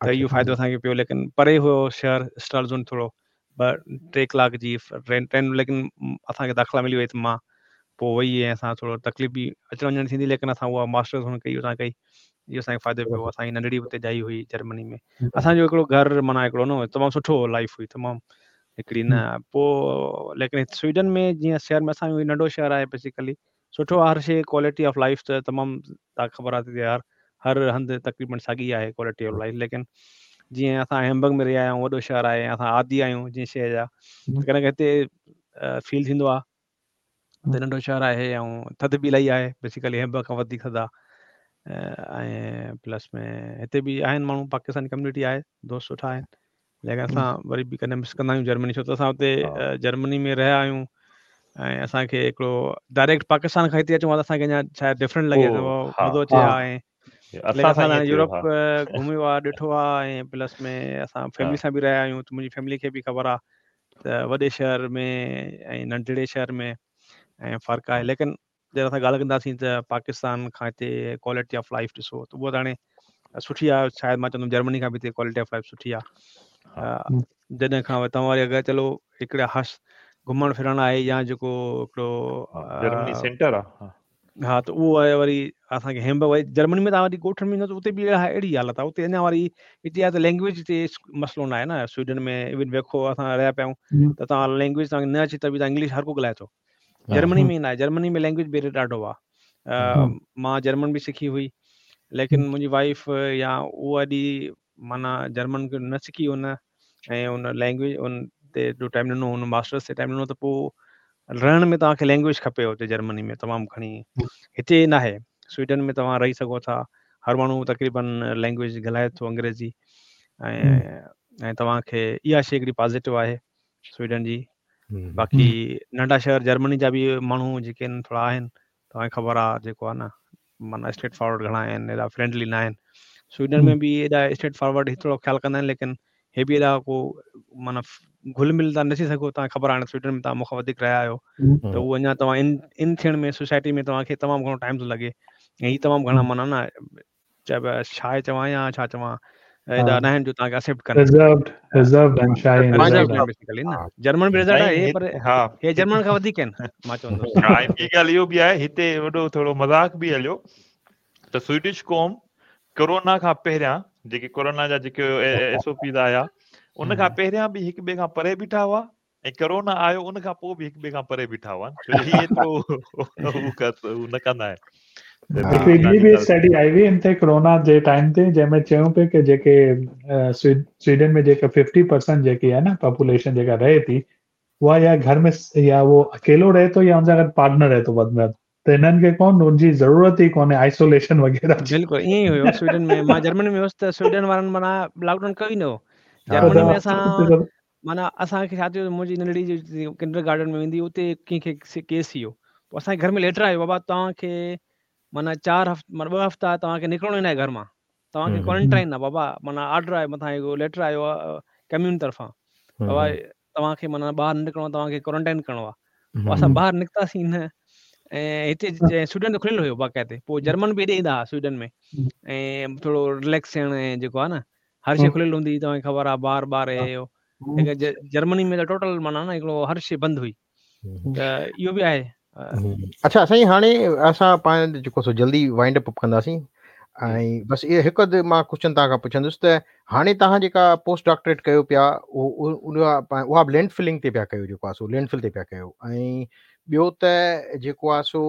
ته اهو فائدو اسان کي پيو ليڪن پري هيو شهر اسٽرالزنڊ ٿورو ٻه ٽي ڪلاڪ جي ٽرين ٽرين ليڪن اسان کي داخلا ملي وئي ته مان پوءِ وئي ۽ اسان ٿورو تڪليف به اچڻ وڃڻ ٿيندي ليڪن اسان اها ماسٽرس هن ڪئي اتان ڪئي اهو اسان کي فائدو پيو اسان جي ننڍڙي اتي ڄائي هئي جرمني ۾ اسان جو هڪڙو گهر معنيٰ هڪڙو نه تمام سٺو لائيف هئي تمام هڪڙي نه پوءِ ليڪن سوئيڊن ۾ جيئن شهر ۾ اسان جو ننڍو شهر آهي بيسڪلي سٺو آهي هر شيءِ ڪوالٽي آف لائيف ته تمام توهان کي خبر آهي ته يار هر هنڌ تقريبن ساڳي آهي ڪوالٽي آف لائيف ليڪن جيئن اسان هيمبرگ ۾ رهيا آهيون وڏو شهر آهي اسان عادي آهيون جيئن شيءِ جا ڪڏهن هتي فيل ٿيندو آهي ته ننڍو شهر آهي ۽ ٿڌ به الاهي آهي بيسڪلي هيمبرگ کان وڌيڪ ٿڌ آهي ۽ پلس ۾ هتي به آهن ماڻهو پاڪستاني ڪميونٽي آهي دوست سٺا آهن ليڪن اسان وري به ڪڏهن مس ڪندا آهيون جرمني ڇو ته اسان اتي جرمني ۾ رهيا آهيون ۽ اسان کي هڪڙو ڊائريڪٽ پاڪستان کان هتي اچون ها ته اسان کي اڃا شايد ڊفرنٽ لڳي مزو اچي ها ۽ ليڪن اسان يورپ گهميو آهي ڏٺو آهي ۽ پلس ۾ اسان فيملي سان به رهيا آهيون ته منهنجي فيملي کي به خبر آهي ته وڏي شهر ۾ ۽ ننڍڙي شهر ۾ ۽ فرق آهي ليڪن جڏهن اسان ڳالهه ڪنداسين ته پاڪستان کان هتي ڪوالٽي آف لائيف ڏسو ته اها ته هاڻي سٺي آهي شايد مان چوندم جرمني کان به هتي ڪوالٽي آف لائيف سٺي آهي جڏهن کان توهان وري اگر چلو هڪڙا هش گهمڻ ڦرڻ آهي يا جيڪو هڪڙو جرمني سينٽر آهي ها ته اهو آهي وري اسان کي هيمبرگ وري جرمني ۾ توهان وري ڳوٺن ۾ ويندؤ ته اتي به اهڙي حالت آهي اتي اڃا وري هتي آهي ته لينگويج تي مسئلو نه آهي نه سوئيڊن ۾ ايون ويکو اسان رهيا پيا آهيون ته توهان لينگويج توهان کي نه اچي ته به توهان انگلش هر ڪو ڳالهائي ٿو جرمني ۾ نه آهي جرمني ۾ لينگويج بيريئر ڏاڍو آهي مان جرمن به سکي هئي ليڪن منهنجي وائيف يا اها ايڏي माना जर्मन खे न सिखी हुन ऐं उन लैंग्वेज उन ते जो टाइम ॾिनो हुन मास्टर्स ते टाइम ॾिनो त पोइ रहण में तव्हांखे लैंग्वेज खपे हुते जर्मनी में तमामु घणी। हिते न आहे, स्वीडन में तव्हां रही सघो था, हर माण्हू तक़रीबन लैंग्वेज ॻाल्हाए थो अंग्रेज़ी ऐं ऐं तव्हांखे इहा शइ हिकिड़ी पॉज़िटिव आहे स्वीडन जी। बाक़ी नंढा शहर जर्मनी जा बि माण्हू जेके आहिनि थोरा आहिनि, तव्हांखे ख़बर आहे जेको आहे न माना स्ट्रेट फॉरवर्ड घणा आहिनि, एॾा फ्रेंडली न आहिनि। स्वीडन में बि एॾा स्ट्रेट फॉरवर्ड थोरो ख़्यालु कंदा आहिनि, लेकिन हे बि एॾा को माना घुल मिल था न थी सघो। तव्हांखे ख़बर आहे हाणे स्वीडन में तव्हां मूंखां वधीक रहिया आहियो त उहो अञा तव्हां इन इन थियण में सोसाइटी में तव्हांखे तमामु घणो टाइम थो लॻे। ऐं हीअ तमामु घणा माना न चाहे शाए चवां या छा चवां, एॾा न आहिनि जो तव्हांखे एक्सेप्ट कनि। रिज़र्व्ड रिज़र्व्ड आहिनि, शाए रिज़र्व्ड बेसिकली न। जर्मन बि रिज़र्व्ड आहे पर हा हे जर्मन खां वधीक आहिनि मां चवंदुसि। हा, ऐं ॿी ॻाल्हि इहो बि आहे, हिते वॾो थोरो मज़ाक बि हलियो त स्वीडिश क़ौम कोरोना खां पहिरियां जेके कोरोना जा जेके एस ओ पीज़ आया उन खां पहिरियां बि हिक ॿिए खां परे बीठा हुआ ऐं कोरोना आयो उन खां पोइ बि हिक ॿिए खां परे बीठा हुआ, छो जो हीअ एतिरो हू न कंदा आहिनि। हिकिड़ी ॿी बि स्टडी आई हुई इन ते कोरोना जे टाइम ते, जंहिंमें चयूं पिए की जेके स्वीडन में जेका फिफ्टी परसेंट जेकी आहे न पॉपुलेशन जेका रहे थी उहा या घर में या उहो अकेलो रहे थो या हुन सां गॾु पार्टनर रहे थो वधि में वधि, त हिननि खे कोन उनजी ज़रूरत ई कोन्हे आइसोलेशन वग़ैरह जी। बिल्कुलु ईअं ई हुयो स्वीडन में। मां जर्मनी में हुयुसि त स्वीडन वारनि माना लॉकडाउन कयो ई न हो। जर्मनी में असां माना असांखे छा थियो, मुंहिंजी नंढड़ी जो किंडर गार्डन में वेंदी उते कंहिंखे केस थी वियो, पोइ असांजे घर में लेटर आयो, बाबा तव्हांखे माना चारि हफ़्ता माना ॿ हफ़्ता तव्हांखे निकिरणो ई न आहे घर मां, तव्हांखे क्वारंटाइन आहे बाबा, माना आर्डर आयो मथां हिकिड़ो लेटर आयो आहे कम्यून तरफ़ां, बाबा तव्हांखे माना ॿाहिरि न निकिरणो आहे, तव्हांखे क्वारंटाइन करिणो आहे। पोइ असां ॿाहिरि निकितासीं न, ऐं हिते स्वीडन त खुलियल हुयो बाक़ाइदे, पोइ जर्मन बि हेॾे ईंदा हुआ स्वीडन में ऐं थोरो रिलैक्स थियणु ऐं जेको आहे न हर शइ खुलियल हूंदी, तव्हांखे ख़बर आहे बार बार ऐं जर्मनी में त टोटल माना न हिकिड़ो हर शइ बंदि हुई, त इहो बि आहे। अच्छा साईं, हाणे असां पाण जेको सो जल्दी वाइंड अप कंदासीं ऐं बसि इहो हिकु अधु मां क्वेश्चन तव्हां खां पुछंदुसि त हाणे तव्हां जेका पोस्ट डॉक्टरेट कयो पिया उहा बि लैंड फिलिंग ते पिया कयो, जेको आहे सो लैंड फिल ते पिया कयो, ऐं ॿियो त जेको आहे सो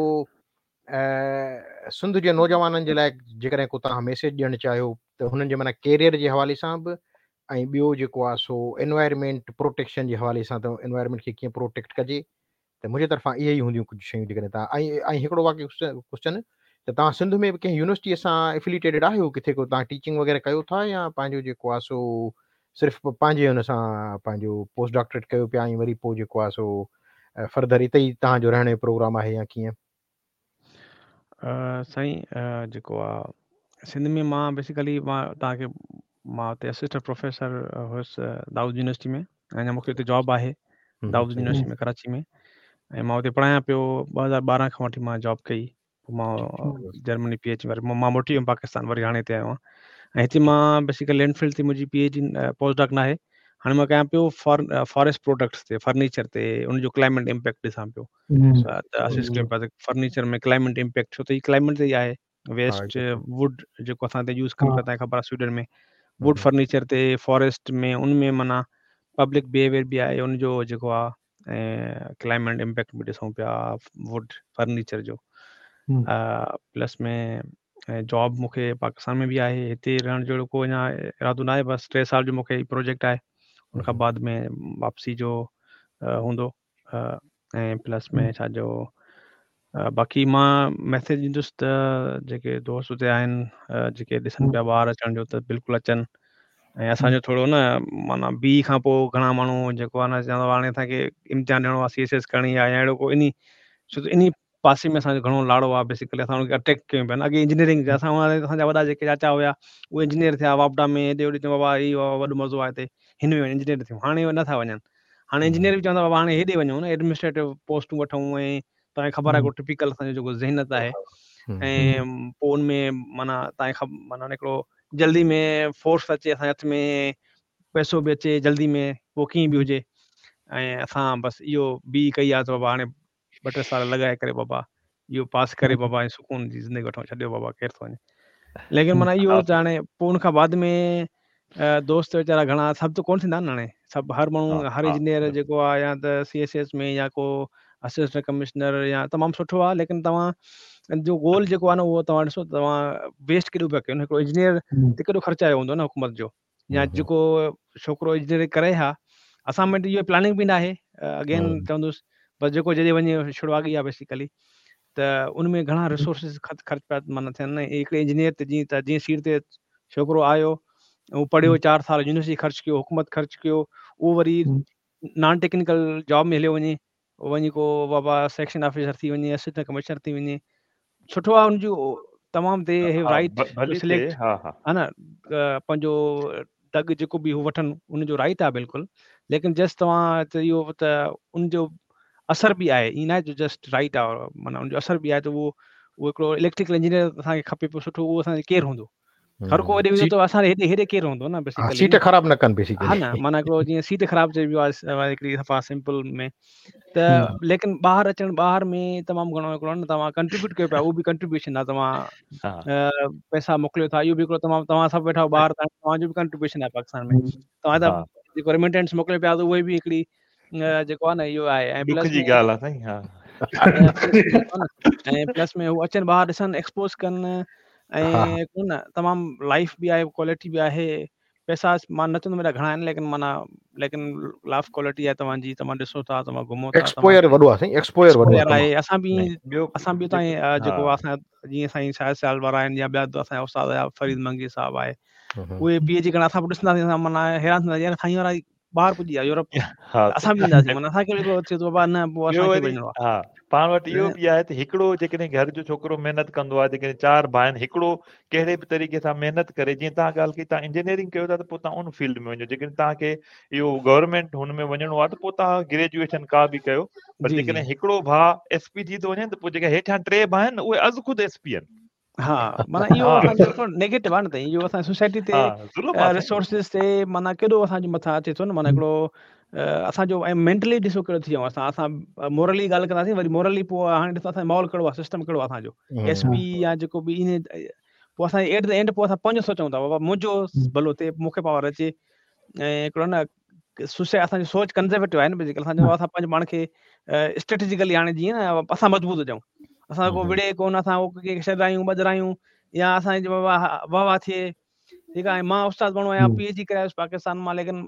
सिंध जे नौजवाननि जे लाइ जेकॾहिं को तव्हां मैसेज ॾियणु चाहियो त हुननि जे माना कैरियर जे हवाले सां बि, ऐं ॿियो जेको आहे सो एनवायरमेंट प्रोटेक्शन जे हवाले सां त एनवायरमेंट खे कीअं प्रोटेक्ट कजे, त मुंहिंजे तरफ़ां इहे ई हूंदियूं कुझु शयूं जेकॾहिं तव्हां। ऐं ऐं हिकिड़ो बाक़ी क्वेश्चन त तव्हां सिंध में बि कंहिं यूनिवर्सिटीअ सां एफिलिएटेड आहियो, किथे को तव्हां टीचिंग वग़ैरह कयो था या पंहिंजो जेको आहे सो सिर्फ़ु पंहिंजे हुन सां पंहिंजो पोस्ट डॉक्टरेट कयो पिया ऐं वरी पोइ जेको आहे सो फर्दर हिते ई तव्हांजो रहण जो प्रोग्राम आहे या कीअं? साईं जेको आहे सिंध में मां बेसिकली मां तव्हांखे मां हुते असिस्टेंट प्रोफेसर हुयुसि दाऊद यूनिवर्सिटी में, ऐं अञा मूंखे हुते जॉब आहे दाऊद यूनिवर्सिटी में कराची में, ऐं मां हुते पढ़ायां पियो। ॿ हज़ार ॿारहं खां वठी मां जॉब कई, पोइ मां जर्मनी पी एच वरी मां मोटी वियुमि पाकिस्तान, वरी हाणे हिते आयो आहियां। ऐं हिते मां बेसिकली लैंड फील्ड ते मुंहिंजी P H D post doc न आहे, हाणे मां कयां पियो फॉर फॉरेस्ट प्रोडक्ट्स ते, फर्नीचर ते उनजो क्लाइमेट इम्पैक्ट ॾिसां पियो। त असिस्ट कयूं पिया त फर्नीचर में क्लाइमेट इम्पैक्ट, छो त हीअ क्लाइमेट ते ई आहे। वेस्ट वुड जेको असां हिते यूज़ कयूं पिया, तव्हांखे ख़बर आहे स्वीडन में वुड फर्नीचर ते फॉरेस्ट में उन में माना पब्लिक बिहेवियर बि आहे उनजो जेको आहे, ऐं क्लाइमेट इम्पैक्ट बि ॾिसूं पिया वुड फर्नीचर जो। प्लस में जॉब मूंखे पाकिस्तान में बि आहे, हिते रहण जहिड़ो को अञा इरादो न आहे, बसि टे साल जो मूंखे प्रोजेक्ट आहे, उनखां बाद में वापसी जो हूंदो। ऐं प्लस में छा जो बाक़ी मां मैसेज ॾींदुसि त जेके दोस्त हुते आहिनि जेके ॾिसनि पिया ॿाहिरि अचण जो त बिल्कुलु अचनि। ऐं असांजो थोरो न माना बी खां पोइ घणा माण्हू जेको आहे न चवंदो हाणे असांखे इम्तिहान ॾियणो आहे, सी एस एस करणी आहे या अहिड़ो को इन छो त इन पासे में असांजो घणो लाड़ो आहे। बेसिकली असां हुनखे अट्रैक्ट कयूं पिया न। अॻे इंजीनियरिंग असां असांजा वॾा जेके चाचा हुया उहे इंजीनियर थिया वापडा में, हेॾे होॾे, बाबा इहो वॾो मज़ो आहे हिते, हिन में वञ इंजीनियर थियूं। हाणे नथा वञनि, हाणे इंजीनियर बि चवंदा बाबा हाणे हेॾे वञूं न, एडमिनिस्ट्रेटिव पोस्टूं वठूं। ऐं तव्हांखे ख़बर आहे टिपिकल असांजो जेको ज़हनियत आहे, ऐं पोइ उन में माना तव्हांखे माना हिकिड़ो जल्दी में फोर्स अचे असांजे हथ में, पैसो बि अचे जल्दी में, पोइ कीअं बि हुजे। ऐं असां बसि इहो बी कई आहे त बाबा हाणे ॿ टे साल लॻाए करे बाबा इहो पास करे बाबा ऐं सुकून जी ज़िंदगी वठूं, छॾियो बाबा केरु थो वञे। लेकिन माना इहो त हाणे पोइ उनखां बाद में दोस्त वीचारा घणा सभु त कोन थींदा आहिनि, हाणे सभु हर माण्हू हर इंजीनियर जेको आहे या त सी एस एस में या को اسسٽنٽ ڪمشنر يا تمام سٺو آهي ليڪن توهان جو گول جيڪو آهي نه اهو توهان ڏسو توهان ويسٽ ڪيڏو پيا ڪيو هڪڙو انجنيئر تي ڪيڏو خرچ آيو هوندو نه حڪومت جو يا جيڪو ڇوڪرو انجنيئرنگ ڪري ها اسان وٽ اهو پلاننگ به نه آهي اگين چوندس بس جيڪو جڏهن وڃي ڇڙواڳي آهي بيسيڪلي ته ان ۾ گهڻا ريسورسز خرچ پيا معنيٰ ٿين نه هڪڙي انجنيئر تي جيئن ته جيئن سيٽ تي ڇوڪرو آيو اهو پڙهيو چار سال يونيورسٽي خرچ ڪيو حڪومت خرچ ڪيو اهو وري نان ٽيڪنيڪل جاب ۾ هليو وڃي وڃي ڪو بابا سيڪشن آفيسر ٿي وڃي اسسٽنٽ ڪمشنر ٿي وڃي سٺو آهي ان جو تمام they have right to select ها نه پنهنجو دڳ جيڪو به هو وٺن ان جو رائٽ آهي بلڪل ليڪن جسٽ توهان ته اهو ته ان جو اثر به آهي ائين نه آهي جو جسٽ رائٽ آهي معنيٰ ان جو اثر به آهي ته اهو اهو هڪڙو اليڪٽريڪل انجنيئر اسان کي کپي پيو سٺو اهو اسان کي ڪير هوندو هر ڪو هيڏي ويندو ته اسان هيڏي هيڏي ڪير هوندو نه بيسيڪلي سيٽ خراب نه ڪن بيسيڪلي ها نه معنيٰ هڪڙو جيئن سيٽ خراب چئبو آهي هڪڙي صفا سمپل ۾ ته ليڪن ٻاهر اچڻ ٻاهر ۾ تمام گهڻو هڪڙو نه توهان ڪنٽريبيوٽ ڪيو پيا اهو به ڪنٽريبيوشن آهي توهان پئسا موڪليو ٿا اهو به هڪڙو تمام توهان سڀ ويٺا آهيو ٻاهر توهان جو به ڪنٽريبيوشن آهي پاڪستان ۾ توهان ته جيڪو ريميٽنس موڪليو پيا ته اهي به هڪڙي جيڪو آهي نه اهو آهي ۽ پلس جي ڳالهه آهي سائين ها ۽ پلس ۾ هو اچن ٻاهر ڏسن ايڪسپوز ڪن ۽ ڪو نه تمام لائف به آهي ڪوالٽي به آهي پئسا مان نه چوندم ايڏا گهڻا آهن ليڪن معنيٰ ليڪن لائف ڪوالٽي آهي توهان جي توهان ڏسو ٿا توهان گهمو ٿا ايڪسپوزر وڏو آهي سائين ايڪسپوزر وڏو آهي اسان به اسان به تائين جيڪو اسان جيئن سائين شاهد سيال وارا آهن يا ٻيا اسان جا استاد آهيا فريد منگي صاحب آهي اهي پي ايڇ ڊي ڪرڻ اسان به ڏسنداسين اسان معنيٰ حيران ٿيندا يار سائين وارا ٻاهر پڄي ويا يورپ اسان به وينداسين معنيٰ اسان کي به هڪڙو ٿئي ٿو بابا نه پوء اسان کي وڃڻو آهي ها پاڻ وٽ اهو به آهي ته هڪڙو جيڪڏهن گهر جو ڇوڪرو محنت ڪندو آهي جيڪڏهن چار ڀاء آهن هڪڙو ڪهڙي به طريقي سان محنت ڪري جيئن توهان ڳالهه ڪئي توهان انجنيئرنگ ڪيو ٿا ته پوء توهان ان فيلڊ ۾ وڃو جيڪڏهن توهان کي اهو گورنمينٽ هن ۾ وڃڻو آهي ته پوء توهان گريجوئيشن ڪا به ڪيو پر جيڪڏهن هڪڙو ڀاء ايس پي ٿي ٿو وڃي ته پوء جيڪي هيٺيان ٽي ڀاء آهن اهي از خود ايس پي آهن ها معنيٰ اهو اسان جو ٿورو نيگيٽو آهي نه ته اهو اسان سوسائٽي تي ريسورسز تي معنيٰ ڪيڏو اسان جي مٿان اچي ٿو نه معنيٰ هڪڙو اسان جو ۽ مينٽلي ڏسو ڪهڙو ٿي ويو اسان اسان مورلي ڳالهه ڪنداسين وري مورلي پوء هاڻي ڏسو اسان جو ماحول ڪهڙو آهي سسٽم ڪهڙو آهي اسان جو ايس پي يا جيڪو به ان پوء اسان ايٽ the and پوء اسان پنهنجو سوچون ٿا بابا منهنجو ڀلو ٿئي مون کي پاور اچي ۽ هڪڙو نه سوسائٽي اسان جي سوچ ڪنزرويٽو آهي نه بيسيڪلي اسان جو اسان پنهنجو پاڻ کي اسٽريٽجيڪلي هاڻي جيئن نه اسان مضبوط هجون اسان ڪو وڙهي ڪونه اسان ڪنهن کي ڇڏايون ٻڌرايون يا اسان جي واهه واهه ٿئي ٺيڪ آهي مان استاد ماڻهو آهيان پي ايڇ ڊي ڪري آيس پاڪستان مان ليڪن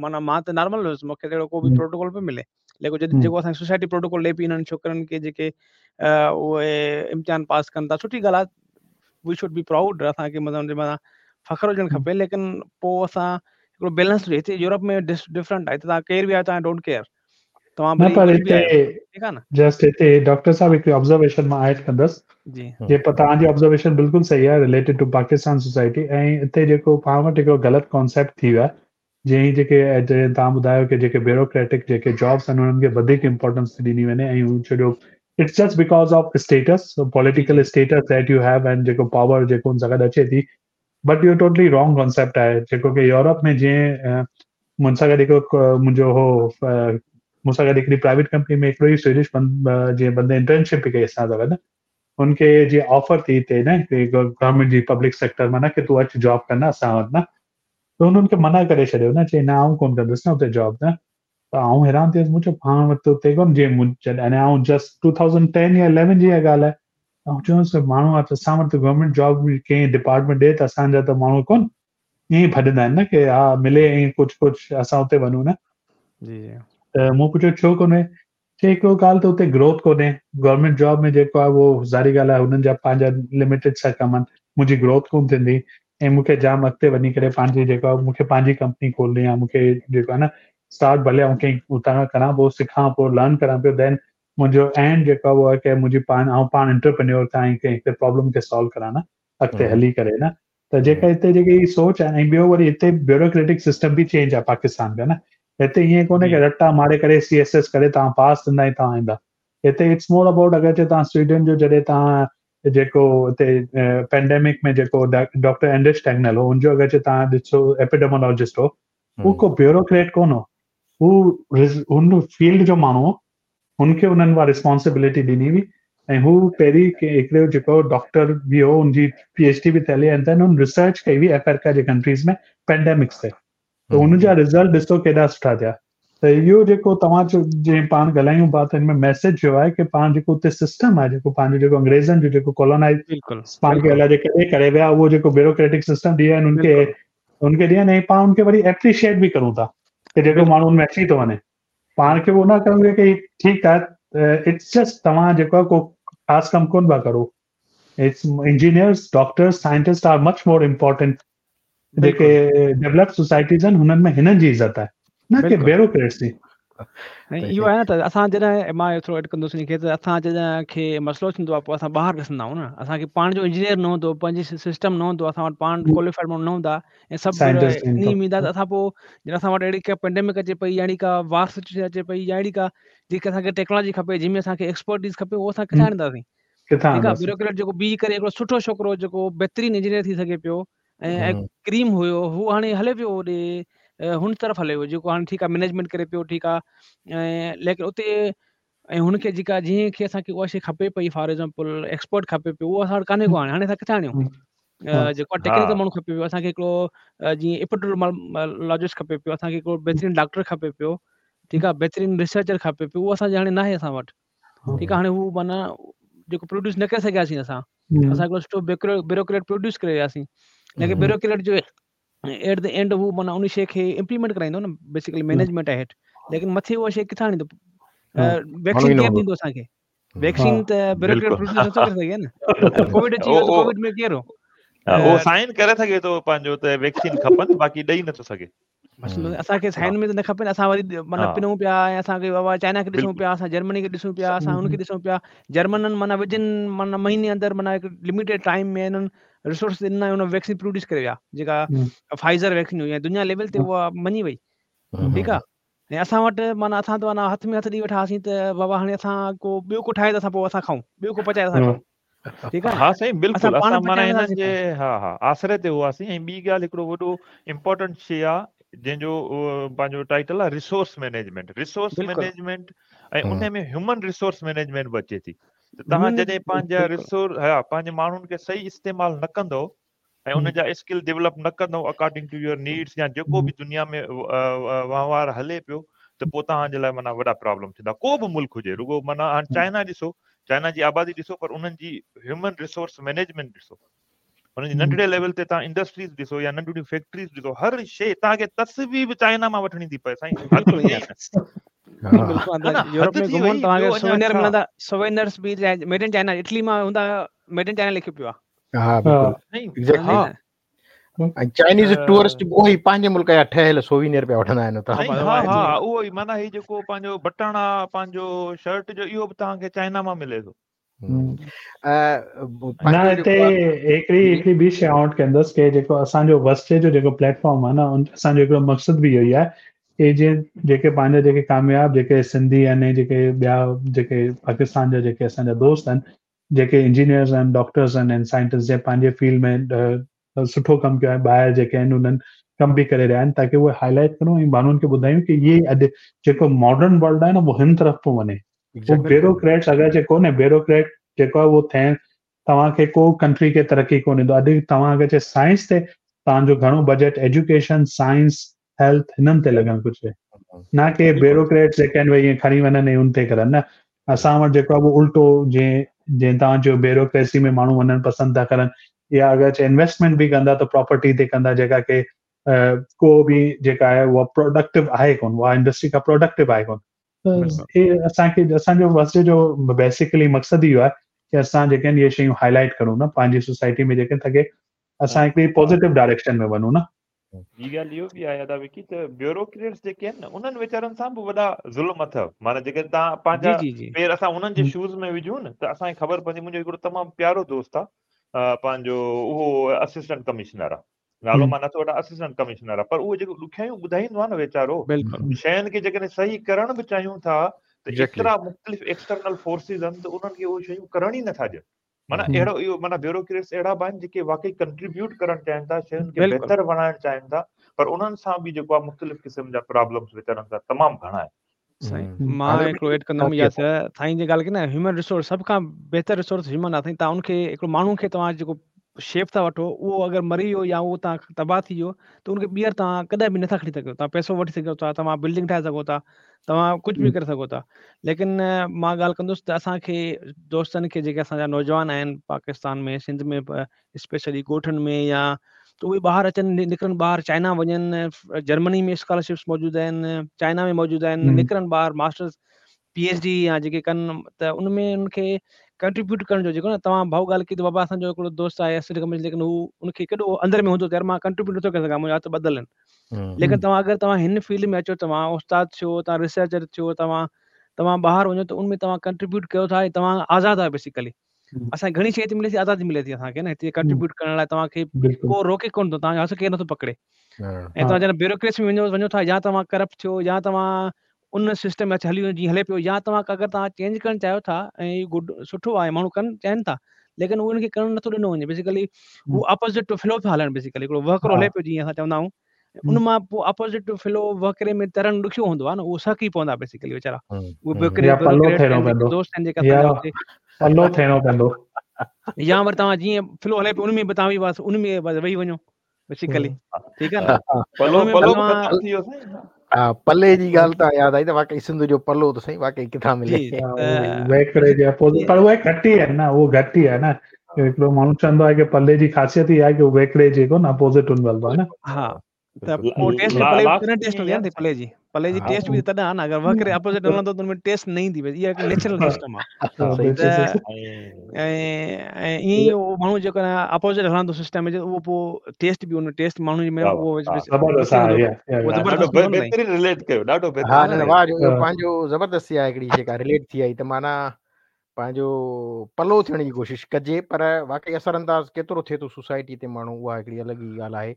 معنيٰ مان ته نارمل هيس مونکي اهڙو ڪو به پروٽوڪول پيو ملي ليڪن جڏهن جيڪو اسان سوسائٽي پروٽوڪول ڏي پئي انهن ڇوڪرن کي جيڪي اهي امتحان پاس ڪن ٿا سٺي ڳالهه آهي we should be proud اسان کي مطلب ان جي مٿان فخر هجڻ کپي ليڪن پوء اسان هڪڙو بيلنس هجي هتي يورپ ۾ ڊفرنٽ آهي توهان ڪير به آهيو توهان don't care توهان نه پر هتي ٺيڪ آهي نه جسٽ هتي ڊاڪٽر صاحب هڪڙي آبزرويشن مان ايڊ ڪندس جي جي پر توهان جي آبزرويشن بلڪل صحيح آهي رليٽيڊ ٽو پاڪستان سوسائٽي ۽ هتي جيڪو پاڻ وٽ هڪڙو غلط ڪانسيپٽ ٿي ويو آهي جيئن هي جيڪي توهان ٻڌايو ڪي جيڪي بيوروڪريٽڪ جيڪي جابس آهن انهن کي وڌيڪ امپورٽنس ٿي ڏني وڃي ۽ هو ڇو جو it's just because of status political status that you have and جيڪو پاور جيڪو ان سان گڏ اچي ٿي بٽ اهو ٽوٽلي رانگ ڪانسيپٽ آهي جيڪو ڪي يورپ ۾ جيئن مون سان گڏ هڪڙو منهنجو هو مون سان گڏ هڪڙي پرائيويٽ ڪمپني ۾ هڪڙو ئي سويڊش جيئن بندي انٽرنشپ به ڪئي اسان سان گڏ هن کي جيئن آفر ٿي هتي نه گورنمينٽ جي پبلڪ سيڪٽر مان نه ڪي تون اچ جاب ڪر نه اسان وٽ نه ته هن کي منع ڪري ڇڏيو نه چئي نه آئون ڪونه ڪندس نه اتي جاب نه ته آئون حيران ٿي ويس مون چيو پاڻ وٽ اتي ڪونه جيئن جڏهن آئون جسٽ ٽو ٿائوزنڊ ٽين يا اليون جي اها ڳالهه آهي آئون چيومانس ته ماڻهو آ ته اسان وٽ ته گورنمينٽ جاب ڪنهن ڊپارٽمينٽ ڏي ته اسان جا ته ماڻهو ڪونه ائين ئي ڀڄندا آهن نه ڪي ها ملي ائين ڪجهه ڪجهه اسان اتي وڃون نه جي جي ته مون پڇيو ڇو ڪونهي چي هڪڙو ڳالهه ته اتي گروٿ ڪونهي گورنمينٽ جاب ۾ جيڪو آهي اهو ظاهري ڳالهه آهي هنن جا پنهنجا لميٽيڊ سا ڪم آهن منهنجي گروٿ ڪونه ٿيندي ۽ مون کي جام اڳتي وڃي ڪري پنهنجي جيڪو آهي مون کي پنهنجي ڪمپني کولڻي آهي مون کي جيڪو آهي نه اسٽارٽ ڀلي آئون ڪنهن اتان کان ڪران پوء سکان پيو لرن ڪران پيو دين منهنجو اينڊ جيڪو آهي اهو آهي ڪي منهنجي پاڻ آئون پاڻ انٽرپرينيور ٿيان ۽ ڪنهن هڪڙي پرابلم کي سالو ڪران نه اڳتي هلي ڪري نه ته جيڪا هتي جيڪي هي سوچ آهي ۽ ٻيو وري هتي بيوروڪريٽڪ سسٽم به چينج آهي پاڪستان کان نه هتي ائين ڪونهي ڪي رٽا ماري ڪري سي ايس ايس ڪري توهان پاس ٿيندا ۽ توهان ايندا هتي it's more about اگر چي توهان سويڊن جو جڏهن توهان جيڪو هتي پينڊيمڪ ۾ جيڪو ڊاڪٽر اينڊرس ٽيگنل هو ان جو اگر چي توهان ڏسو ايپيڊيمولاجسٽ هو هو ڪو بيوروڪريٽ ڪونه هو هو هن فيلڊ جو ماڻهو هو هن کي انهن اها ريسپانسبلٽي ڏني هئي ۽ هو پهرين هڪڙو جيڪو ڊاڪٽر به هو ان جي پي ايڇ ڊي به ٿيل هئي ۽ دين هن ريسرچ ڪئي هئي آفريڪا جي ڪنٽريز ۾ پينڊيمڪس تي ته هن جا رزلٽ ڏسو ڪيڏا سٺا ٿيا त इहो जेको तव्हां जीअं पाण ॻाल्हायूं पिया त हिन में मैसेज जो आहे की पाण जेको हुते सिस्टम आहे जेको पंहिंजो जेको अंग्रेज़नि जो जेको कॉलोनाइज़ पाण खे अलाए कॾहिं करे विया उहो जेको ब्यूरोक्रेटिक सिस्टम ॾिया आहिनि उनखे उनखे ॾिया आहिनि ऐं पाण उनखे वरी एप्रिशिएट बि करूँ था की जेको माण्हू हुन में अची थो वञे। पाण खे उहो न करूँ की ठीकु आहे it's just तव्हां जेको आहे को ख़ासि कमु कोन पिया करो। It's engineers doctors scientist are much more important जेके डेवलप सोसाइटीज़ आहिनि हुननि में हिननि जी इज़त आहे न की ब्यूरोक्रेट्स जी। ऐं इहो आहे न त असां जॾहिं माँ थोरो एड कंदुसि हिनखे त असां जॾहिं खे मसइलो थींदो आहे पोइ असां ॿाहिरि ॾिसंदा आहियूं न। असांखे पाण जो इंजीनियर न हूंदो पंहिंजी सिस्टम न हूंदो असां वटि पाण क्वालिफाइड माण्हू न हूंदा ऐं सभु ईअं ईंदा त असां पोइ जॾहिं असां वटि अहिड़ी का पेंडेमिक अचे पई या अहिड़ी का वार सिचुएशन अचे पई या अहिड़ी का जेकी असांखे टेक्नोलॉजी खपे जंहिंमें असांखे एक्सपर्टीज़ खपे उहो असां किथां आणींदासीं? ठीकु आहे ब्यूरोक्रेट जेको बीह करे हिकिड़ो सुठो छोकिरो जेको बहितरीनु इंजीनियर थी सघे पियो ऐं क्रीम हुयो हू हाणे हले पियो होॾे हुन तरफ़ हले वियो जेको हाणे ठीकु आहे मैनेजमेंट करे पियो ठीकु आहे ऐं लेकिन उते ऐं हुनखे जेका जीअं खे असांखे उहा शइ खपे पई फॉर एग्ज़ाम्पल एक्सपर्ट खपे पियो उहो असां वटि कान्हे को हाणे हाणे असां किथां आणियूं? जेको आहे टेक्निकल माण्हू खपे पियो असांखे हिकिड़ो जीअं एपिडेमियोलॉजिस्ट खपे पियो असांखे हिकिड़ो बहितरीनु डॉक्टर खपे पियो ठीकु आहे बहितरीनु रिसर्चर खपे पियो उहो असांजे हाणे न आहे असां वटि। ठीकु आहे हाणे हू माना जेको प्रोड्यूस न करे सघियासीं असां असां हिकिड़ो सुठो ब्यूरोक्रेट प्रोड्यूस करे वियासीं लेकिन ब्यूरोक्रेट जो एट the and हू माना उन शइ खे इम्प्लीमेंट कराईंदो न बेसिकली मैनेजमेंट आहे हेठि लेकिन मथे उहा शइ किथां आणींदो? वैक्सीन केरु ॾींदो असांखे? वैक्सीन त ब्यूरोक्रेट प्रोड्यूस नथो करे सघे न। कोविड अची वियो त कोविड में केरु? उहो साइन करे सघे थो पंहिंजो त वैक्सीन खपनि बाक़ी ॾेई नथो सघे। बसि असांखे साइन में त न खपनि असां वरी माना पिनूं पिया ऐं असांखे बाबा चाइना खे ॾिसूं पिया असां जर्मनी खे ॾिसूं पिया असां हुनखे ॾिसूं पिया। जर्मननि माना विदिन माना महीने अंदरि माना हिकु लिमिटेड टाइम में हिननि रिसोर्स ॾिना हुन वैक्सीन प्रोड्यूस करे विया जेका फाइज़र वैक्सीन हुई ऐं दुनिया लेवल ते उहा मञी वई। ठीकु आहे ऐं असां वटि माना असां त माना हथ में हथ ॾेई वेठा हुआसीं त बाबा हाणे असां को ॿियो को ठाहे त असां पोइ असां खाऊं ॿियो को पचाए असां खाऊं। ठीकु आहे हा साईं बिल्कुलु असां माना हिननि जे हा हा आसरे ते हुआसीं। ऐं ॿी ॻाल्हि हिकिड़ो वॾो इम्पोर्टेंट शइ आहे जंहिंजो पंहिंजो टाइटल आहे रिसोर्स मैनेजमेंट रिसोर्स मैनेजमेंट ऐं उन में ह्यूमन रिसोर्स मैनेजमेंट बि अचे थी। त तव्हां जॾहिं पंहिंजा रिसोर्स हा पंहिंजे माण्हुनि खे सही इस्तेमालु न कंदव ऐं उन जा स्किल डेवलप न कंदव अकॉर्डिंग टू your needs या जेको बि दुनिया में वहिंवार हले पियो त पोइ तव्हांजे लाइ माना वॾा प्रॉब्लम थींदा। को बि मुल्क हुजे रुगो माना हाणे चाइना ॾिसो चाइना जी आबादी ॾिसो पर उन्हनि जी ह्यूमन रिसोर्स मैनेजमेंट ॾिसो हुननि जी नंढड़े लेवल ते तव्हां इंडस्ट्रीज़ ॾिसो या नंढड़ियूं फैक्ट्रीज़ ॾिसो हर शइ तव्हांखे तस्वीर बि चाइना माँ वठणी थी पए साईं। यूरोप में घुमो तव्हांखे सोवेनियर मिलंदा सोवेनियर्स बि मेड इन चाइना इटली माँ हूंदा मेड इन चाइना लिखियो पियो आहे। हा बिल्कुलु। एग्जैक्टली ऐं चाइनीज़ टूरिस्ट बि उहो ई पंहिंजे मुल्क जा ठहियल सोवेनियर पिया वठंदा आहिनि हुतां। हा हा उहो ई माना ही जेको पंहिंजो बटण आहे पंहिंजो शर्ट जो इहो बि तव्हांखे चाइना माँ मिले थो। न हिते हिकिड़ी हिकिड़ी ॿी शइ आउट कंदुसि की जेको असांजो वस्ते जो जेको प्लेटफॉर्म आहे न असांजो हिकिड़ो मक़सदु बि इहो ई आहे की जीअं जेके पंहिंजा जेके कामयाब जेके सिंधी आहिनि जेके ॿिया जेके पाकिस्तान जा जेके असांजा दोस्त आहिनि जेके इंजीनियर्स आहिनि डॉक्टर्स आहिनि ऐं साइंटिस्ट जंहिं पंहिंजे फील्ड में सुठो कमु कयो आहे ॿाहिरि जेके आहिनि उन्हनि कमु बि करे रहिया आहिनि ताकी उहे हाईलाइट करूँ ऐं माण्हुनि खे ॿुधायूं की इहे अॼु जेको मॉडर्न वर्ल्ड आहे न उहो हिन तरफ़ थो वञे। उहो ब्यूरोक्रेट्स अगरि जे कोन्हे ब्यूरोक्रेट जेको आहे उहो थियणु तव्हांखे को कंट्री खे तरक़ी कोन ॾींदो। अॼु तव्हां अगरि चे साइंस ते तव्हांजो घणो बजट एजुकेशन साइंस हेल्थ हिननि ते लॻणु घुरिजे। न की ब्यूरोक्रेट्स जेके आहिनि भई ईअं खणी वञनि ऐं उन ते करनि न। असां वटि जेको आहे उहो उल्टो जीअं जीअं तव्हां चयो ब्यूरोक्रेसी में माण्हू वञणु पसंदि था करनि या अगरि चे इन्वेस्टमेंट बि कंदा त प्रॉपर्टी ते कंदा जेका की को बि जेका आहे उहा प्रोडक्टिव आहे कोन उहा इंडस्ट्री का प्रोडक्टिव आहे कोन। त हे असांखे असांजो वस्ते जो बेसिकली मक़सदु इहो आहे की असां जेके आहिनि इहे शयूं हाईलाइट करूँ न पंहिंजी सोसाइटी में जेके ताकी असां हिकिड़ी पॉज़िटिव डायरेक्शन में वञूं न। ॿी ॻाल्हि इहो बि आहे अदा विकी त ब्यूरोक्रेट्स जेके आहिनि न उन्हनि वीचारनि सां बि वॾा ज़ुल्म अथव। माना जेकॾहिं तव्हां पंहिंजा पेर असां उन्हनि जे शूज़ में विझूं न त असांखे ख़बर पवंदी मुंहिंजो हिकिड़ो तमामु प्यारो दोस्त आहे पंहिंजो उहो असिस्टेंट कमिश्नर आहे नालो माँ नथो वठां असिस्टेंट कमिश्नर आहे पर उहो जेको ॾुखियायूं ॿुधाईंदो आहे न वीचारो शयुनि खे जेकॾहिं सही करणु बि चाहियूं था त एतिरा मुख़्तलिफ़ एक्सटर्नल फोर्सिस आहिनि त उन्हनि खे उहे शयूं करणु ई नथा ॾियनि। माना अहिड़ो इहो माना ब्यूरोक्रेट्स अहिड़ा बि आहिनि जेके वाकई कंट्रीब्यूट करणु चाहिनि था शयुनि खे बहितर बणाइणु चाहिनि था पर उन्हनि सां बि जेको आहे मुख़्तलिफ़ क़िस्म जा प्रॉब्लम्स वीचारनि सां तमामु घणा आहिनि। साईं माँ हिकिड़ो एड कंदुमि इहा त साईं जी ॻाल्हि कई न ह्यूमन रिसोर्स सभ खां बहितर रिसोर्स ह्यूमन आहे साईं तव्हां उनखे हिकिड़ो माण्हू खे तव्हां जेको शेप था वठो उहो अगरि मरी वियो या उहो तव्हां तबाह थी वियो त उनखे ॿीहर तव्हां कॾहिं बि नथा खणी सघो। तव्हां पैसो वठी सघो था, तव्हां बिल्डिंग ठाहे सघो था, तव्हां कुझु बि करे सघो था। लेकिन मां ॻाल्हि कंदुसि त असांखे दोस्तनि खे जेके असांजा नौजवान आहिनि पाकिस्तान में, सिंध में, स्पेशली ॻोठनि में, या त उहे ॿाहिरि अचनि, निकिरनि ॿाहिरि, चाइना वञनि, जर्मनी में स्कॉलरशिप्स मौजूदु आहिनि, चाइना में मौजूदु आहिनि, निकिरनि ॿाहिरि मास्टर्स पी एच डी या जेके कनि त उन में उनखे कंट्रीब्यूट करण जो जेको न तव्हां भाऊ ॻाल्हि कई त बाबा असांजो हिकिड़ो दोस्त आहे असिस्टेंट कमिश्नर, लेकिन हू उनखे केॾो अंदरि में हूंदो त यार मां कंट्रीब्यूट नथो करे सघां, मुंहिंजा हथ ॿधल आहिनि। लेकिन तव्हां अगरि तव्हां हिन फील्ड में अचो, तव्हां उस्ताद थियो, तव्हां रिसर्चर थियो, तव्हां तव्हां ॿाहिरि वञो त उन में तव्हां कंट्रीब्यूट कयो था ऐं तव्हां आज़ादु आहियो। बेसिकली असांखे घणी शइ हिते मिले थी, आज़ादी मिले थी असांखे न हिते कंट्रीब्यूट करण लाइ, तव्हांखे को रोके कोन थो, तव्हांजो हथ केरु नथो पकड़े। ऐं तव्हां जॾहिं ब्यूरोक्रेसी में वञो वञो था, या तव्हां करप्ट थियो, या तव्हां उन सिस्टम में हली वञो जीअं हले पियो, या तव्हां अगरि तव्हां चेंज करणु चाहियो था ऐं गुड सुठो आहे, माण्हू कनि चाहिनि था, लेकिन उहो उनखे करणु नथो ॾिनो वञे। बेसिकली हू अपोज़िट टू फ्लो पियो हलनि, बेसिकली हिकिड़ो वहकिरो हले पियो जीअं असां चवंदा आहियूं, उन मां पोइ अपोज़िट टू फ्लो वहकिरे में तरणु ॾुखियो हूंदो आहे न, उहो सहकी पवंदा बेसिकली वीचारा। उहे दोस्त आहिनि जेका पलो थियणो पवंदो, या वरी तव्हां जीअं फ्लो हले पियो उन में बि तव्हां बि बसि उन में बसि वेही वञो बेसिकली, ठीकु आहे न। पलो पलो ख़तमु थी वियो साईं। हा, पले जी ॻाल्हि तां यादि आई त वाकई सिंध जो पलो त साईं वाकई किथां मिले, वहिकिरे जे अपोज़िट, पर उहे घटि ई आहिनि न, उहो घटि ई आहे न। हिकिड़ो माण्हू चवंदो आहे की पले जी ख़ासियत ई आहे की वहिकिरे जेको न अपोज़िट हुन हलंदो आहे न। हा, त पोइ टेस्ट पले तॾहिं टेस्ट हूंदी आहे न पले जी, पले जी टेस्ट बि तॾहिं आहे न, अगरि वहिकिरे अपोज़िट हलंदो त हुन में टेस्ट न ईंदी, इहा हिकु नेचुरल सिस्टम आहे। त ऐं ऐं ईअं ई उहो माण्हू जेको आहे अपोज़िट हलंदो सिस्टम में, उहो पोइ टेस्ट बि उन टेस्ट माण्हू जे में उहो ज़बरदस्त आहे, ॾाढो बहितरीन रिलेट कयो, ॾाढो हा न वाह जो पंहिंजो ज़बरदस्त आहे हिकिड़ी जेका रिलेट थी आई त माना पंहिंजो पलो थियण जी कोशिशि कजे, पर वाकई असरअंदाज़ केतिरो थिए थो सोसाइटी ते माण्हू, उहा हिकिड़ी अलॻि ई ॻाल्हि आहे।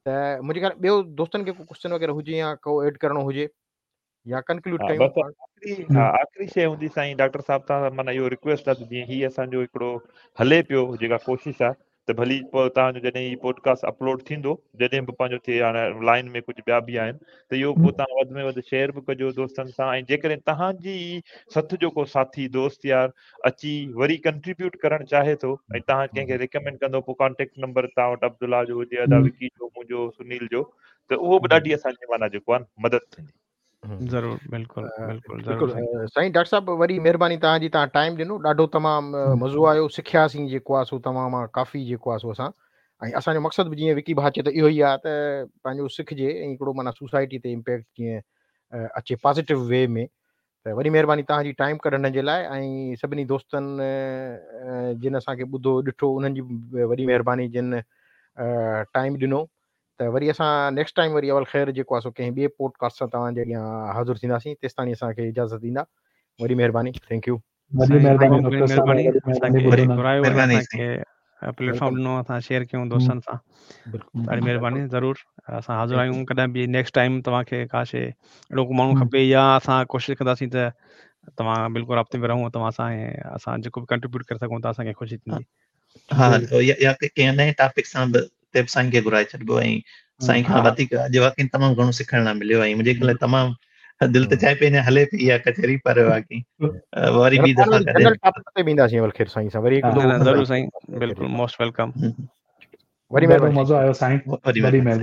त मुंहिंजे ख़्याल ॿियो दोस्तनि खे को क्वेश्चन वग़ैरह हुजे या को एड करिणो हुजे या कंक्लूड कयूं। बसि आख़िरी हा आख़िरी शइ हूंदी साईं डॉक्टर साहिब, तव्हां माना इहो रिक्वेस्ट आहे त जीअं हीअ असांजो हिकिड़ो हले पियो जेका कोशिशि आहे, त भली पोइ तव्हांजो जॾहिं हीउ पॉडकास्ट अपलोड थींदो, जॾहिं बि पंहिंजो थिए, हाणे लाइन में कुझु ॿिया बि आहिनि, त इहो पोइ तव्हां वधि में वधि शेयर बि कजो दोस्तनि सां। ऐं जेकॾहिं तव्हांजी सथ जो को साथी दोस्त यार अची वरी कंट्रीब्यूट करणु चाहे थो ऐं तव्हां कंहिंखे रिकमेंड कंदो, पोइ कॉन्टेक्ट नंबर तव्हां वटि अब्दुल्ला जो हुजे, अदा विकी जो, मुंहिंजो, सुनील जो, त उहो बि ॾाढी असांजी माना जेको आहे मदद थींदी। ज़रूरु, बिल्कुलु बिल्कुलु ज़रूरु साईं डॉक्टर साहिब, वरी महिरबानी तव्हांजी, तव्हां टाइम ॾिनो, ॾाढो तमामु मज़ो आयो, सिखियासीं जेको आहे सो तव्हां मां काफ़ी जेको आहे सो असां, ऐं असांजो मक़सदु बि जीअं विकी भाउ चए त इहो ई आहे त पंहिंजो सिखिजे ऐं हिकिड़ो माना सोसाइटी ते इम्पैक्ट जीअं अचे पॉज़िटिव वे में। त वॾी महिरबानी तव्हांजी टाइम कढण जे लाइ, ऐं सभिनी दोस्तनि जिन असांखे ॿुधो ॾिठो उन्हनि जी बि वॾी महिरबानी जिन टाइम ॾिनो। त वरी असां नेक्स्ट टाइम वरी अवल ख़ैर जेको आहे सो कंहिं ॿिए पॉडकास्ट सां तव्हांजे अॻियां हाज़िर थींदासीं, तेसि ताईं असांखे इजाज़त ॾींदा। वॾी महिरबानी, thank you. वॾी महिरबानी डॉक्टर महिरबानी, साहिब, घुरायो असांखे प्लेटफॉर्म ॾिनो, असां शेयर कयूं दोस्तनि सां, ॾाढी महिरबानी। ज़रूरु असां हाज़िर आहियूं, कॾहिं बि नेक्स्ट टाइम तव्हांखे का शइ अहिड़ो को माण्हू खपे या असां कोशिशि कंदासीं त तव्हां बिल्कुलु राब्ते में रहूं तव्हां सां, ऐं असां जेको बि कंट्रीब्यूट करे सघूं था असांखे ख़ुशी थींदी। हा, या कंहिं नए टॉपिक सां बि ते बि साईं खे घुराए छॾिबो, ऐं साईं खां वधीक अॼु वाकई तमामु घणो सिखण लाइ मिलियो, ऐं मुंहिंजे ख़्याल तमामु दिलि त चाहे पई अञा हले पई इहा कचहरी, पर बाक़ी वरी ॿी दफ़ा जनरल टॉपिक ते बि ईंदासीं अवल ख़ैर साईं सां वरी हिकु ज़रूरु साईं, बिल्कुलु मोस्ट welcome. वरी महिरबानी, मज़ो आयो साईं, वॾी महिरबानी।